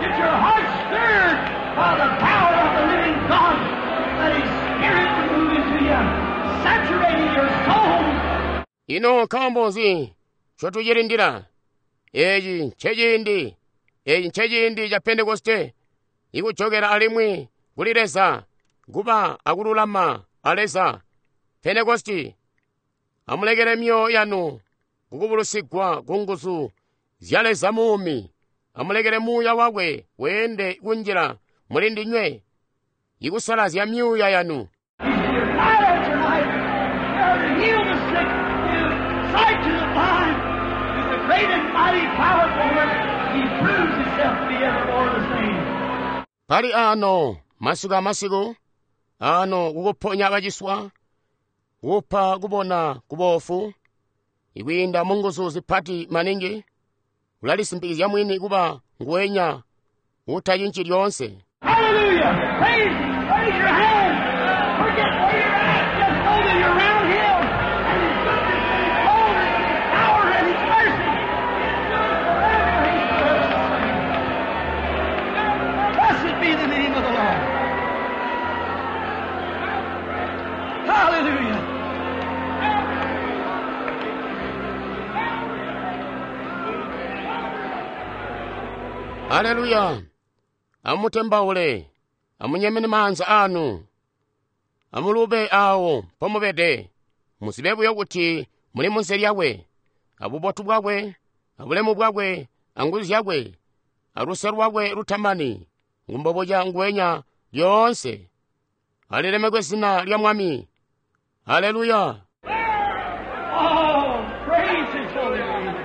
Get your heart stirred by the power of the living God. Let His Spirit move into you, saturating your soul. Ino nkaambo nzi ncotucilindila? Eci nceciindi, eci nceciindi ca Pentekoste, ikujokela alimwi kuli Leza, kuba akululama a Leza. Pentekosti, amulekele myoyo yanu kukubulusigwa ku nguzu zya Leza muumi. Amulekele muuya wakwe weende kunjila muli ndinywe, ikusalazya myuuya yanu. He's here night after night, here to heal the sick, give sight to the blind. With the great and mighty powerful work, He proves Himself to be evermore the same. Pali ano masiku amasiku ano kukuponya baciswa, kupa kubona kubofu, ikwiinda mu nguzu zipati maningi, ulalisimpikizya mwini kuba nguwenya utachinchi lyonse. Hallelujah! Praise Him! Raise your hands! Forget where you're at. Just know that you're around Him and His goodness and His glory and His power and His mercy. Endures forever. He's forever the same. Blessed be the name of the Lord. Hallelujah. Haleluya! Amutembaule, amunyemene maanza anu, amulube awo pomubede, muzibe buyo kuti muli munsi lyakwe, abubotu bwakwe, abulemu bwakwe, anguzu zyakwe, aluse lwakwe lutamani, ngumbobuca nguwenya lyoonse. Alilemekwe zina lya Mwami. Haleluya. Oh, praise His holy name.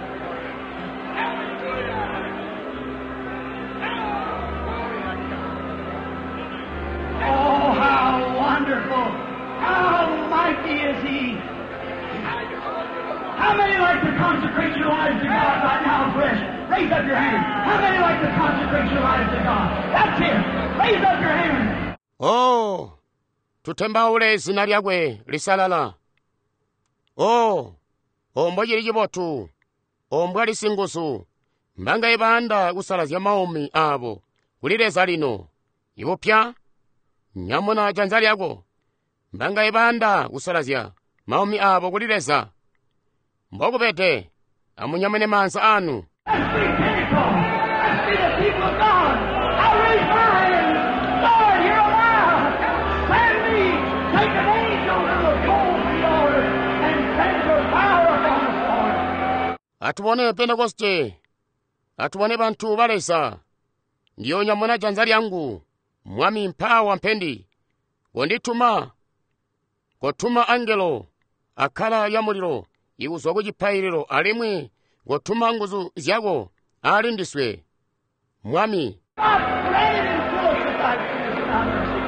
Oh, how wonderful. How mighty is He. How many like to consecrate your lives to God right now fresh? Raise up your hand. How many like to consecrate your lives to God? That's it. Raise up your hand. Oh, tutembaule zina lyakwe lisalala. Oh, ombo chili chibotu, ombwa lisinguzu, mbanga ibanda kusalazya maumi abo, kuli Leza lino, ibupya, nyamuna janza lyako, mbanga ibanda kusalazya maumi abo kuli Leza. Mbokubede, amunyamune maanza anu. Let's be Pentecost. Let's be the people of God. I raise my hand. Lord, here am I. Send me. Take an angel to the coal from the altar and send your fire upon us, Lord. Atubone Pentekoste, atubone bantu ba Leza. Ndiyo nyamuna janza lyangu, Mwami mpawa mpendi. Kondituma, kotuma angelo, akala ya mulilo, ikuzwa ku cipaililo alimwi kotuma nguzu zyako ali ndiswe. Mwami, God, grant it to us with thy goodness and thy mercy.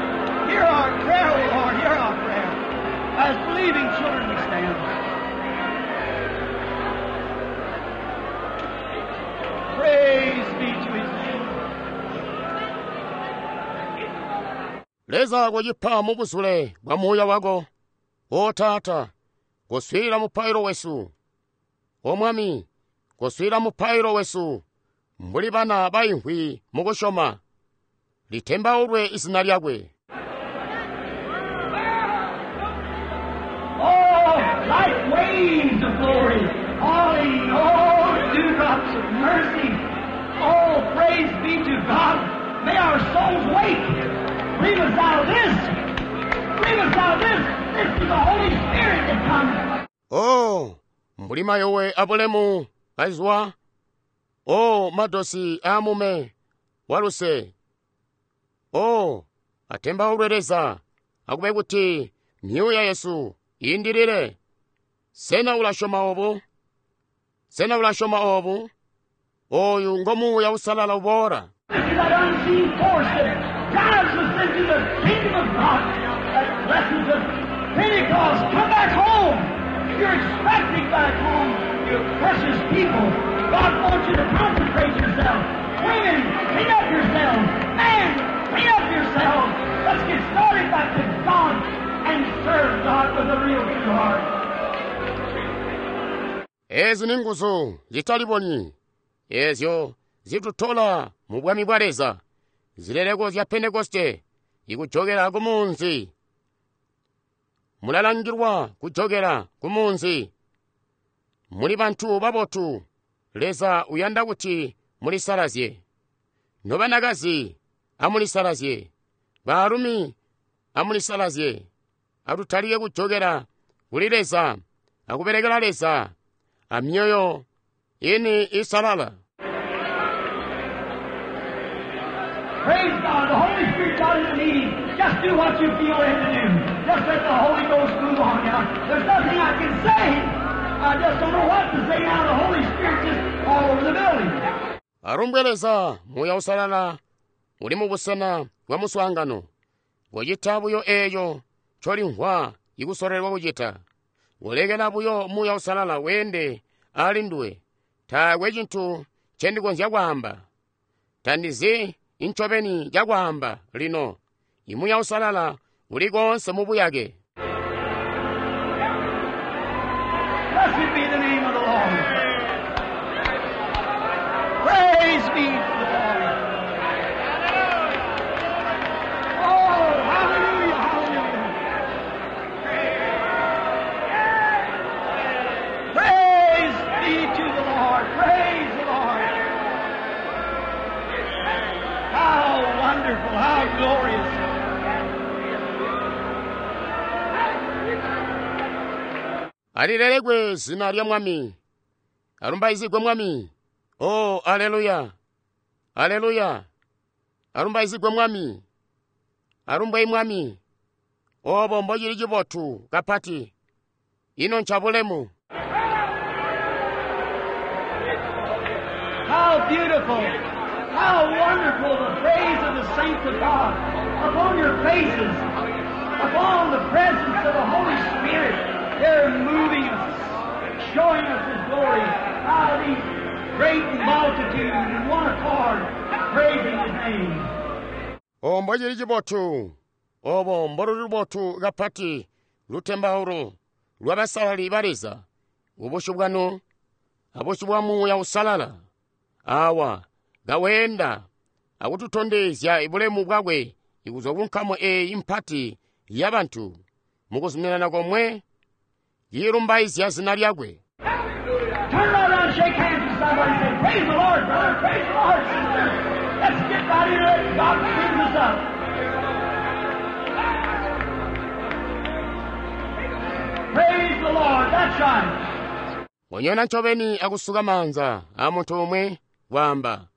Hear our prayer, O Lord, hear our prayer. As believing children we stand. Praise be to his name. Leza kucipa mu buzule bwa muuya wako. O Taata, kuswiilila mupailo wesu. O Mwami, kuswiilila mupailo wesu. Mbuli bana baimvwi mukusyoma. Litembaulwe izina lyakwe. Oh, like waves of glory, falling, oh, dewdrops of mercy. Oh, praise be to God. May our souls wake. Bring us out of this. Bring us out of this. This is the Holy Spirit that comes. Oh, mbuli mayowe abulemu azwa. Oh, madosi amume waluse. Oh, atembaulwe Leza, akube kuti myuuya yesu iindilile. Sena ulasyoma obu? Sena ulasyoma obu? Oyu ngo muuya usalala uboola. This is that unseen force that drives us into the kingdom of God. That blessings of Pentecost, come back home. You're expecting back home, you precious people. God wants you to consecrate yourself. Women, clean up yourselves. Men, clean up yourselves. Let's get started back to God and serve God with a real true heart. Ezi ni nguzu zitalibonyi, ezyo zitutola mu bwami bwa Leza, zileleko zya Pentekoste, ikujokera ku munzi. Mulalangilwa kujokera ku munzi. Muli bantu babotu, Leza uyanda kuti mulisalazye. Nobanakazi, amulisalazye. Baalumi, amulisalazye. Atutalike kujokera kuli Leza, akubelekela Leza, amyoyo ini isalala. Praise God. The Holy Spirit's out in the meeting. Just do what you feel led to do. Just let the Holy Ghost move on now. There's nothing I can say. I just don't know what to say now. The Holy Spirit's just all over the building. Alumbwe Leza, muuya usalala uli mu busena bwa muswaangano. Kucita buyo eeyo ncolimvwa ikusolelwa kucita. Kulekela buyo muuya usalala weende ali nduwe. Taakwe cintu ncendikonzya kwaamba. Tandizi incobeni cakwaamba lino. Imuuya usalala uli koonse mu buyake. Blessed be the name of the Lord. Praise be to the Lord. Oh, hallelujah, hallelujah. Praise be to the Lord. Praise the Lord. How wonderful, how glorious. Alilelekwe zina lya Mwami. Alumbaizigwe Mwami. Oh, aleluya. Aleluya. Alumbaizigwe Mwami. Alumbwe Mwami. Obo mbocili cibotu kapati. Ino ncabulemu. How beautiful, how wonderful the praise of the saints of God upon your faces, upon the presence of the Holy Spirit. They're moving us, showing us His glory. How these great multitudes in one accord praising His name. Obo mbocili cibotu. Obo mboluli lubotu kapati lutembaulo lwabasalali ba Leza. Ubusyu bwanu abusyu bwa Muuya Usalala. Awa kaweenda akututondezya bulemu bwakwe kuzwa ku nkamu eeyi mpati y'abantu mukuzuminana komwe yilumbaizya zina lyakwe. Turn right around and shake hands with somebody and say, Praise the Lord, brother, praise the Lord, sister. Let's get right here and let God clean us up. Praise the Lord, that's right. Wanyona ncobeni akusuka maanza a muntu umwe waamba,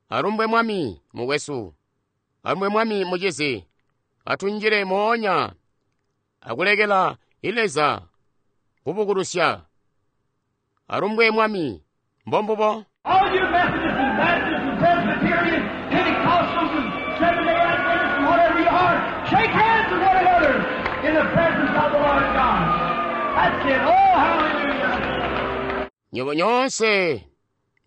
alumbwe Mwami mukwesu, alumbwe Mwami mucizi, atunjile moonya akulekela Leza kubukulusya. Alumbwe Mwami, mbombubo. All you Methodists and Baptists and Presbyterians, Pentecostals and Seventh-day Adventists and whatever you are, shake hands with one another in the presence of the Lord God. That's it. Oh, hallelujah. Nyobo nyonse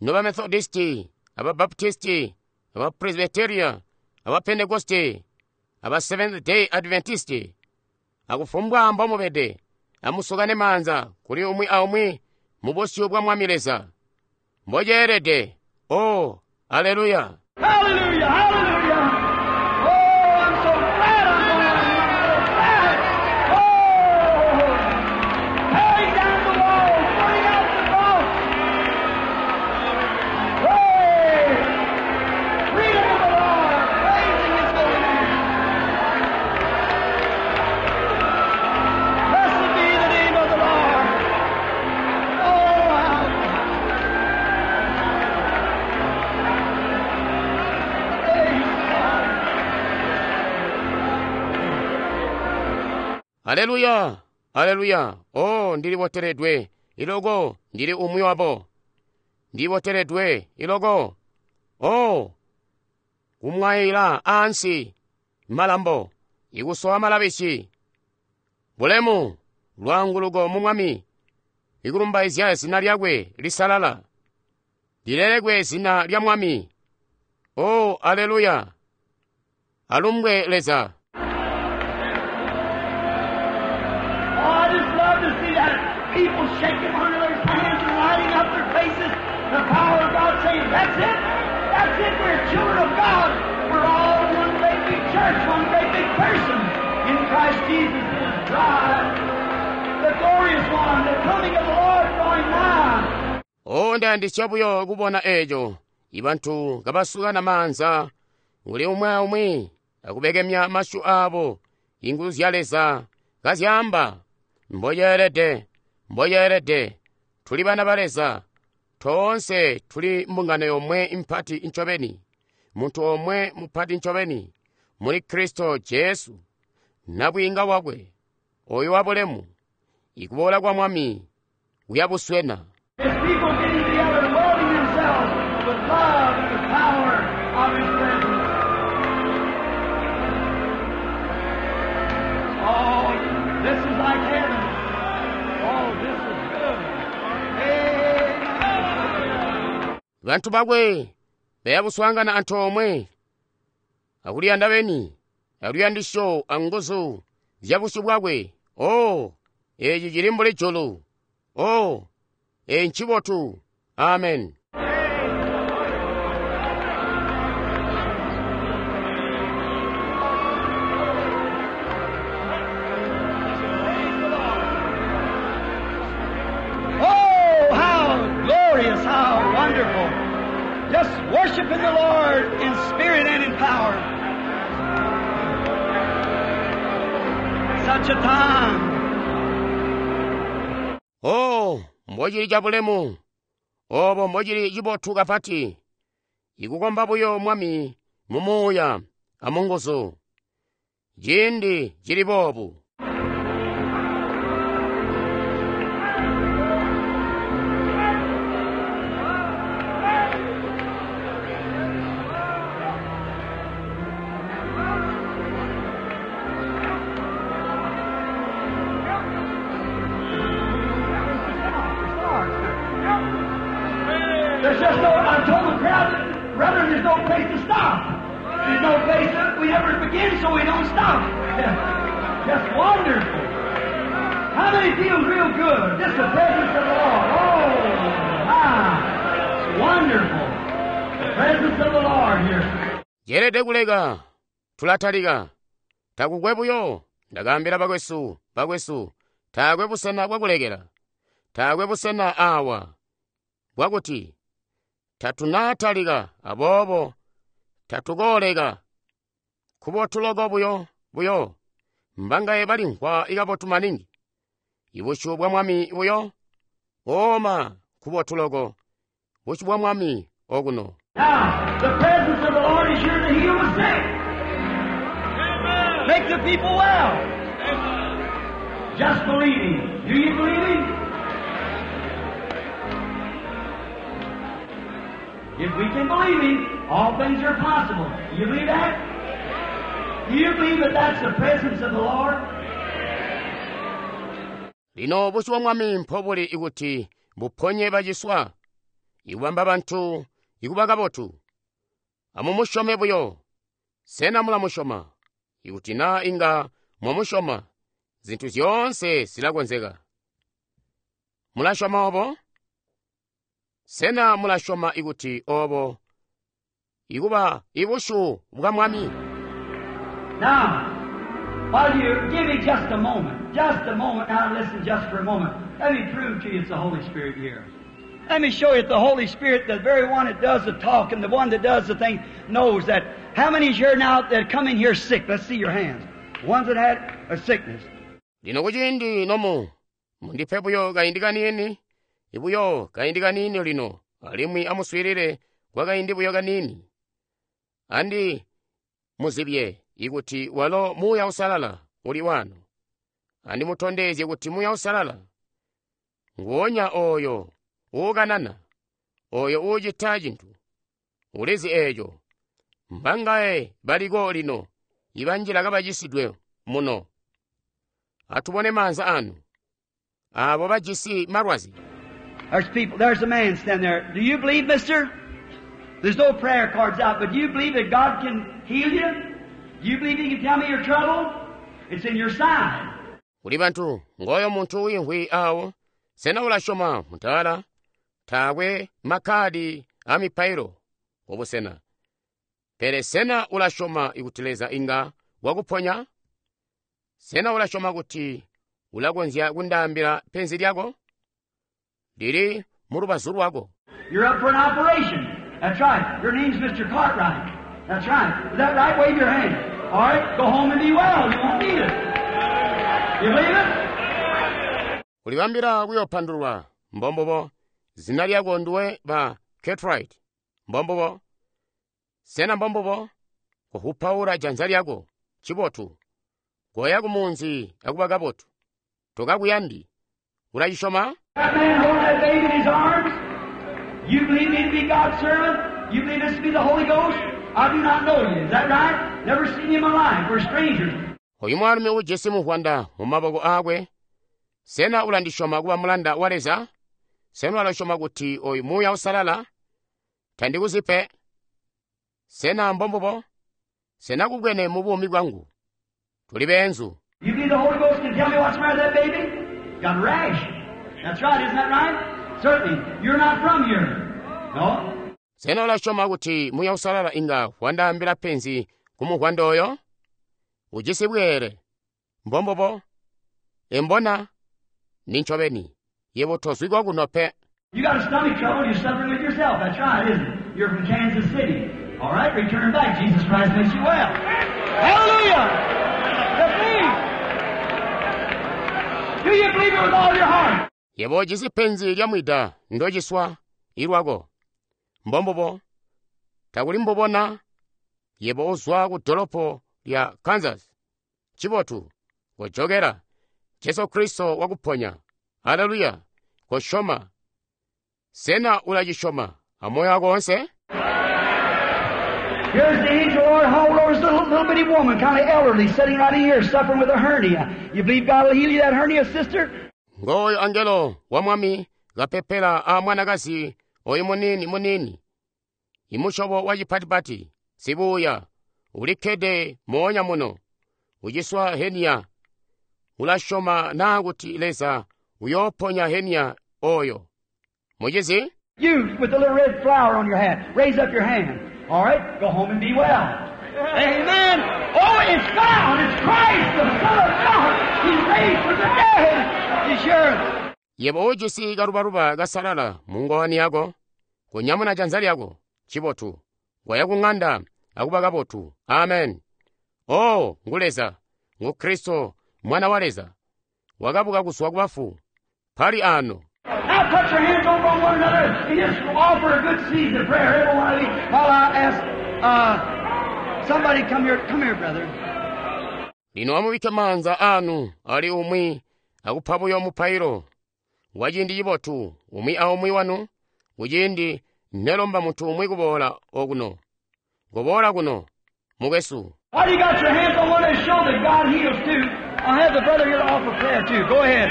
noba Methodisti, aba Baptisti, aba Presbyteria, aba Pentecoste, aba Seventh Day Adventisti, akufumbwa mbomubede, amusukane maanza kuli umwi aumwi mu busyu bwa Mwami Leza. Mboceelede. Oh, aleluya. Hallelujah, hallelujah. Oh, I'm so glad I'm going. I'm so glad. Oh, tearing down the walls, putting out the cross. Hey, freedom of the Lord, praising His holy name. Blessed be the name of the Lord. Oh, how praise God. Aleluya, aleluya. Oh, ndiliboteledwe iloko ndili umwi wabo. Ndiboteledwe iloko. Oh, kumwayila ansi malambo ikusowa malabishi. Bulemu lwanguluko mu Mwami ikulumbaizya zina lyakwe lisalala. Lilelekwe zina lya Mwami. Oh, aleluya. Alumbwe Leza. Oh, I just love to see that people shaking one another's hands and lighting up their faces. The power of God saying, that's it. That's it. We're children of God. We're all one great big church, one great big person in Christ Jesus, His bride. The glorious one, the coming of the Lord drawing nigh. Oh, ndayandisya buyo kubona eco ibantu kabasukana maanza uli umwe aumwi akubekemya masyu abo inguzu zya Leza kazyamba mboceelede mboceelede tuli bana ba Leza toonse tuli mbungano yomwe mpati ncobeni muntu omwe mupati ncobeni muli Kristo Jesu nabwiinga wakwe oyo wabulemu ikuboola kwa Mwami kuyabuswena. His people getting together and welding themselves with love and the power of His presence. Oh, this is like heaven. Oh, this is good. Amen. Bantu bakwe bayabuswangana antoomwe akuliyanda beni aluyandisyo anguzu zya busyu bwakwe. Oh, eci cili mbuli julu. Oh, eci ncibotu. Amen. Oh, how glorious, how wonderful. Just worshiping the Lord in spirit and in power. Such a time. Oh, mbocili cabulemu Obo mbocili cibotu kapati, ikukomba buyo Mwami mu Muuya a mu nguzu. Ciindi cili boobu. There's just no, I told the crowd, brother, there's no place to stop. There's no place that we never begin, so we don't stop. Just wonderful. How many feels real good? Just the presence of the Lord. Oh, my. It's wonderful. The presence of the Lord here. Yeelede kuleka, tulatalika. Takukwe buyo, ndakaambila bakwesu, bakwesu, taakwe busena bwakulekela. Taakwe busena awa bwakuti tatunatalika, aboobo tatukooleka. Kubotu loko buyo, buyo, mbangaye balimvwa ikabotu maningi. Ibusyu bwa Mwami buyo, oma kubotu loko, busyu bwa Mwami okuno. Now, the presence of the Lord is here to heal the sick. Make the people well. Just believe Him. Do you believe Him? If we can believe Him, all things are possible. Do you believe that? Do you believe that that's the presence of the Lord? Lino busyu bwa Mwami mpobuli ikuti buponye baciswa, ikubamba bantu ikuba kabotu. Amumusyome buyo. Sena mulamusyoma? Ikuti naa inga mwamusyoma, zintu zyoonse zilakonzeka. Mulasyoma obo? Sena mulasyoma ikuti obo ikuba ibusyu bwa Mwami? Now, while you give me just a moment, just a moment, now listen just for a moment. Let me prove to you it's the Holy Spirit here. Let me show you that the Holy Spirit, the very one that does the talk and the one that does the thing, knows that. How many is here now that come in here sick? Let's see your hands. Ones that had a sickness. Lino kuciindi nomu, mundipe buyo kaindi kaniini, ibuyo kaindi kaniini lino, alimwi amuswiilile kwa kaindi buyo kaniini. Andi muzibye ikuti walo Muuya Uusalala uli wano. Andi mutondezye kuti Muuya Uusalala nguwonya oyo uukanana, oyo uucita cintu, ulizi eeco. Mbangaye baliko lino ibanjila kabacisidwe muno. Atubone maanza anu, abo bajisi malwazi. There's people, there's a man standing there. Do you believe, mister? There's no prayer cards out, but do you believe that God can heal you? Do you believe He can tell me your trouble? It's in your side. Kuli bantu, ngoyo muntu wiimvwi awo, sena ulasyoma mutala, taakwe makkadi a mipailo obusena. Pele sena ulasyoma ikuti Leza inga wakuponya? Sena ulasyoma kuti ulakonzya kundaambila penzi lyako? Lili mu lubazu lwako. You're up for an operation. That's right. Your name's Mister Cartwright. That's right. Is that right? Wave your hand. All right. Go home and be well. You won't need it. You believe it? Ulibambila kuyopandulwa mbombobo. Zina lyako nduwe ba Cartwright. Mbombobo. Sena mbombobo. Kuhupaula janza lyako. Chibotu. Goya kumunzi akuba kabotu. Tokakuyandi. Ulachisyoma? That man holding that baby in his arms. You believe me to be God's servant? You believe this to be the Holy Ghost? I do not know you. Is that right? Never seen you in my life. We're strangers. Oyu mwaalumi ujisi muvwanda mu maboko aakwe. Sena ulandisyoma kuba mulanda wa Leza? Sena ulasyoma kuti oyu Muuya Uusalala? Tandikuzipe. Sena mbombobo? Sena kubwene mu buumi bwangu? Tuli beenzu. You believe the Holy Ghost can tell me what's the matter with that baby? Got a rash. That's right, isn't that right? Certainly. You're not from here. No? Sena ulasyoma kuti Muuya Uusalala inga wandaambila penzi ku muvwanda oyo? Ujisi bweere. Mbombobo? Embona? Ninchobeni. Yebo tozwikwa kuno pe. You got a stomach trouble, you're suffering with yourself. That's right, isn't it? You're from Kansas City. All right, return back. Jesus Christ makes you well. Hallelujah! Believe! Do you believe it with all your heart? Yebo ujisi penzi lya mwida ndociswa. Ilwako. Mbombubo. Takuli mbubona yebo uzwa ku dolopo lya Kansas. Cibotu. Kojokela. Jesu Kristo wakuponya. Haleluya. Kosyoma. Sena ulacisyoma amoyo wako wonse? Here's the angel of the Lord hovering over this little, little bitty woman, kind of elderly, sitting right in here, suffering with a hernia. You believe God will heal you that hernia, sister? Ngoyo angelo wa mwami kapepela a mwanakazi oyu munini munini imusyobo wa cipatipati sibuya ulikkede moonya muno uciswa henia ulasyoma naa kuti Leza uyooponya henia oyo mucizi You with the little red flower on your hat, raise up your hand. All right, go home and be well. Amen. Oh, it's found. It's Christ, the Son of God. He's raised from the dead. He's sure. Yebo ujisi kalubaluba kasalala mu ngowani yako kunyamuna janza lyako cibotu waya ku ŋanda akuba kabotu. Amen. Oh, ngu Leza, ngu Kristo, mwana wa Leza, wakabuka kuzwa ku bafu pali ano. Now put your hands over on one another and just offer a good seed of prayer. Every one of you. While I ask uh, somebody come here, come here, brother. Lino amubikke maanza anu ali umwi akupa buyo mupailo wa ciindi cibotu umwi aumwi wanu kuciindi nelomba muntu umwi kuboola okuno. Kuboola kuno, mukwesu. While you got your hands on one another, show that God heals too. I'll have the brother here to offer prayer too. Go ahead.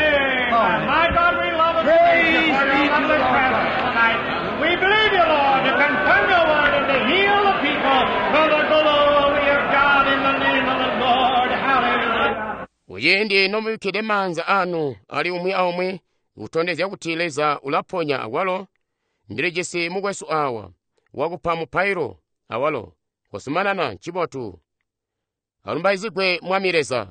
All right. My God, we love and Praise praise you for be your to lovely the Lord. presence tonight. We believe you, Lord, to confirm your word and to heal the people for the glory of God in the name of the Lord. Hallelujah. Kuciindi nomubikkide maanza anu ali umwi aumwi kutondezya kuti Leza ulaponya awalo, ndilijisi mukwesu awa wakupa mupailo awalo. Kosumanana ncibotu. Alumbaizigwe Mwami Leza.